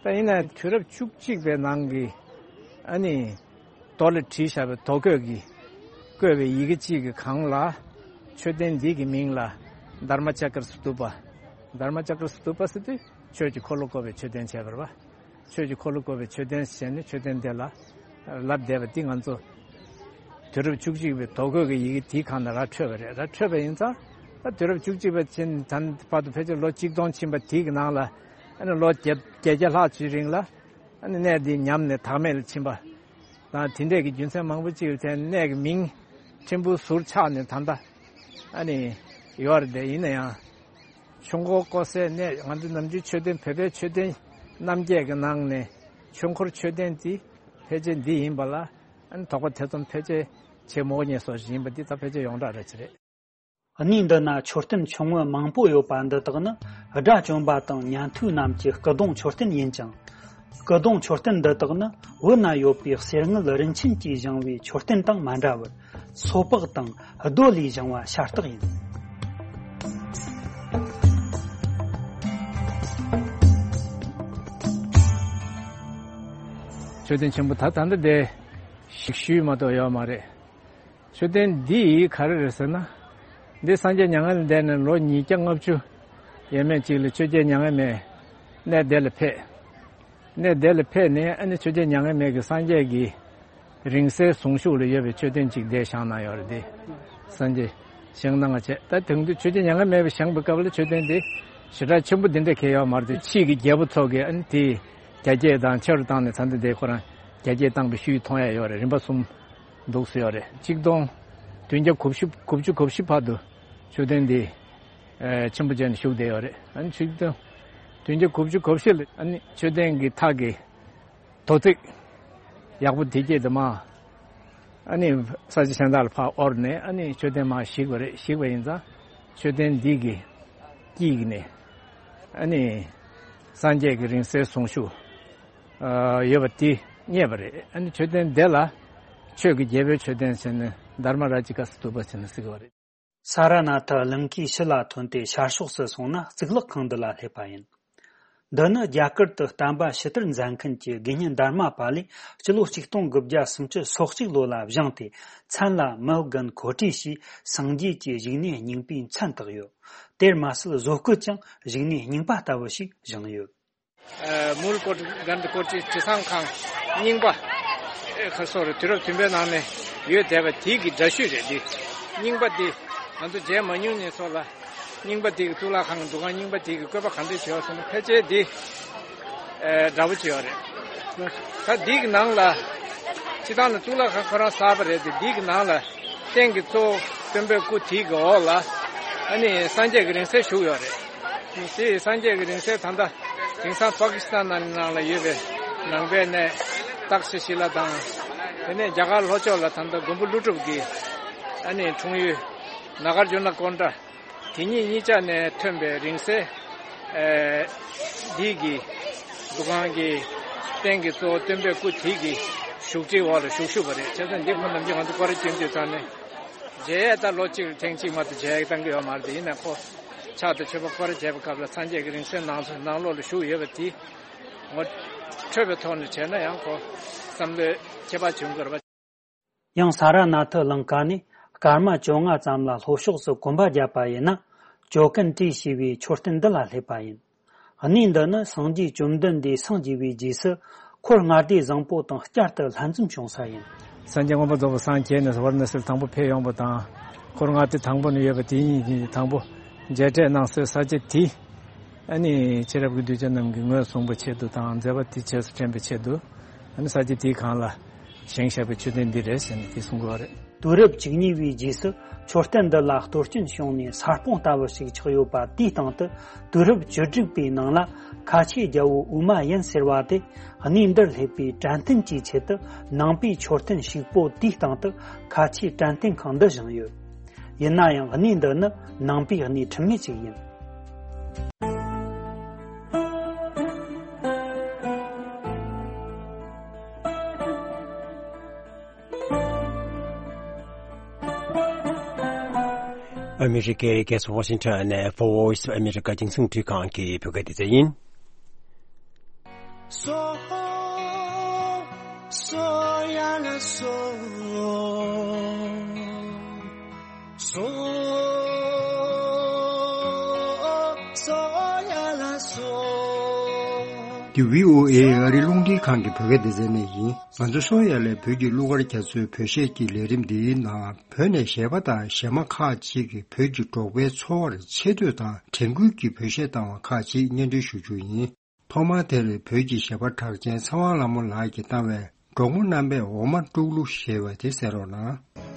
ད་ཡིན་ན་དུས་རབས་བཅུ་གཅིག་པའི་ནང་གི་ཨ་ནི། རྡོ་ལ་བྲིས་བཞག་པའི་རྡོ་བརྐོས་ཀྱི་བརྐོས་པའི་ཡི་གེ་གཅིག་གི་སྒང་ལ་མཆོད་རྟེན་འདི་གི་མིང་ལ་དྷརྨ་ཅཀྲ་སྟུ་པ། དྷརྨ་ཅཀྲ་སྟུ་པ་ཟེར་དུས་ཆོས་ཀྱི་འཁོར་ལོ་བསྐོར་བའི་མཆོད་རྟེན་བྱས་པ་རེད་བ། ཆོས་ཀྱི་འཁོར་ལོ་བསྐོར་བའི་མཆོད་རྟེན་ཟེར་ནས་མཆོད་རྟེན་འདི་ལ་ལབ་བསྡད་པ་འདི་ང་ཚོ་དུས་རབས་བཅུ་གཅིག་པའི་རྡོ་བརྐོས་ཀྱི་ཡི་གེ་དེའི་སྒང་ནས་ར་འཕྲོས་པ་རེད། ར་འཕྲོས་པ་ཡིན་ཙང་ད་དུས་རབས་བཅུ་གཅིག་པ་ཕྱིན་ད་བར་དུ་ཕལ་ཆེར་ལོ་གཅིག་སྟོང་ཕྱིན་པ་དེའི་གི་ནང་ལ་ཨ་ནི་ལོ་བརྒྱད་བརྒྱད་བརྒྱ་ལྷག་ཅིག་རིང་ལ། ཨ་ནི་གནས་འདི་ཉམས་ནས་བདག་མེད་ལ་ཕྱིན་པ་དང་དེ་འདྲས་ཀྱི་རྒྱུ་མཚན་མང་པོ་ཅིག་ལ་བརྟེན་གནས་ཀྱི་མིང་ཕྲན་བུ་ཟུར་ཆག་ནས་ད་ལྟ་ཨ་ནི་ཡོད་རེད་དེ། ཡིན་ན་ཡང་ཆོས་འཁོར་བསྐོར་སའི་གནས་ང་ཚོ་ནམ་རྒྱུན་མཆོད་རྟེན་བོད་པའི་མཆོད་རྟེན་རྣམ་བརྒྱད་ཀྱི་ནང་ནས་ཆོས་འཁོར་མཆོད་རྟེན་འདི་ཕལ་ཆེར་འདི་ཡིན་པ་ལ་ཨ་ནི་དོགས་པ་ཐེ་ཚོམ་ཕལ་ཆེར་བྱེད་མི་དགོས་ངེས་སོ་ཞིག་ཡིན་པ་འདི་ད་ཕལ་ཆེར་ཡོངས་གྲགས་རེད་ཅི་རེད། གནས་འདི་ན་མཆོད་རྟེན་ཆུང་ངུ་མང་པོ་ཡོད་པ་འདི་དག་ནི་དགྲ་བཅོམ་པ་དང་ཉན་ཐོས་རྣམས་ཀྱི་སྐུ་གདུང་མཆོད་རྟེན་ཡིན་ཅིང་། སྐུ་གདུང་མཆོད་རྟེན་འདི་དག་ནི་བོད་ན་ཡོད་པའི་གསེར་དངུལ་རིན་ཆེན་གྱིས་བཞེངས་པའི་མཆོད་རྟེན་དང་མ་འདྲ་བར་སོ་ཕག་དང་རྡོ་ལས་བཞེངས་པ་ཤ་སྟག་ཡིན། མཆོད་རྟེན་ཆེན་པོ་ད་ད་འདི་འདི་ཞིག་ཤུལ་མ་གཏོགས་ཡོད་མ་རེད། མཆོད་རྟེན་འདི་ཡིས་ག་རེ་རེད་ཟེར་ན། འདི་སངས་རྒྱས་མྱ་ངན་ལས་འདས་ནས་ལོ་ཉིས་བརྒྱ་ལྔ་བཅུ་ཡས་མས་ཅིག་ལ་ཆོས་རྒྱལ་མྱ་ངན་མེད་གནས་དེ་ལ་ཕེབས། གནས་དེ་ལ་ཕེབས་ནས་ཨ་ནི་ཆོས་རྒྱལ་མྱ་ངན་མེད་ཀྱི་སངས་རྒྱས་ཀྱི་རིང་བསྲེལ་གཟུངས་གཞུག་ལ་ཡོད་པའི་མཆོད་རྟེན་ཅིག་འདིར་བཞེངས་གནང་ཡོད་རེད་དེ། སངས་རྒྱས་བཞེངས་གནང་བ་བྱས། ད་དེང་དུས་ཆོས་རྒྱལ་མྱ་ངན་མེད་པ་བཞེངས་པའི་སྐབས་ལ་མཆོད་རྟེན་འདི་ཞེ་དྲག་ཆེན་པོ་འདི་འདྲ་གང་ཡོད་མ་རེད་དེ། ཕྱིས་ཀྱི་རྒྱལ་པོ་ཚོ་གིས་ཨ་ནི་དེ་རྒྱ་སྐྱེད་དང་ཆེ་རུ་བཏང་ནས་ད་ལྟ་འདི་ཁོ་རང་རྒྱ་སྐྱེད་བཏང་པའི་ཤུལ་མཐོང་ཡ་ཡོད་རེད། རིམ་པ་གསུམ། འདུག་སེ་ཡོད་རེད། གཅིག་སྟོང་བདུན་བརྒྱ་གོ་བཞི་གོ་བཅུ་གོ་བཞི་བར་དུ་མཆོད་རྟེན་འདི་ཨེ་ཆེན་པོ་བྱས་ནས་བཞུགས་བསྡད་ཡོད་རེད། ཨ་ནི་གཅིག་སྟོང་བདུན་བརྒྱ་གོ་བཅུ་གོ་བཞི་ལ་ཨ་ནི་མཆོད་རྟེན་གྱི་ཐག་གི་དོ་ཚིགས་ཡག་པོ་དེ་སྐྱེས་དུ་མ་ཨ་ནི་ས་ཆ་གཞན་དག་ལ་ཕར་དབོར་ནས་ཨ་ནི་མཆོད་རྟེན་མར་བཤིག་པ་རེད། བཤིག་པ་ཡིན་ཙང་མཆོད་རྟེན་འདི་གི་དཀྱིལ་ནས་ཨ་ནི་སངས་རྒྱས་ཀྱི་རིང་བསྲེལ་གཟུངས་གཞུག་ཨ་ཡོད་པ་དེ་རྙེད་པ་རེད། ཨ་ནི་མཆོད་རྟེན་འདི་ལ་ཆོས་ཀྱི་རྒྱལ་པོའི་མཆོད་རྟེན་ཟེར་ནས་དྷརྨ་རཱ་ཇི་ཀ་སྟུ་པ་ཟེར་ནས་ཟེར་གྱི་ཡོད་རེད། ས་ར་ནཱ་ཐ་གླིང་གའི་ཕྱི་ལ་ཐོན་ཏེ་ཤར་ཕྱོགས་སུ་སོང་ན་གཙུག་ལག་ཁང་འདི་ལ་སླེབས་པ་ཡིན། འདི་ནི་རྒྱ་གར་དུ་བསྟན་པ་ཕྱི་དར་མཛད་མཁན་གྱི་དགེ་བསྙེན་དྷརྨ་པཱ་ལས་སྤྱི་ལོ་ཆིག་སྟོང་དགུ་བརྒྱ་སུམ་ཅུ་སོ་གཅིག་ལོ་ལ་བཞེངས་ཏེ། མཚན་ལ་མི་དགོན་གོ་ཊི་ཞེས་སངས་རྒྱས་ཀྱི་བཞུགས་གནས་རྙིང་པའི་མཚན་བཏགས་ཡོད། དེར་མ་ཟད་བཟོ་བཀོད་ཀྱང་བཞུགས་གནས་རྙིང་པ་ལྟ་བུ་ཞིག་བཞེངས་ཡོད། ཨ་མུལ་ཀོ་ཊི་གནྡྷ་ཀོ་ཊི་དྲི་བཟང་ཁང་རྙིང་པ། ཨེ་ཁ་སོ་རེ་དུས་རབས་བདུན་པའི་ནང་ནས་ཡོད་བསྡད་པ་དེའི་གི་འདྲ་བཤུས་རེད་འདི། རྙིང་པ་འདི་ང་ཚོ་མཇལ་མ་མྱོང་ནས་ཚོ་ལ་རྙིང་པ་དེ་གི་གཙུག་ལག་ཁང་གི་འདུ་ཁང་རྙིང་པ་དེ་གི་བཀོད་པ་ག་འདྲ་བྱས་ཡོད་ཟེར་ན་ཕལ་ཆེར་འདི་ཨེ་འདྲ་པོ་བྱས་ཡོད་རེད། ད་འདི་གི་ནང་ལ་སྤྱི་བཏང་ལ་གཙུག་ལག་ཁང་ཁོ་རང་གསར་པ་རེད་དེ། འདི་གི་ནང་ལ་རྟེན་གྱི་གཙོ་བོ་སྟོན་པའི་སྐུ་དེ་གི་འོག་ལ་ཨ་ནི་སངས་རྒྱས་ཀྱི་རིང་བསྲེལ་བཞུགས་ཡོད་རེད། དེ་སངས་རྒྱས་ཀྱི་རིང་བསྲེལ་ད་ལྟ་དེང་སང་པ་ཀི་སི་ཐན་ནང་ལ་ཡོད་པའི་ནང་པའི་གནས་ཏག་ཤི་ཤི་ལ་དང་། དེ་ནས་རྒྱ་གར་ལྷོ་ཕྱོགས་ལ་ད་ལྟ་མགོན་པོ་ཀླུ་སྒྲུབ་ཀྱི་ཨ་ནི་འཁྲུངས་ཡུལ་ནཱ་གཱརྫུ་ན་ཀོན་ཌ། དེ་གཉིས་གཉིས་ཆ་ནས་ཐོན་པའི་རིང་བསྲེལ་ཨེ་འདི་གི་འདུ་ཁང་གི་རྟེན་གྱི་གཙོ་བོ་སྟོན་པའི་སྐུ་དེ་གི་བཞུགས་ཁྲིའི་འོག་ལ་བཞུགས་བཞུགས་པ་རེད། བྱས་ཙང་འདི་ཁོ་ནམ་རྒྱུན་ང་ཚོ་སྐོར་ར་སྐྱོན་དུས་ཙང་ནས་མཇལ་ཡས་ད་ལོ་གཅིག་ལ་ཐེངས་གཅིག་མ་གཏོགས་མཇལ་ཡས་བཏང་གི་ཡོད་མ་རེད། དེ་ཡིན་ན་ཁོ་ཕྱག་དང་མཆོད་པ་སྐོར་ར་བྱས་པའི་སྐབས་ལ་སངས་རྒྱས་ཀྱི་རིང་བསྲེལ་ནང་ནང་ལོགས་ལ་བཞུགས་ཡོད་པ་དེ་ངོ་འཕྲོད་པའི་ཐོག་ནས་བྱས་ན་ཡང་ཁོ་བསམ་བློའི་ཁྱད་པར་བྱུང་དགོས་རེད་པ། ཡང་ས་ར་ནཱ་ཐ་གླིང་ཀ་ནས་སྐར་མ་བཅོ་ལྔ་ཙམ་ལ་ལྷོ་ཕྱོགས་སུ་གོམ་པ་བརྒྱབ་པ་ཡིན་ན། ཇོ་ཀན་ཏི་ཞེས་པའི་མཆོད་རྟེན་འདི་ལ་སླེབས་པ་ཡིན། གནས་འདི་ནི་སངས་རྒྱས་བཅོམ་ལྡན་འདས་སངས་རྒྱས་པའི་རྗེས་སུ་འཁོར་ལྔ་སྡེ་བཟང་པོ་དང་བསྐྱར་དུ་ལྷན་འཛོམས་བྱུང་ས་ཡིན། སངས་རྒྱས་མངོན་པར་རྫོགས་པར་སངས་རྒྱས་ནས་ཝཱ་ར་ཎ་སིར་དང་པོ་ཕེབས་ཡོང་བ་དང་། འཁོར་ལྔ་སྡེ་དང་པོ་ནས་ཡོད་པ་དེ་ཉིད་ཀྱིས་དང་པོ་མཇལ་འཕྲད་གནང་སའི་ས་ཆ་དེ། ཨ་ནི་ཤེས་རབ་ཀྱི་གདུལ་བྱ་རྣམས་ཀྱིས་ངོས་བཟུང་བའི་ཆེད་དུ་དང་མཛད་པ་དེ་རྗེས་སུ་དྲན་པའི་ཆེད་དུ། ཨ་ནི་ས་ཆ་དེའི་སྒང་ལ་བཞེངས་བཞག་པའི་མཆོད་རྟེན་འདི་རེད་ཟེར་ནས་དེ་གསུང་གི་ཡོད་རེད། དུས་རབས་བཅུ་གཉིས་པའི་རྗེས་སུ་མཆོད་རྟེན་འདི་ལ་གཏོར་སྐྱོན་བྱུང་ནས་ས་སྤོང་ལྟ་བུ་ཞིག་ཆགས་ཡོད་པ་དེའི་སྟེང་དུ། དུས་རབས་བཅུ་དྲུག་པའི་ནང་ལ་ཁ་ཆེའི་རྒྱལ་པོ་ཨུ་མ་ཡན་ཟེར་བ་དེ་གནས་འདིར་སླེབས་པའི་དྲན་རྟེན་གྱི་ཆེད་དུ་ནང་པའི་མཆོད་རྟེན་ཞིག་པོ་དེའི་སྟེང་དུ་ཁ་ཆེའི་དྲན་རྟེན་ཁང་འདི་བཞེངས་ཡོད། ཡིན་ན་ཡང་གནས་འདི་ནི་ནང་པའི་གནས་ཁྲིམས་མེད་ཅིག་ཡིན། ཨ་མི་རི་ཀའི་རྒྱལ་ས་ཝ་ཤིང་ཊོན་ནས་Voice of America་རྒྱང་སྲིང་འཕྲིན་ཁང་གི་བོད་སྐད་སྡེ་ཚན་ཡིན། སོ། སོ་ཡ་ལ་སོ། སོ། སོ་ཡ་ལ་སོ། འདི་བྷི་ཨོ་ཨེ་ཨ་རིའི་རླུང་འཕྲིན་ཁང་གི་བོད་སྐད་སྡེ་ཚན་ནས་ཡིན། ང་ཚོ་སོ་ཡ་ལའི་བོད་ཀྱི་གླུ་གར་རྒྱ་མཚོའི་བོད་གཞས་ཀྱི་ལས་རིམ་འདིའི་ནང་བོད་ནས་གཞས་པ་དང་གཞས་མ་ཁག་ཅིག་གིས་བོད་ཀྱི་འབྲོག་པའི་འཚོ་བར་ཆེ་བསྟོད་དང་དྲན་སྐུལ་གྱི་བོད་གཞས་བཏང་བ་ཁག་ཅིག་སྙན་སྒྲོན་ཞུ་རྒྱུ་ཡིན། ཐོག་མར་དེར་བོད་ཀྱི་གཞས་པ་གྲགས་ཅན་ཚེ་དབང་ལྷ་མོ་ལགས་ཀྱིས་བཏང་བའི་འབྲོག་མོ་རྣམ་པས་འོ་མ་དཀྲུག་གླུ་ཞེས་པ་དེ་གསན་རོགས་གནང་།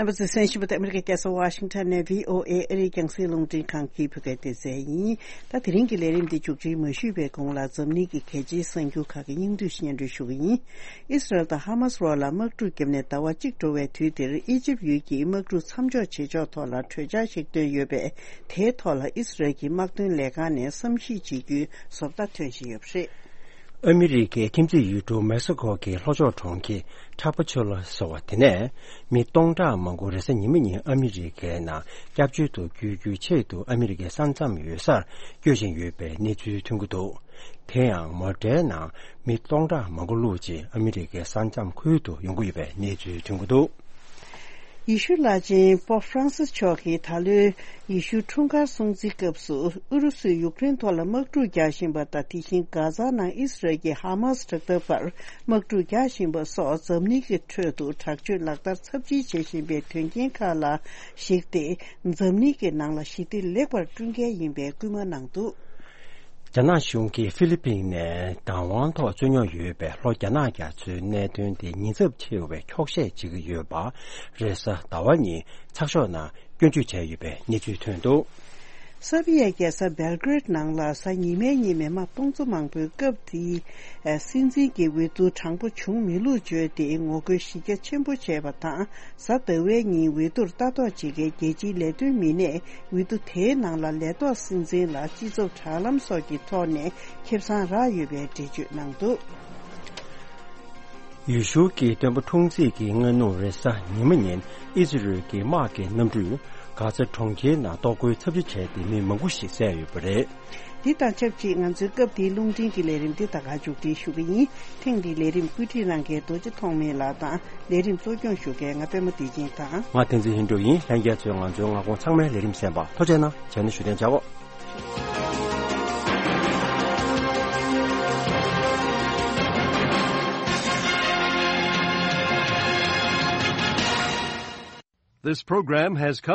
རྣམ་པ་ཚོས་གསན་བཞིན་པ་དེ་ཨ་མི་རི་ཀའི་རྒྱལ་ས་ཝ་ཤིང་ཊོན་ནས་བྷི་ཨོ་ཨེ་ཨ་རིའི་རྒྱང་སྲིང་རླུང་འཕྲིན་ཁང་གི་བོད་སྐད་སྡེ་ཚན་ཡིན། ད་དེ་རིང་གི་ལས་རིམ་འདི་མཇུག་སྒྲིལ་མ་ཞུས་པའི་གོང་ལ་འཛམ་གླིང་གི་གལ་ཆེའི་གསར་འགྱུར་ཁག་གི་སྙིང་བསྡུས་སྙན་སྒྲོན་ཞུ་གི་ཡིན། ཨི་སི་རལ་དང་ཧ་མ་སི་བར་ལ་དམག་འཁྲུག་བརྒྱབ་ནས་ཟླ་བ་གཅིག་འགྲོ་བའི་དུས་འདིར་ཨི་ཇིབ་ཡུལ་གྱིས་དམག་འཁྲུག་མཚམས་འཇོག་བྱེད་ཕྱོགས་ཐོག་ལ་གྲོས་འཆར་ཞིག་བཏོན་ཡོད་པས། དེའི་ཐོག་ལ་ཨི་སི་རལ་གྱི་དམག་དོན་ལས་ཁང་ནས་བསམ་གཞིག་བྱེད་རྒྱུའི་བཟོ་ལྟ་ཐོན་བཞིན་ཡོད་པ་རེད། ཨ་མི་རི་ཀའི་ཁྱིམ་མཚེས་ཡུལ་གྲུ་མེག་སི་ཀོ་གི་ལྷོ་ཕྱོགས་གྲོང་ཁྱེར་ཁྲ་པ་ཆོ་ལ་ཟེར་བ་དེ་ནས་མི་སྟོང་ཕྲག་མང་པོ་རེས་གཟའ་ཉི་མ་ཉིན་ཨ་མི་རི་ཀའི་ནང་སྐྱབས་བཅོལ་དུ་བསྐྱོད་རྒྱུའི་ཆེད་དུ་ཨ་མི་རི་ཀའི་ས་མཚམས་ཡོད་སར་བསྐྱོད་བཞིན་ཡོད་པའི་གནས་ཚུལ་ཐོན་གྱི་འདུག་དེ་ཡང་མོ་ཊའི་ནང་མི་སྟོང་ཕྲག་མང་པོ་བླུགས་རྗེས་ཨ་མི་རི་ཀའི་ས་མཚམས་ཁུལ་དུ་ཡོང་གི་ཡོད་པའི་གནས་ཚུལ་ཐོན་གྱི་འདུག་ཡེ་ཤུ་བླ་ཆེན་པོབ་ཧྥ་རན་སིས་མཆོག་གིས་ད་ལོའི་ཡེ་ཤུའི་འཁྲུངས་སྐར་སྲུང་བརྩིའི་སྐབས་སུ་ཨུ་རུ་སུས་ཡུཀ་རེན་ཐོག་ལ་དམག་འཁྲུག་རྒྱག་བཞིན་པ་དང་། དེ་བཞིན་གྷ་ཛ་ནང་ཨི་སི་རལ་གྱིས་ཧ་མ་སི་དྲག་འཐབ་བར་དམག་འཁྲུག་རྒྱག་བཞིན་པ་སོགས་འཛམ་གླིང་གི་ཁྲོད་དུ་དྲག་སྤྱོད་ལག་བསྟར་ཚབས་ཆེན་བྱེད་བཞིན་པའི་དོན་རྐྱེན་ཁག་ལ་གཞིགས་ཏེ། འཛམ་གླིང་གི་ནང་ལ་ཞི་བདེ་ལེགས་པར་བསྐྲུན་གལ་ཡིན་པའི་སྐུལ་མ་གནང་འདུག་རྒྱ་ནག་གཞུང་གིས་ཧྥི་ལི་པིན་ནས་བདག་དབང་ཐོག་རྩོད་རྙོག་ཡོད་པའི་ལྷོ་རྒྱ་ནག་རྒྱ་མཚོའི་གནད་དོན་དེ་ཉེན་ཚབས་ཆེ་བའི་འཁྱོག་བཤད་བྱེད་ཀྱི་ཡོད་པ། རེས་གཟའ་ཟླ་བ་ཉིན་ཚགས་ཤོག་ནང་སྐྱོན་བརྗོད་བྱས་ཡོད་པའི་གནས་ཚུལ་ཐོན་འདུག་སར་བྷི་ཡའི་རྒྱལ་ས་སྦེལ་ཀེ་རེད་ནང་ལ་གཟའ་ཉི་མའི་ཉིན་མི་མང་སྟོང་ཚོ་མང་པོས་སྐབས་དེའི་སྲིད་འཛིན་གྱི་འོས་བསྡུ་དྲང་པོ་བྱུང་མེད་ལུགས་བརྗོད་དེ་ངོ་རྒོལ་གཞི་རྒྱ་ཆེན་པོ་བྱས་པ་དང་། གཟའ་ཟླ་བའི་ཉིན་འོས་བསྡུར་ལྟ་རྟོག་བྱེད་མཁན་རྒྱལ་སྤྱིའི་ལས་དོན་མི་སྣས་འོས་བསྡུ་དེའི་ནང་ལ་ལས་ཐོག་སྲིད་འཛིན་ལ་སྤྱི་ཚོགས་དྲ་ལམ་སོགས་ཀྱི་ཐོག་ནས་ཁེ་བཟང་རག་ཡོད་པའི་འགྲེལ་བརྗོད་གནང་འདུག་ཡུལ་ཤུལ་གྱི་སྟོན་པ་འཁྲུངས་ཚེས་ཀྱི་སྔ་ནུབ་རེས་གཟའ་ཉི་མ་ཉིན་ཨི་ཛི་རལ་གྱི་དམག་གི་གནམ་གྲུས་ གྷ་ཛ་གྲོང་ཁྱེར་ནང་གཏོར་རྒོལ་ཚབས་ཆེ་བྱས་ཏེ་མི་མང་པོ་ཞིག་བསད་ཡོད་པ་རེད། འདི་དང་ཆབས་ཅིག་ང་ཚོའི་སྐབས་འདིའི་རླུང་འཕྲིན་གྱི་ལས་རིམ་འདི་ད་ག་མཇུག་སྒྲིལ་ཞུ་གི་ཡིན། ཐེངས་འདིའི་ལས་རིམ་བཀོད་སྒྲིག་གནང་མཁན་རྡོ་རྗེ་ཐོགས་མེད་ལགས་དང་། ལས་རིམ་གཙོ་སྐྱོང་ཞུ་མཁན་ང་པད་མ་བདེ་ཆེན་དང་། ང་བསྟན་འཛིན་ལྷུན་གྲུབ་ཡིན། ལྷན་རྒྱས་ཚོས་ང་ཚོའི་མངའ་ཁོངས་ཚང་མའི་ལས་རིམ་གསན་པར་ཐུགས་རྗེ་གནང་། བྱས་ན་བཞུགས་གདན་འཇགས་གོ། This program has come